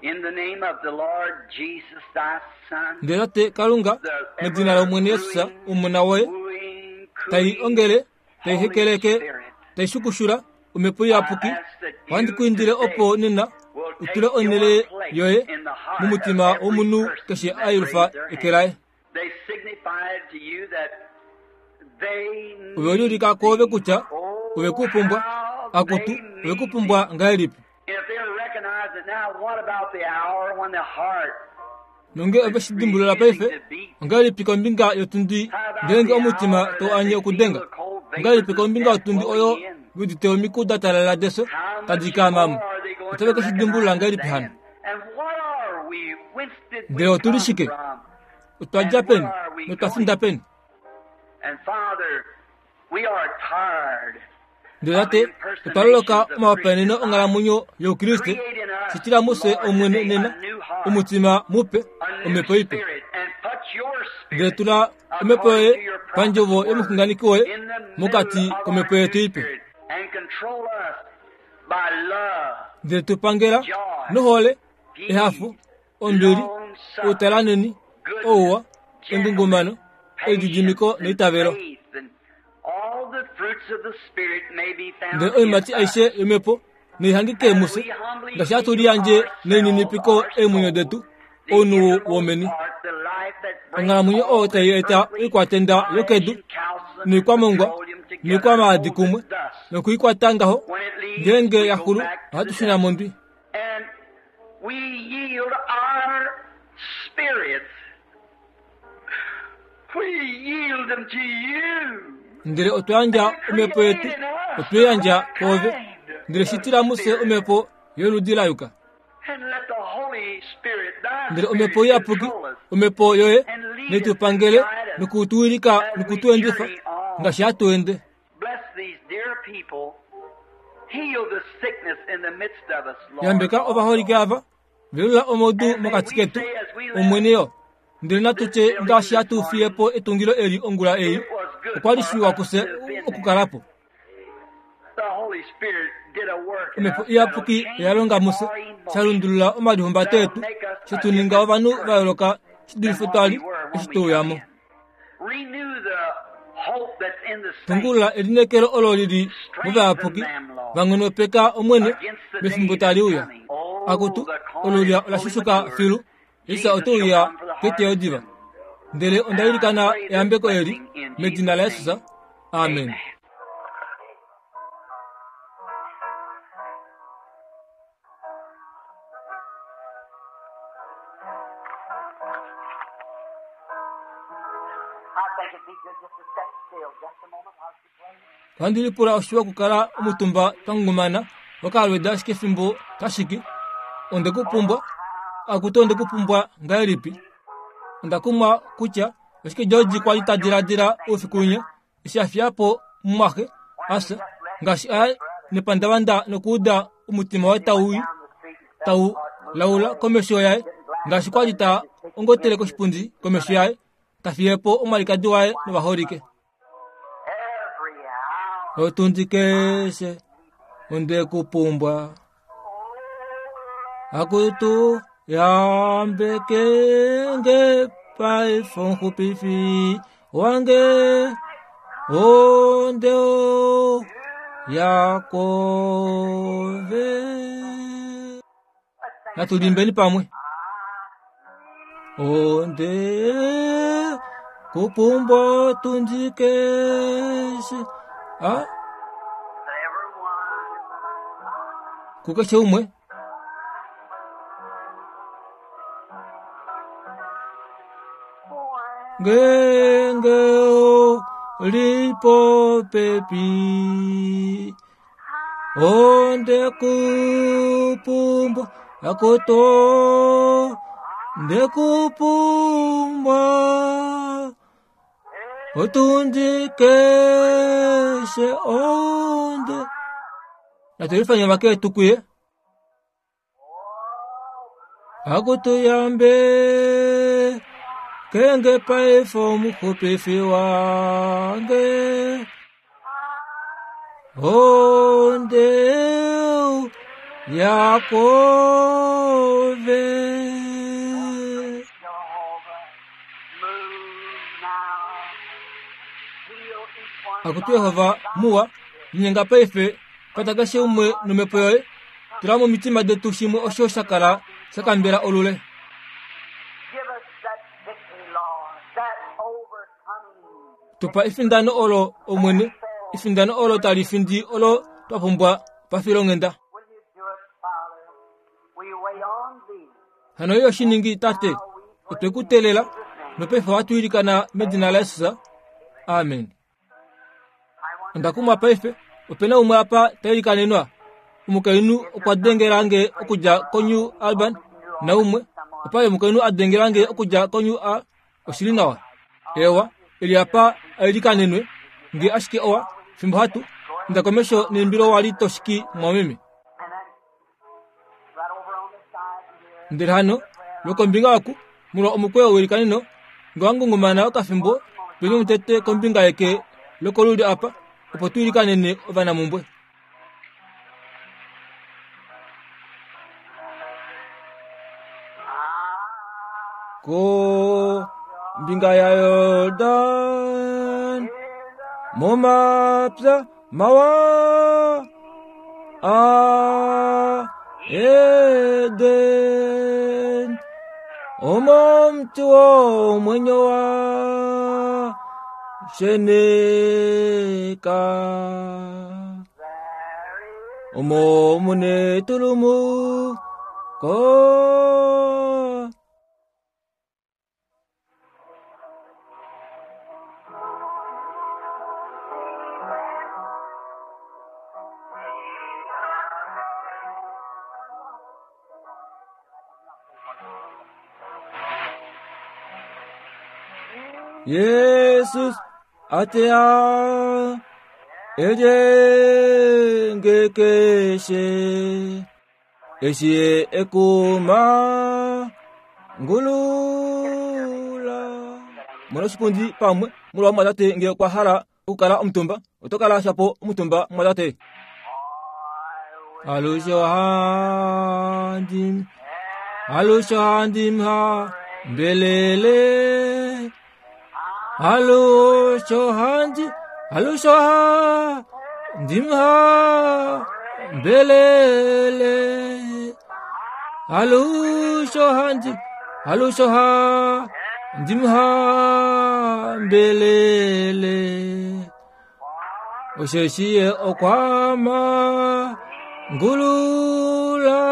Speaker 2: in the name of the Lord Jesus, thy Son,
Speaker 1: Ndele tate Kalunga,
Speaker 2: the
Speaker 1: medina
Speaker 2: ever
Speaker 1: lOmwene Jesus,
Speaker 2: brewing,
Speaker 1: omona woye,
Speaker 2: wooing,
Speaker 1: tai
Speaker 2: cooing
Speaker 1: ongele, tai
Speaker 2: Holy
Speaker 1: hekeleke,
Speaker 2: Spirit,
Speaker 1: tai shukushula omhepo
Speaker 2: I
Speaker 1: iyapuki,
Speaker 2: ask that
Speaker 1: ohandi
Speaker 2: you
Speaker 1: ku indile
Speaker 2: today
Speaker 1: opo nena
Speaker 2: will
Speaker 1: utule
Speaker 2: take your
Speaker 1: onhele
Speaker 2: place
Speaker 1: yoye
Speaker 2: in the heart of
Speaker 1: momutima
Speaker 2: every
Speaker 1: womunhu
Speaker 2: person
Speaker 1: keshe
Speaker 2: that
Speaker 1: a yelufa
Speaker 2: raised their
Speaker 1: eke
Speaker 2: hand.
Speaker 1: laye.
Speaker 2: They signified to you that they
Speaker 1: Ove
Speaker 2: need
Speaker 1: liulika kwoove
Speaker 2: thee.
Speaker 1: kutya ove
Speaker 2: Oh,
Speaker 1: kupumbwa,
Speaker 2: how
Speaker 1: akutu
Speaker 2: they
Speaker 1: ove
Speaker 2: need
Speaker 1: kupumbwa
Speaker 2: thee.
Speaker 1: ngahelipi.
Speaker 2: If they recognize it now, what about the hour when the heart
Speaker 1: Nonge ove
Speaker 2: is
Speaker 1: shi dimbulula
Speaker 2: refusing
Speaker 1: paife,
Speaker 2: to beat?
Speaker 1: ongahelipi kombinga yotundi
Speaker 2: How about
Speaker 1: ngeenge
Speaker 2: the
Speaker 1: omutima
Speaker 2: hour
Speaker 1: tau
Speaker 2: that
Speaker 1: anye
Speaker 2: they feel
Speaker 1: okudenga?
Speaker 2: the cold
Speaker 1: Ongahelipi
Speaker 2: vapors of
Speaker 1: kombinga
Speaker 2: death
Speaker 1: yotundi
Speaker 2: blowing
Speaker 1: oyo
Speaker 2: in?
Speaker 1: udite omiku da talala deso
Speaker 2: How much
Speaker 1: tadi kaamamo?
Speaker 2: more are they going
Speaker 1: Otave
Speaker 2: to
Speaker 1: ke shi dimbulula
Speaker 2: recognize
Speaker 1: ngahelipi hano?
Speaker 2: then? And what are we? Whence did
Speaker 1: Ndele
Speaker 2: we
Speaker 1: otu li
Speaker 2: come
Speaker 1: shike?
Speaker 2: from?
Speaker 1: Otwa
Speaker 2: And
Speaker 1: dja
Speaker 2: where
Speaker 1: peni?
Speaker 2: are we
Speaker 1: Notwa
Speaker 2: going?
Speaker 1: finda peni?
Speaker 2: And Father, we are tired
Speaker 1: Ndele
Speaker 2: of
Speaker 1: tate, otwa loloka
Speaker 2: impersonations of
Speaker 1: omahopaeneno
Speaker 2: Christian life.
Speaker 1: onghalamwenyo youkriste,
Speaker 2: Create in us,
Speaker 1: shitila mufye
Speaker 2: Lord,
Speaker 1: Omwene
Speaker 2: today
Speaker 1: nena,
Speaker 2: a new heart,
Speaker 1: omutima mupe,
Speaker 2: a new
Speaker 1: omhepo ipe.
Speaker 2: spirit, and put your
Speaker 1: Ndele
Speaker 2: spirit,
Speaker 1: tula omhepo
Speaker 2: according
Speaker 1: yoye
Speaker 2: to your prophet's
Speaker 1: pandjovo
Speaker 2: word,
Speaker 1: yomuxunganeki woye
Speaker 2: in the middle
Speaker 1: mokati
Speaker 2: of our
Speaker 1: komhepo yetu
Speaker 2: new
Speaker 1: ipe.
Speaker 2: spirit, and control us by love,
Speaker 1: Ndele tu pangela
Speaker 2: joy,
Speaker 1: nohole, ehafo,
Speaker 2: peace,
Speaker 1: ombili,
Speaker 2: long suffering,
Speaker 1: outalaneni,
Speaker 2: goodness,
Speaker 1: ouwa,
Speaker 2: gentleness,
Speaker 1: engungumano,
Speaker 2: patience,
Speaker 1: elididimiko
Speaker 2: and
Speaker 1: neitavelo.
Speaker 2: faith, and all the fruits of the Spirit may be
Speaker 1: Ndele
Speaker 2: found in
Speaker 1: oiimati
Speaker 2: us.
Speaker 1: aishe yomhepo naihangike
Speaker 2: As
Speaker 1: mufye,
Speaker 2: we humbly
Speaker 1: ngaashi hatu
Speaker 2: yield
Speaker 1: liyandje
Speaker 2: ourselves,
Speaker 1: nelininipiko
Speaker 2: our
Speaker 1: eemwenyo
Speaker 2: souls,
Speaker 1: detu,
Speaker 2: the
Speaker 1: ounhu
Speaker 2: innermost
Speaker 1: womeni.
Speaker 2: part, the life that brings
Speaker 1: Onghalamwenyo oyo
Speaker 2: all
Speaker 1: tai
Speaker 2: this
Speaker 1: eta
Speaker 2: earthly
Speaker 1: oikwatenda
Speaker 2: potash
Speaker 1: yokedu
Speaker 2: and calcium and
Speaker 1: noikwamongwa
Speaker 2: petroleum together
Speaker 1: noikwamaadi
Speaker 2: holds
Speaker 1: kumwe
Speaker 2: it thus.
Speaker 1: nokuikwata ngaho,
Speaker 2: When it leaves,
Speaker 1: ngeenge
Speaker 2: we
Speaker 1: ya
Speaker 2: go
Speaker 1: xulu
Speaker 2: back to
Speaker 1: ohatu
Speaker 2: the
Speaker 1: shuna
Speaker 2: dust.
Speaker 1: mondwi.
Speaker 2: And we yield our spirits. We yield them to you.
Speaker 1: Ndele otwa yandja
Speaker 2: And
Speaker 1: omhepo
Speaker 2: create
Speaker 1: yetu,
Speaker 2: in us
Speaker 1: otwe
Speaker 2: the
Speaker 1: yandja
Speaker 2: right
Speaker 1: kwoove.
Speaker 2: kind
Speaker 1: Ndele
Speaker 2: of
Speaker 1: shitila mufye
Speaker 2: spirit.
Speaker 1: omhepo yoludi la yuka.
Speaker 2: And let the Holy Spirit, thy
Speaker 1: Ndele omhepo
Speaker 2: Spirit,
Speaker 1: iyapuki,
Speaker 2: control us
Speaker 1: omhepo yoye,
Speaker 2: and lead
Speaker 1: netu
Speaker 2: us and
Speaker 1: pangele
Speaker 2: guide us
Speaker 1: nokutuwilika
Speaker 2: as we
Speaker 1: nokutuendifa
Speaker 2: journey on.
Speaker 1: ngaashi hatu ende.
Speaker 2: Bless these dear people
Speaker 1: Yambeka ovaholike ava, velula omaudu mokati ketu, Omwene yo. Ndele natu tye ngaashi hatu fiye po etungilo eli ongula ei, okwa li shiwa kufye okukala po. Omhepo Iyapuki oya longa mufye, sha lundulula omalihumbato etu, she tu ninga ovanhu va yooloka shi dulife twa li eshi twe uya mo. Tungulula elineekelo olo li li movayapuki va nghonopeka Omwene mefimbo tali uya. Akutu, olulya ola shushuka filu, Jesus ote uya keteyo diva. Ndele onda ilikana eyambeko eli medina laJesus. Amen. Ohandi lipula oshiwa okukala omutumba twa ngungumana wakalweda ashike efimbo tashiki. Onde ku pumbwa, akutu onde ku pumbwa ngahelipi? Onda kumwa kutya oshike George kwa li ta diladila oufiku winya eshi a fiya po mumwaxe a fya, ngaashi a ya nepandavanda nokuuda omutima waye tau i tau laula komesho yaye, ngaashi kwa li ta ongotele koshipundi komesho yaye, ta fiye po omwalikadi waye novaholike. Otundi keshe onde ku pumbwa akutu yambeke nge paife omuxupifi wange onde ya kove natu limbeni pamwe onde kupumbwa otundi keshe a kukeshe umwe ngenge li popepi Onde kupumbwa akoto ndekupumbwa otundi keshe onde natulifanya vaketu kuye Akutuyambe kenge paife omuxupifi wange onde yakove. Akutu Yehova muwa, linyenga paife kwata keshe umwe nomhepo yoye Tula momitima detu shimwe osho sha kala sha kambela olule. Tu pa efindano olo, Omwene, efindano olo tali findi olo twa pumbwa pafilonghenda. Hano yo shi ningi, Tate, otwe ku teelela, nopaife ohatu ilikana medina laJesus. Amen. Onda kumwa paife, ope na umwe apa ta ilikanenwa. Omukainhu okwa dengela nge okudja koNew Alban, naumwe opa omukainhu a dengela nge okudja koNew A. Oshi li nawa. Ewa, eli apa a ilikanenwe nge ashike owa, fimbo hatu inda komesho neimbilo wa li to shiki mwameme. Ndele hano, lwokombinga oku, molwa omukweyo weilikaneno, nge wa ngungumana okafimbo, tweni omutete kombinga yeke lokolulyo apa, opo tu ilikanene ovanamumbwe. Kombinga yaJordan, momapya mawa a Eden, omo omuti womwenyo wa sheneka, omo mu netulumuko. Jesus a teya Elyenge keshe eshi ye ekuma ngulula. Mona oshipundi pamwe molwa omumwatate ngee okwa hala okukala omutumba, oto kala shapo omutumba mumwatate. Alushe ohandi alushe ohandi ha mbelele alushe ohandi alushe ohandi ha mbelele alushe ohandi alushe ohandi ha mbelele osheshi ye okwama ngululange.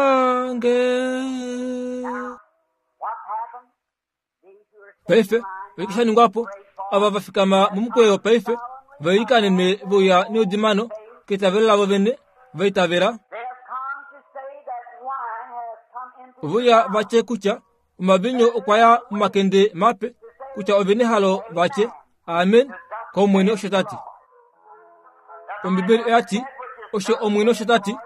Speaker 1: Paife oshike sha ningwa po? Ava va fikama momukweyo paife va ilikanenwe ve uya neudimano keitavelo lavo vene va itavela. Ove uya va tye kutya omaviinyu okwa ya momakende mape, kutya ove nehalo va tye, Amen, kOmwene osho ta ti. Ombibeli oya ti, Osho Omwene osho ta ti,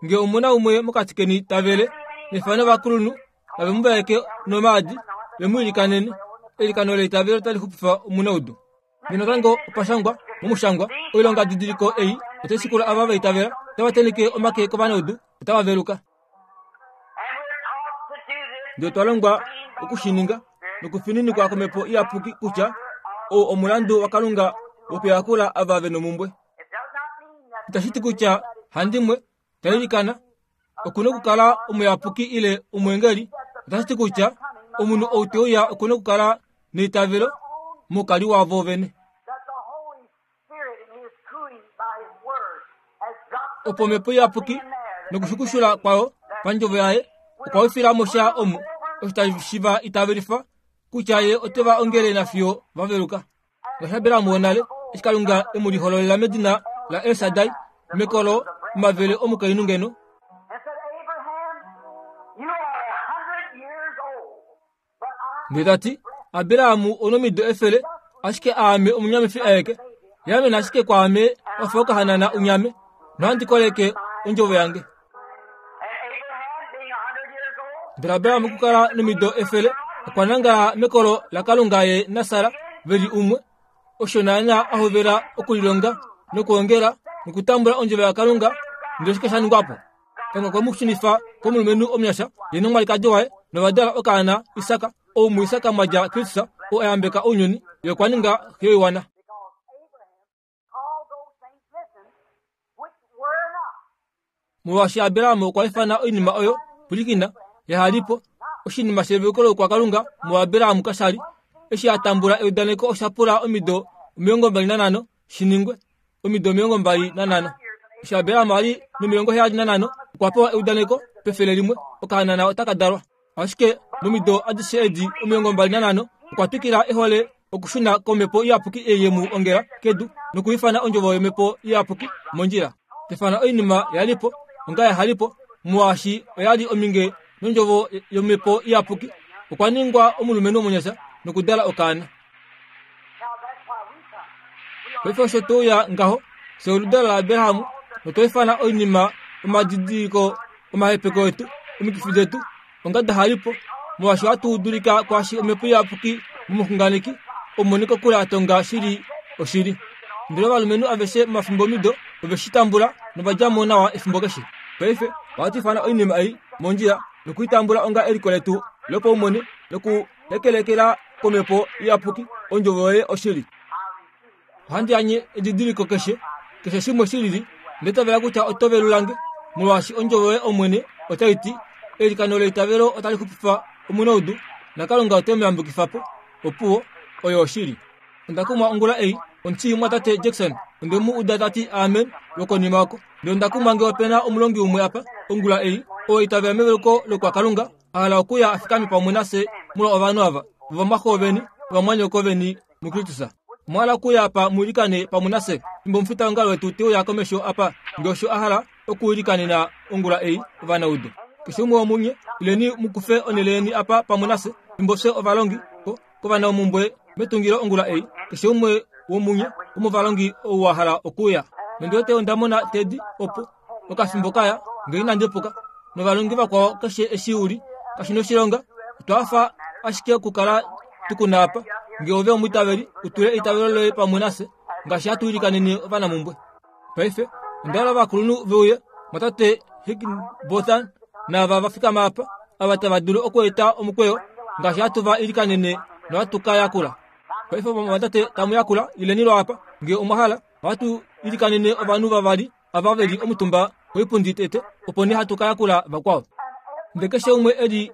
Speaker 1: nge omu na umwe mokati keni ta vele, nefano ovakulunhu nave mu vaeke nomaadi, ve mu ilikanene. Eilikano leitavelo otali xupifa omunaudu. Nena natango opa shangwa momushangwa, oilongadidiliko ei otai shikula ava va itavela, otava tenheke omake kovanaudu, otava veluka. Ndele otwa longwa oku shi ninga nokufininikwa komhepo iyapuki kutya ou omulandu waKalunga wokuyakula ava ve nomumbwe. Itashi ti kutya handimwe ta ilikana oku na okukala omuyapuki ile omweengeli. Otashi ti kutya omunhu ou te uya oku na okukala neitavelo moukali wavo vene. Opo omhepo iyapuki nokushukushula kwayo pandjovo yaye okwa wifila mo sha omo osho tashi va itavelifa kutya ye ote va ongele nafiyo va veluka. Ngaashi Abraham wonale, eshi Kalunga e mu lihololela medina laEl Shaddai mekolo omavele omukainhu ngeno, Ndele ta ti, Abraham onomido efele, ashike aame omunyamifi aeke. Yaamena ashike kwaame wa fa okahanana unyame, nohandi koleke ondjovo yange. Ndele Abraham okukala nomido efele, okwa nangala mekolo laKalunga ye naSara ve li umwe. Osho naanaa a hovela okulilonga nokwoongela nokutambula ondjovo yaKalunga, ndele oshike sha ningwa po? Kalunga okwe mu shunifa komulumenhu omunyasha, ye nomwalikadi waye, nova dala okaana Isak, ou muIsak mwa dja Kristus, ou a yambeka ounyuni, ye okwa ninga xe yoiwana. Molwaashi Abraham okwa ifana oinima oyo, pwilikina, yaha li po, oshinima sheveluko loukwakalunga muAbraham kasha li. Eshi a tambula eudaneko osha pula omido 25 shi ningwe. Omido 25. Eshi Abraham a li nomilongo 75, okwa pewa eudaneko pefele limwe, okahanana otaka dalwa. Ashike momido adishe edi 25, okwa twikila e hole okushuna komhepo iyapuki ei ye mu ongela kedu nokuifana ondjovo yomhepo iyapuki mondjila. Tefana oinima ya li po onga yaha li po, molwaashi oya li ominge nondjovo yomhepo iyapuki. Okwa ningwa omulumenhu omunyasha nokudala okaana. Paife osho to uya ngaho, fye oludalo laAbraham, notwa ifana oinima omadidiliko omahepeko etu, omikifi detu, onga da hali po, molwaashi ohatu dulika kwaashi Omhepo Iyapuki momuxunganeki omumoni kokule a tonga shi li oshili. Ndele ovalumenhu aveshe momafimbomido ove shi tambula nova dja mo nawa efimbo keshe. Paife ohatu ifana oinima ei mondjila noku i tambula onga eliko letu lopaumwene nokuhekelekela komhepo iyapuki ondjovo yoye oshili. Ohandi anye edidiliko keshe, keshe shimwe shi lili, ndele tavela kutya oto velula nge, molwaashi ondjovo yoye Omwene otai ti, Eilikano leitavelo otali xupifa omunaudu, naKalunga ote mu yambukifa po. Opuwo, oyo oshili. Onda kumwa ongula ei, omuti mwatate Jackson, onde mu uda ta ti amen lwokonima oko. Ndele onda kumwa nge ope na omulongi umwe apa, ongula ei, oo itavela meveluko lokwaKalunga, a hala okuya a fikame pamwe nafye molwa ovanhu ava, ovamwaxo veni, ovamwanyoko veni muKristus. Omwa hala okuuya apa mu ilikane pamwe nafye fimbo omufitaongalo wetu te uya komesho apa, nge osho a hala okuilikanena ongula ei, ovanaudu. Keshe umwe womunye, ileni mu kufe onhele yeni apa pamwe nafye fimbo fye ovalongi ko, kovanaumumbwe metungilo ongula ei. Keshe umwe womunye womovalongi ou wa hala okuuya. Nondi wete onda mona Teddy opo, okafimbo kaya, nge inandi puka, novalongi vakwao keshe eshi u li, kashi noshilonga. Otwa hafa ashike okukala tu ku na apa. Nge ove omwiitaveli, u tule eitavelo loye pamwe nafye, ngaashi hatu ilikanene ovanamumbwe. Paife, onda hala ovakulunhu ve uye, mwatate Higginbotham naava va fikama apa, ava tava dulu okweeta omukweyo, ngaashi hatu va ilikanene nohatu ka yakula. Paife ovamwatate tamu yakula, ileni lwaapa, nge omwa hala. Ohatu ilikanene ovanhu vavali ava ve li omutumba koipundi tete, opo nee hatu ka yakula vakwao. Ndele keshe umwe e li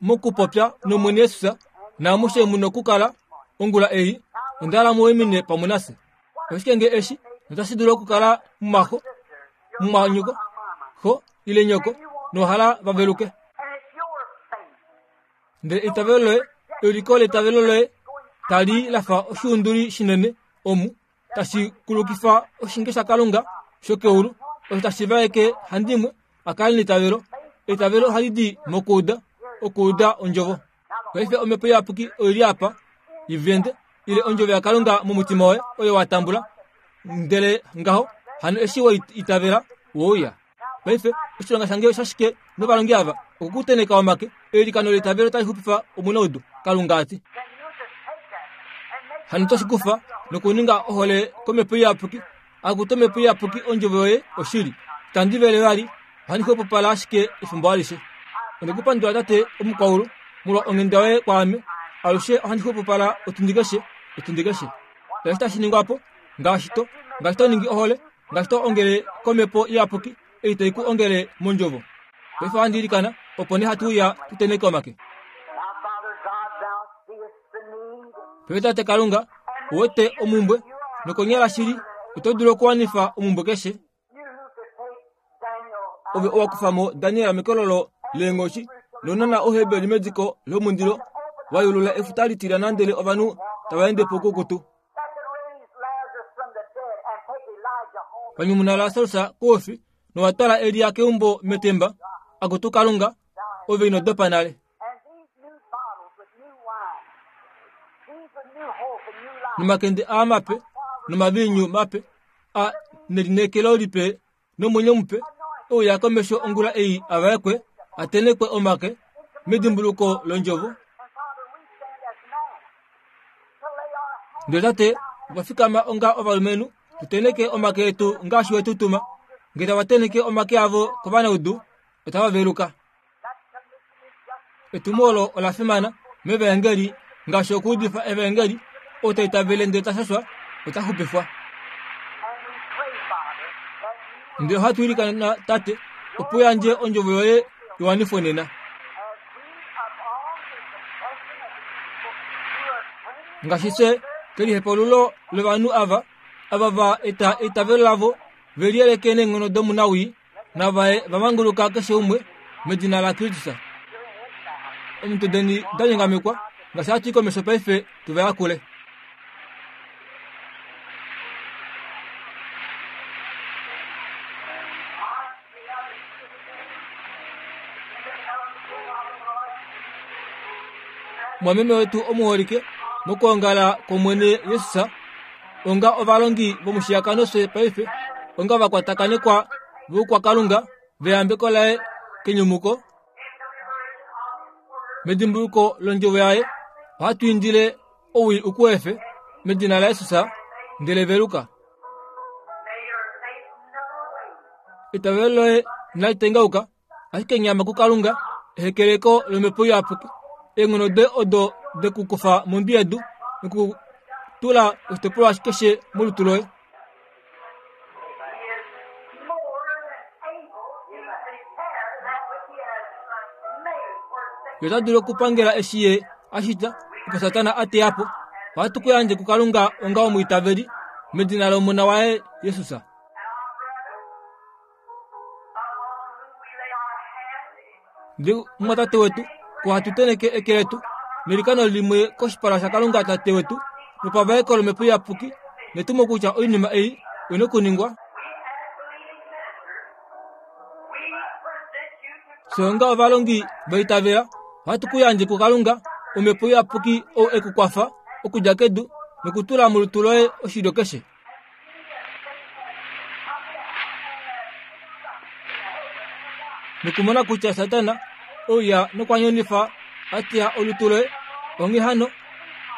Speaker 1: mokupopya nOmwene Jesus, naamushe mu nokukala ongula ei, onda hala mu waimine pamwe nafye. Oshike nge eshi notashi dulu okukala mumaxo, mumwanyoko, xo ile nyoko, nowa hala va veluke. Ndele eitavelo loye, euliko leitavelo loye tali lafa oshiunduli shinene omu tashi kulukifa oshinge shaKalunga shokeulu, osho tashi vaeke handimwe a kale neitavelo. Eitavelo ohali di mokuuda, okuuda ondjovo. Paife omhepo iyapuki oi li apa i vende ile ondjovo yaKalunga momutima woye oyo wa tambula, ndele ngaho hano eshi we itavela wouya. Paife oshilonga shange oshashike novalongi ava okukuteneka omake? Eilikano leitavelo tali xupifa omunaudu, Kalunga a ti. Hano otashi kufa nokuninga ohole komhepo iyapuki. Akutu omhepo iyapuki, ondjovo yoye oshili. Itandi vele vali, ohandi xwepopala ashike efimbo alishe. Onde ku pandula Tate omukwaulu molwa onghenda yoye kwaame. Alushe ohandi xwepopala otundi keshe, otundi keshe. Eshi tashi ningwa po, ngaashi to, ngaashi to ningi ohole, ngaashi to ongele komhepo iyapuki ei tai ku ongele mondjovo. Paife ohandi ilikana, opo nee hatu uya tu tenheke omake. Paife Tate Kalunga, ou wete omumbwe, nokonyala shili oto dulu okuwanifa omumbwe keshe. Ove owa kufa mo Daniel mekololo leenghoshi nounona Ouheberi mediko lomundilo, wa yulula efuta litilyana ndele ovanhu tava ende poukukutu. Wa nyumuna Lasarus koufi nowa twala Elia keumbo metemba. Akutu Kalunga, ove ino dopa nale. Nomakende aa mape nomaviinyu mape a nelineekelo lipe nomwenyo mupe e uya komesho ongula ei a vaekwe a tenhekwe omake medimbuluko londjovo. Ndele tate okwa fikama onga ovalumenhu tu tenheke omake etu ngaashi we tu tuma. Nge tava tenheke omake avo kovanaudu, otava veluka. Etumo olo ola fimana mevaengeli ngaashi okuudifa evaengeli ou ta itavele ndele ta shashwa ota xupifwa. Ndele ohatu ilikana Tate opo u yandje ondjovo yoye i wanifwe nena. Ngaashi fye kelihepaululo lovanhu ava, ava va eta eitavelo lavo ve liyeleke neenghono domunawii, navaye va manguluka keshe umwe medina laKristus. Omitwe deni da nyongamekwa, ngaashi hatu i komesho paife tu va yakule. Mwameme wetu omuholike, mokwoongala kwOmwene Jesus, onga ovalongi vomushiyakano fye paife onga vakwatakanekwa voukwakalunga veyambeko laye kenyumuko medimbuluko londjovo yaye ohatu indile owii u ku efe medina laJesus ndele veluka. Eitavelo loye inali tengauka ashike nyama kuKalunga, ehekeleko lomhepo iyapuki, eenghono doye odo de ku kufa mondwi yedu noku tula oshitopolwa keshe molutu loye. Ye ota dulu okupangela eshi ye a shita opo Satana a teya po. Ohatu ku yandje kuKalunga onga omwiitaveli medina lOmona waye Jesus. Ndele mumwatate wetu, ko hatu tenheke eke letu nelikano limwe koshipala shaKalunga Tate wetu nopavaeko lOmhepo Iyapuki, netumo kutya oinima ei oi nokuningwa. Fye onga ovalongi va itavela, ohatu ku yandje kuKalunga Omhepo Iyapuki ou e ku kwafa okudja kedu nokutula molutu loye oshilyo keshe. Nokumona kutya Satana ouya nokwa nyonifa a teya olutu loye, onghee hano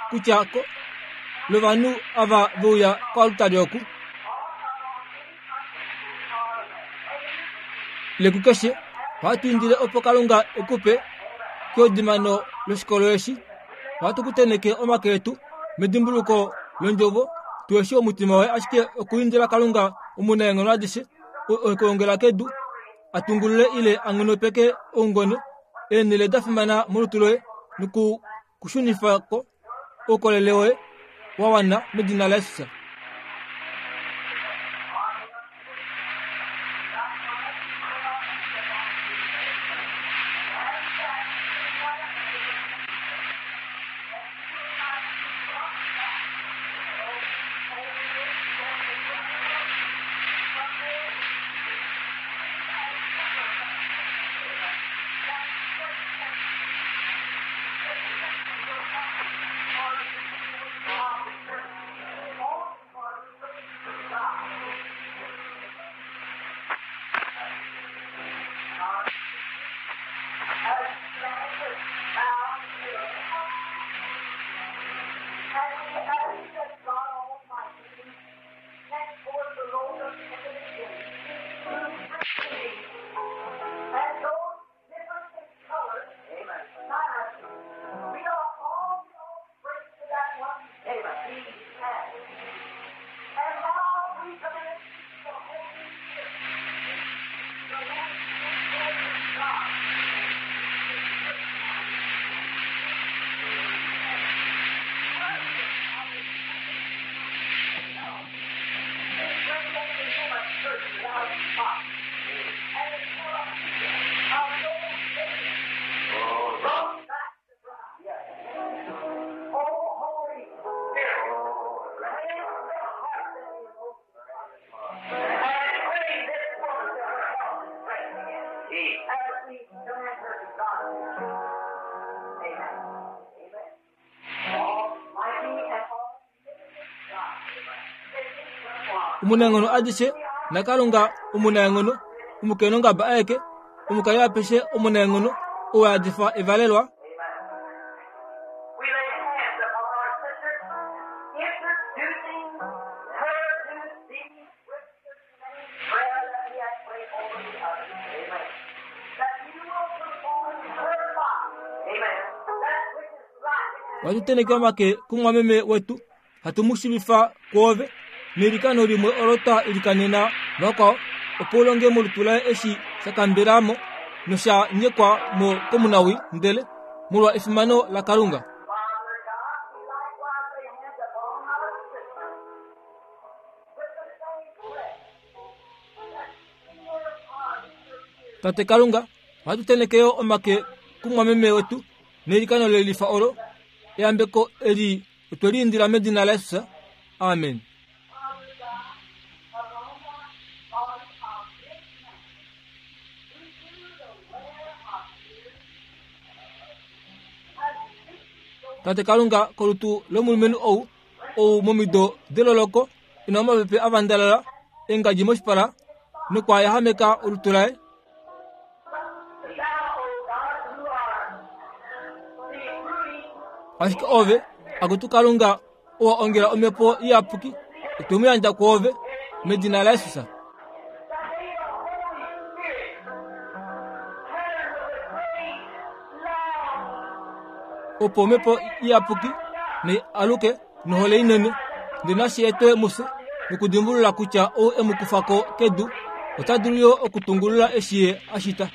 Speaker 1: kutya ko lovanhu ava ve uya koaltari oku, ile kukeshe, ohatu indile opo Kalunga e ku pe keudimano loshikolo eshi. Ohatu ku tenheke omake etu medimbuluko londjovo, tu eshi omutima woye ashike okuindila Kalunga omunaenghono adishe, oo e ku ongela kedu, a tungulule ile a nghonopeke oungone, eenhele da fimana molutu loye noku ku shunifa ko oukolele woye wa wana medina laJesus. Omunaenghono adishe naKalunga omunaenghono, omukainhungaba aeke, omukali apeshe omunaenghono, ou a yadifa evalelwa.
Speaker 2: We lay hands upon our sister, introducing her to thee with the same prayer that we have prayed over the others. Amen. That you will perform her part. Amen. That which is right.
Speaker 1: Ohatu tenheke omake kumwameme wetu, hatu mu shiivifa kwoove neilikano limwe olo twa ilikanena vakwao, opo u longe molutu laye eshi sha kambela mo nosha nyekwa mo komunawii, ndele molwa efimano laKalunga.
Speaker 2: Father God, we likewise lay hands upon our sister with the same prayer. That she upon her
Speaker 1: Tate Kalunga, ohatu tenheke yo omake kumwameme wetu neilikano le lifa olo. Eyambeko eli otwe li indila medina laJesus. Amen.
Speaker 2: Father God, upon the body of this man, who through the wear of years has reached
Speaker 1: Tate Kalunga, kolutu lomulumenhu ou, ou momido deloloko e na omapepe a vandalala, engadji moshipala nokwa yahameka olutu laye,
Speaker 2: Thou, O God, who art the brooding
Speaker 1: ashike ove, akutu Kalunga, owa ongela omhepo iyapuki, otwe mu yandja kwoove medina laJesus.
Speaker 2: that may the Holy Spirit turn with a great love
Speaker 1: Opo omhepo iyapuki nai aluke nohole inene, ndele nashi etwe mufye nokudimbulula kutya ou e mu kufa ko kedu ota dulu yo okutungulula eshi ye a shita.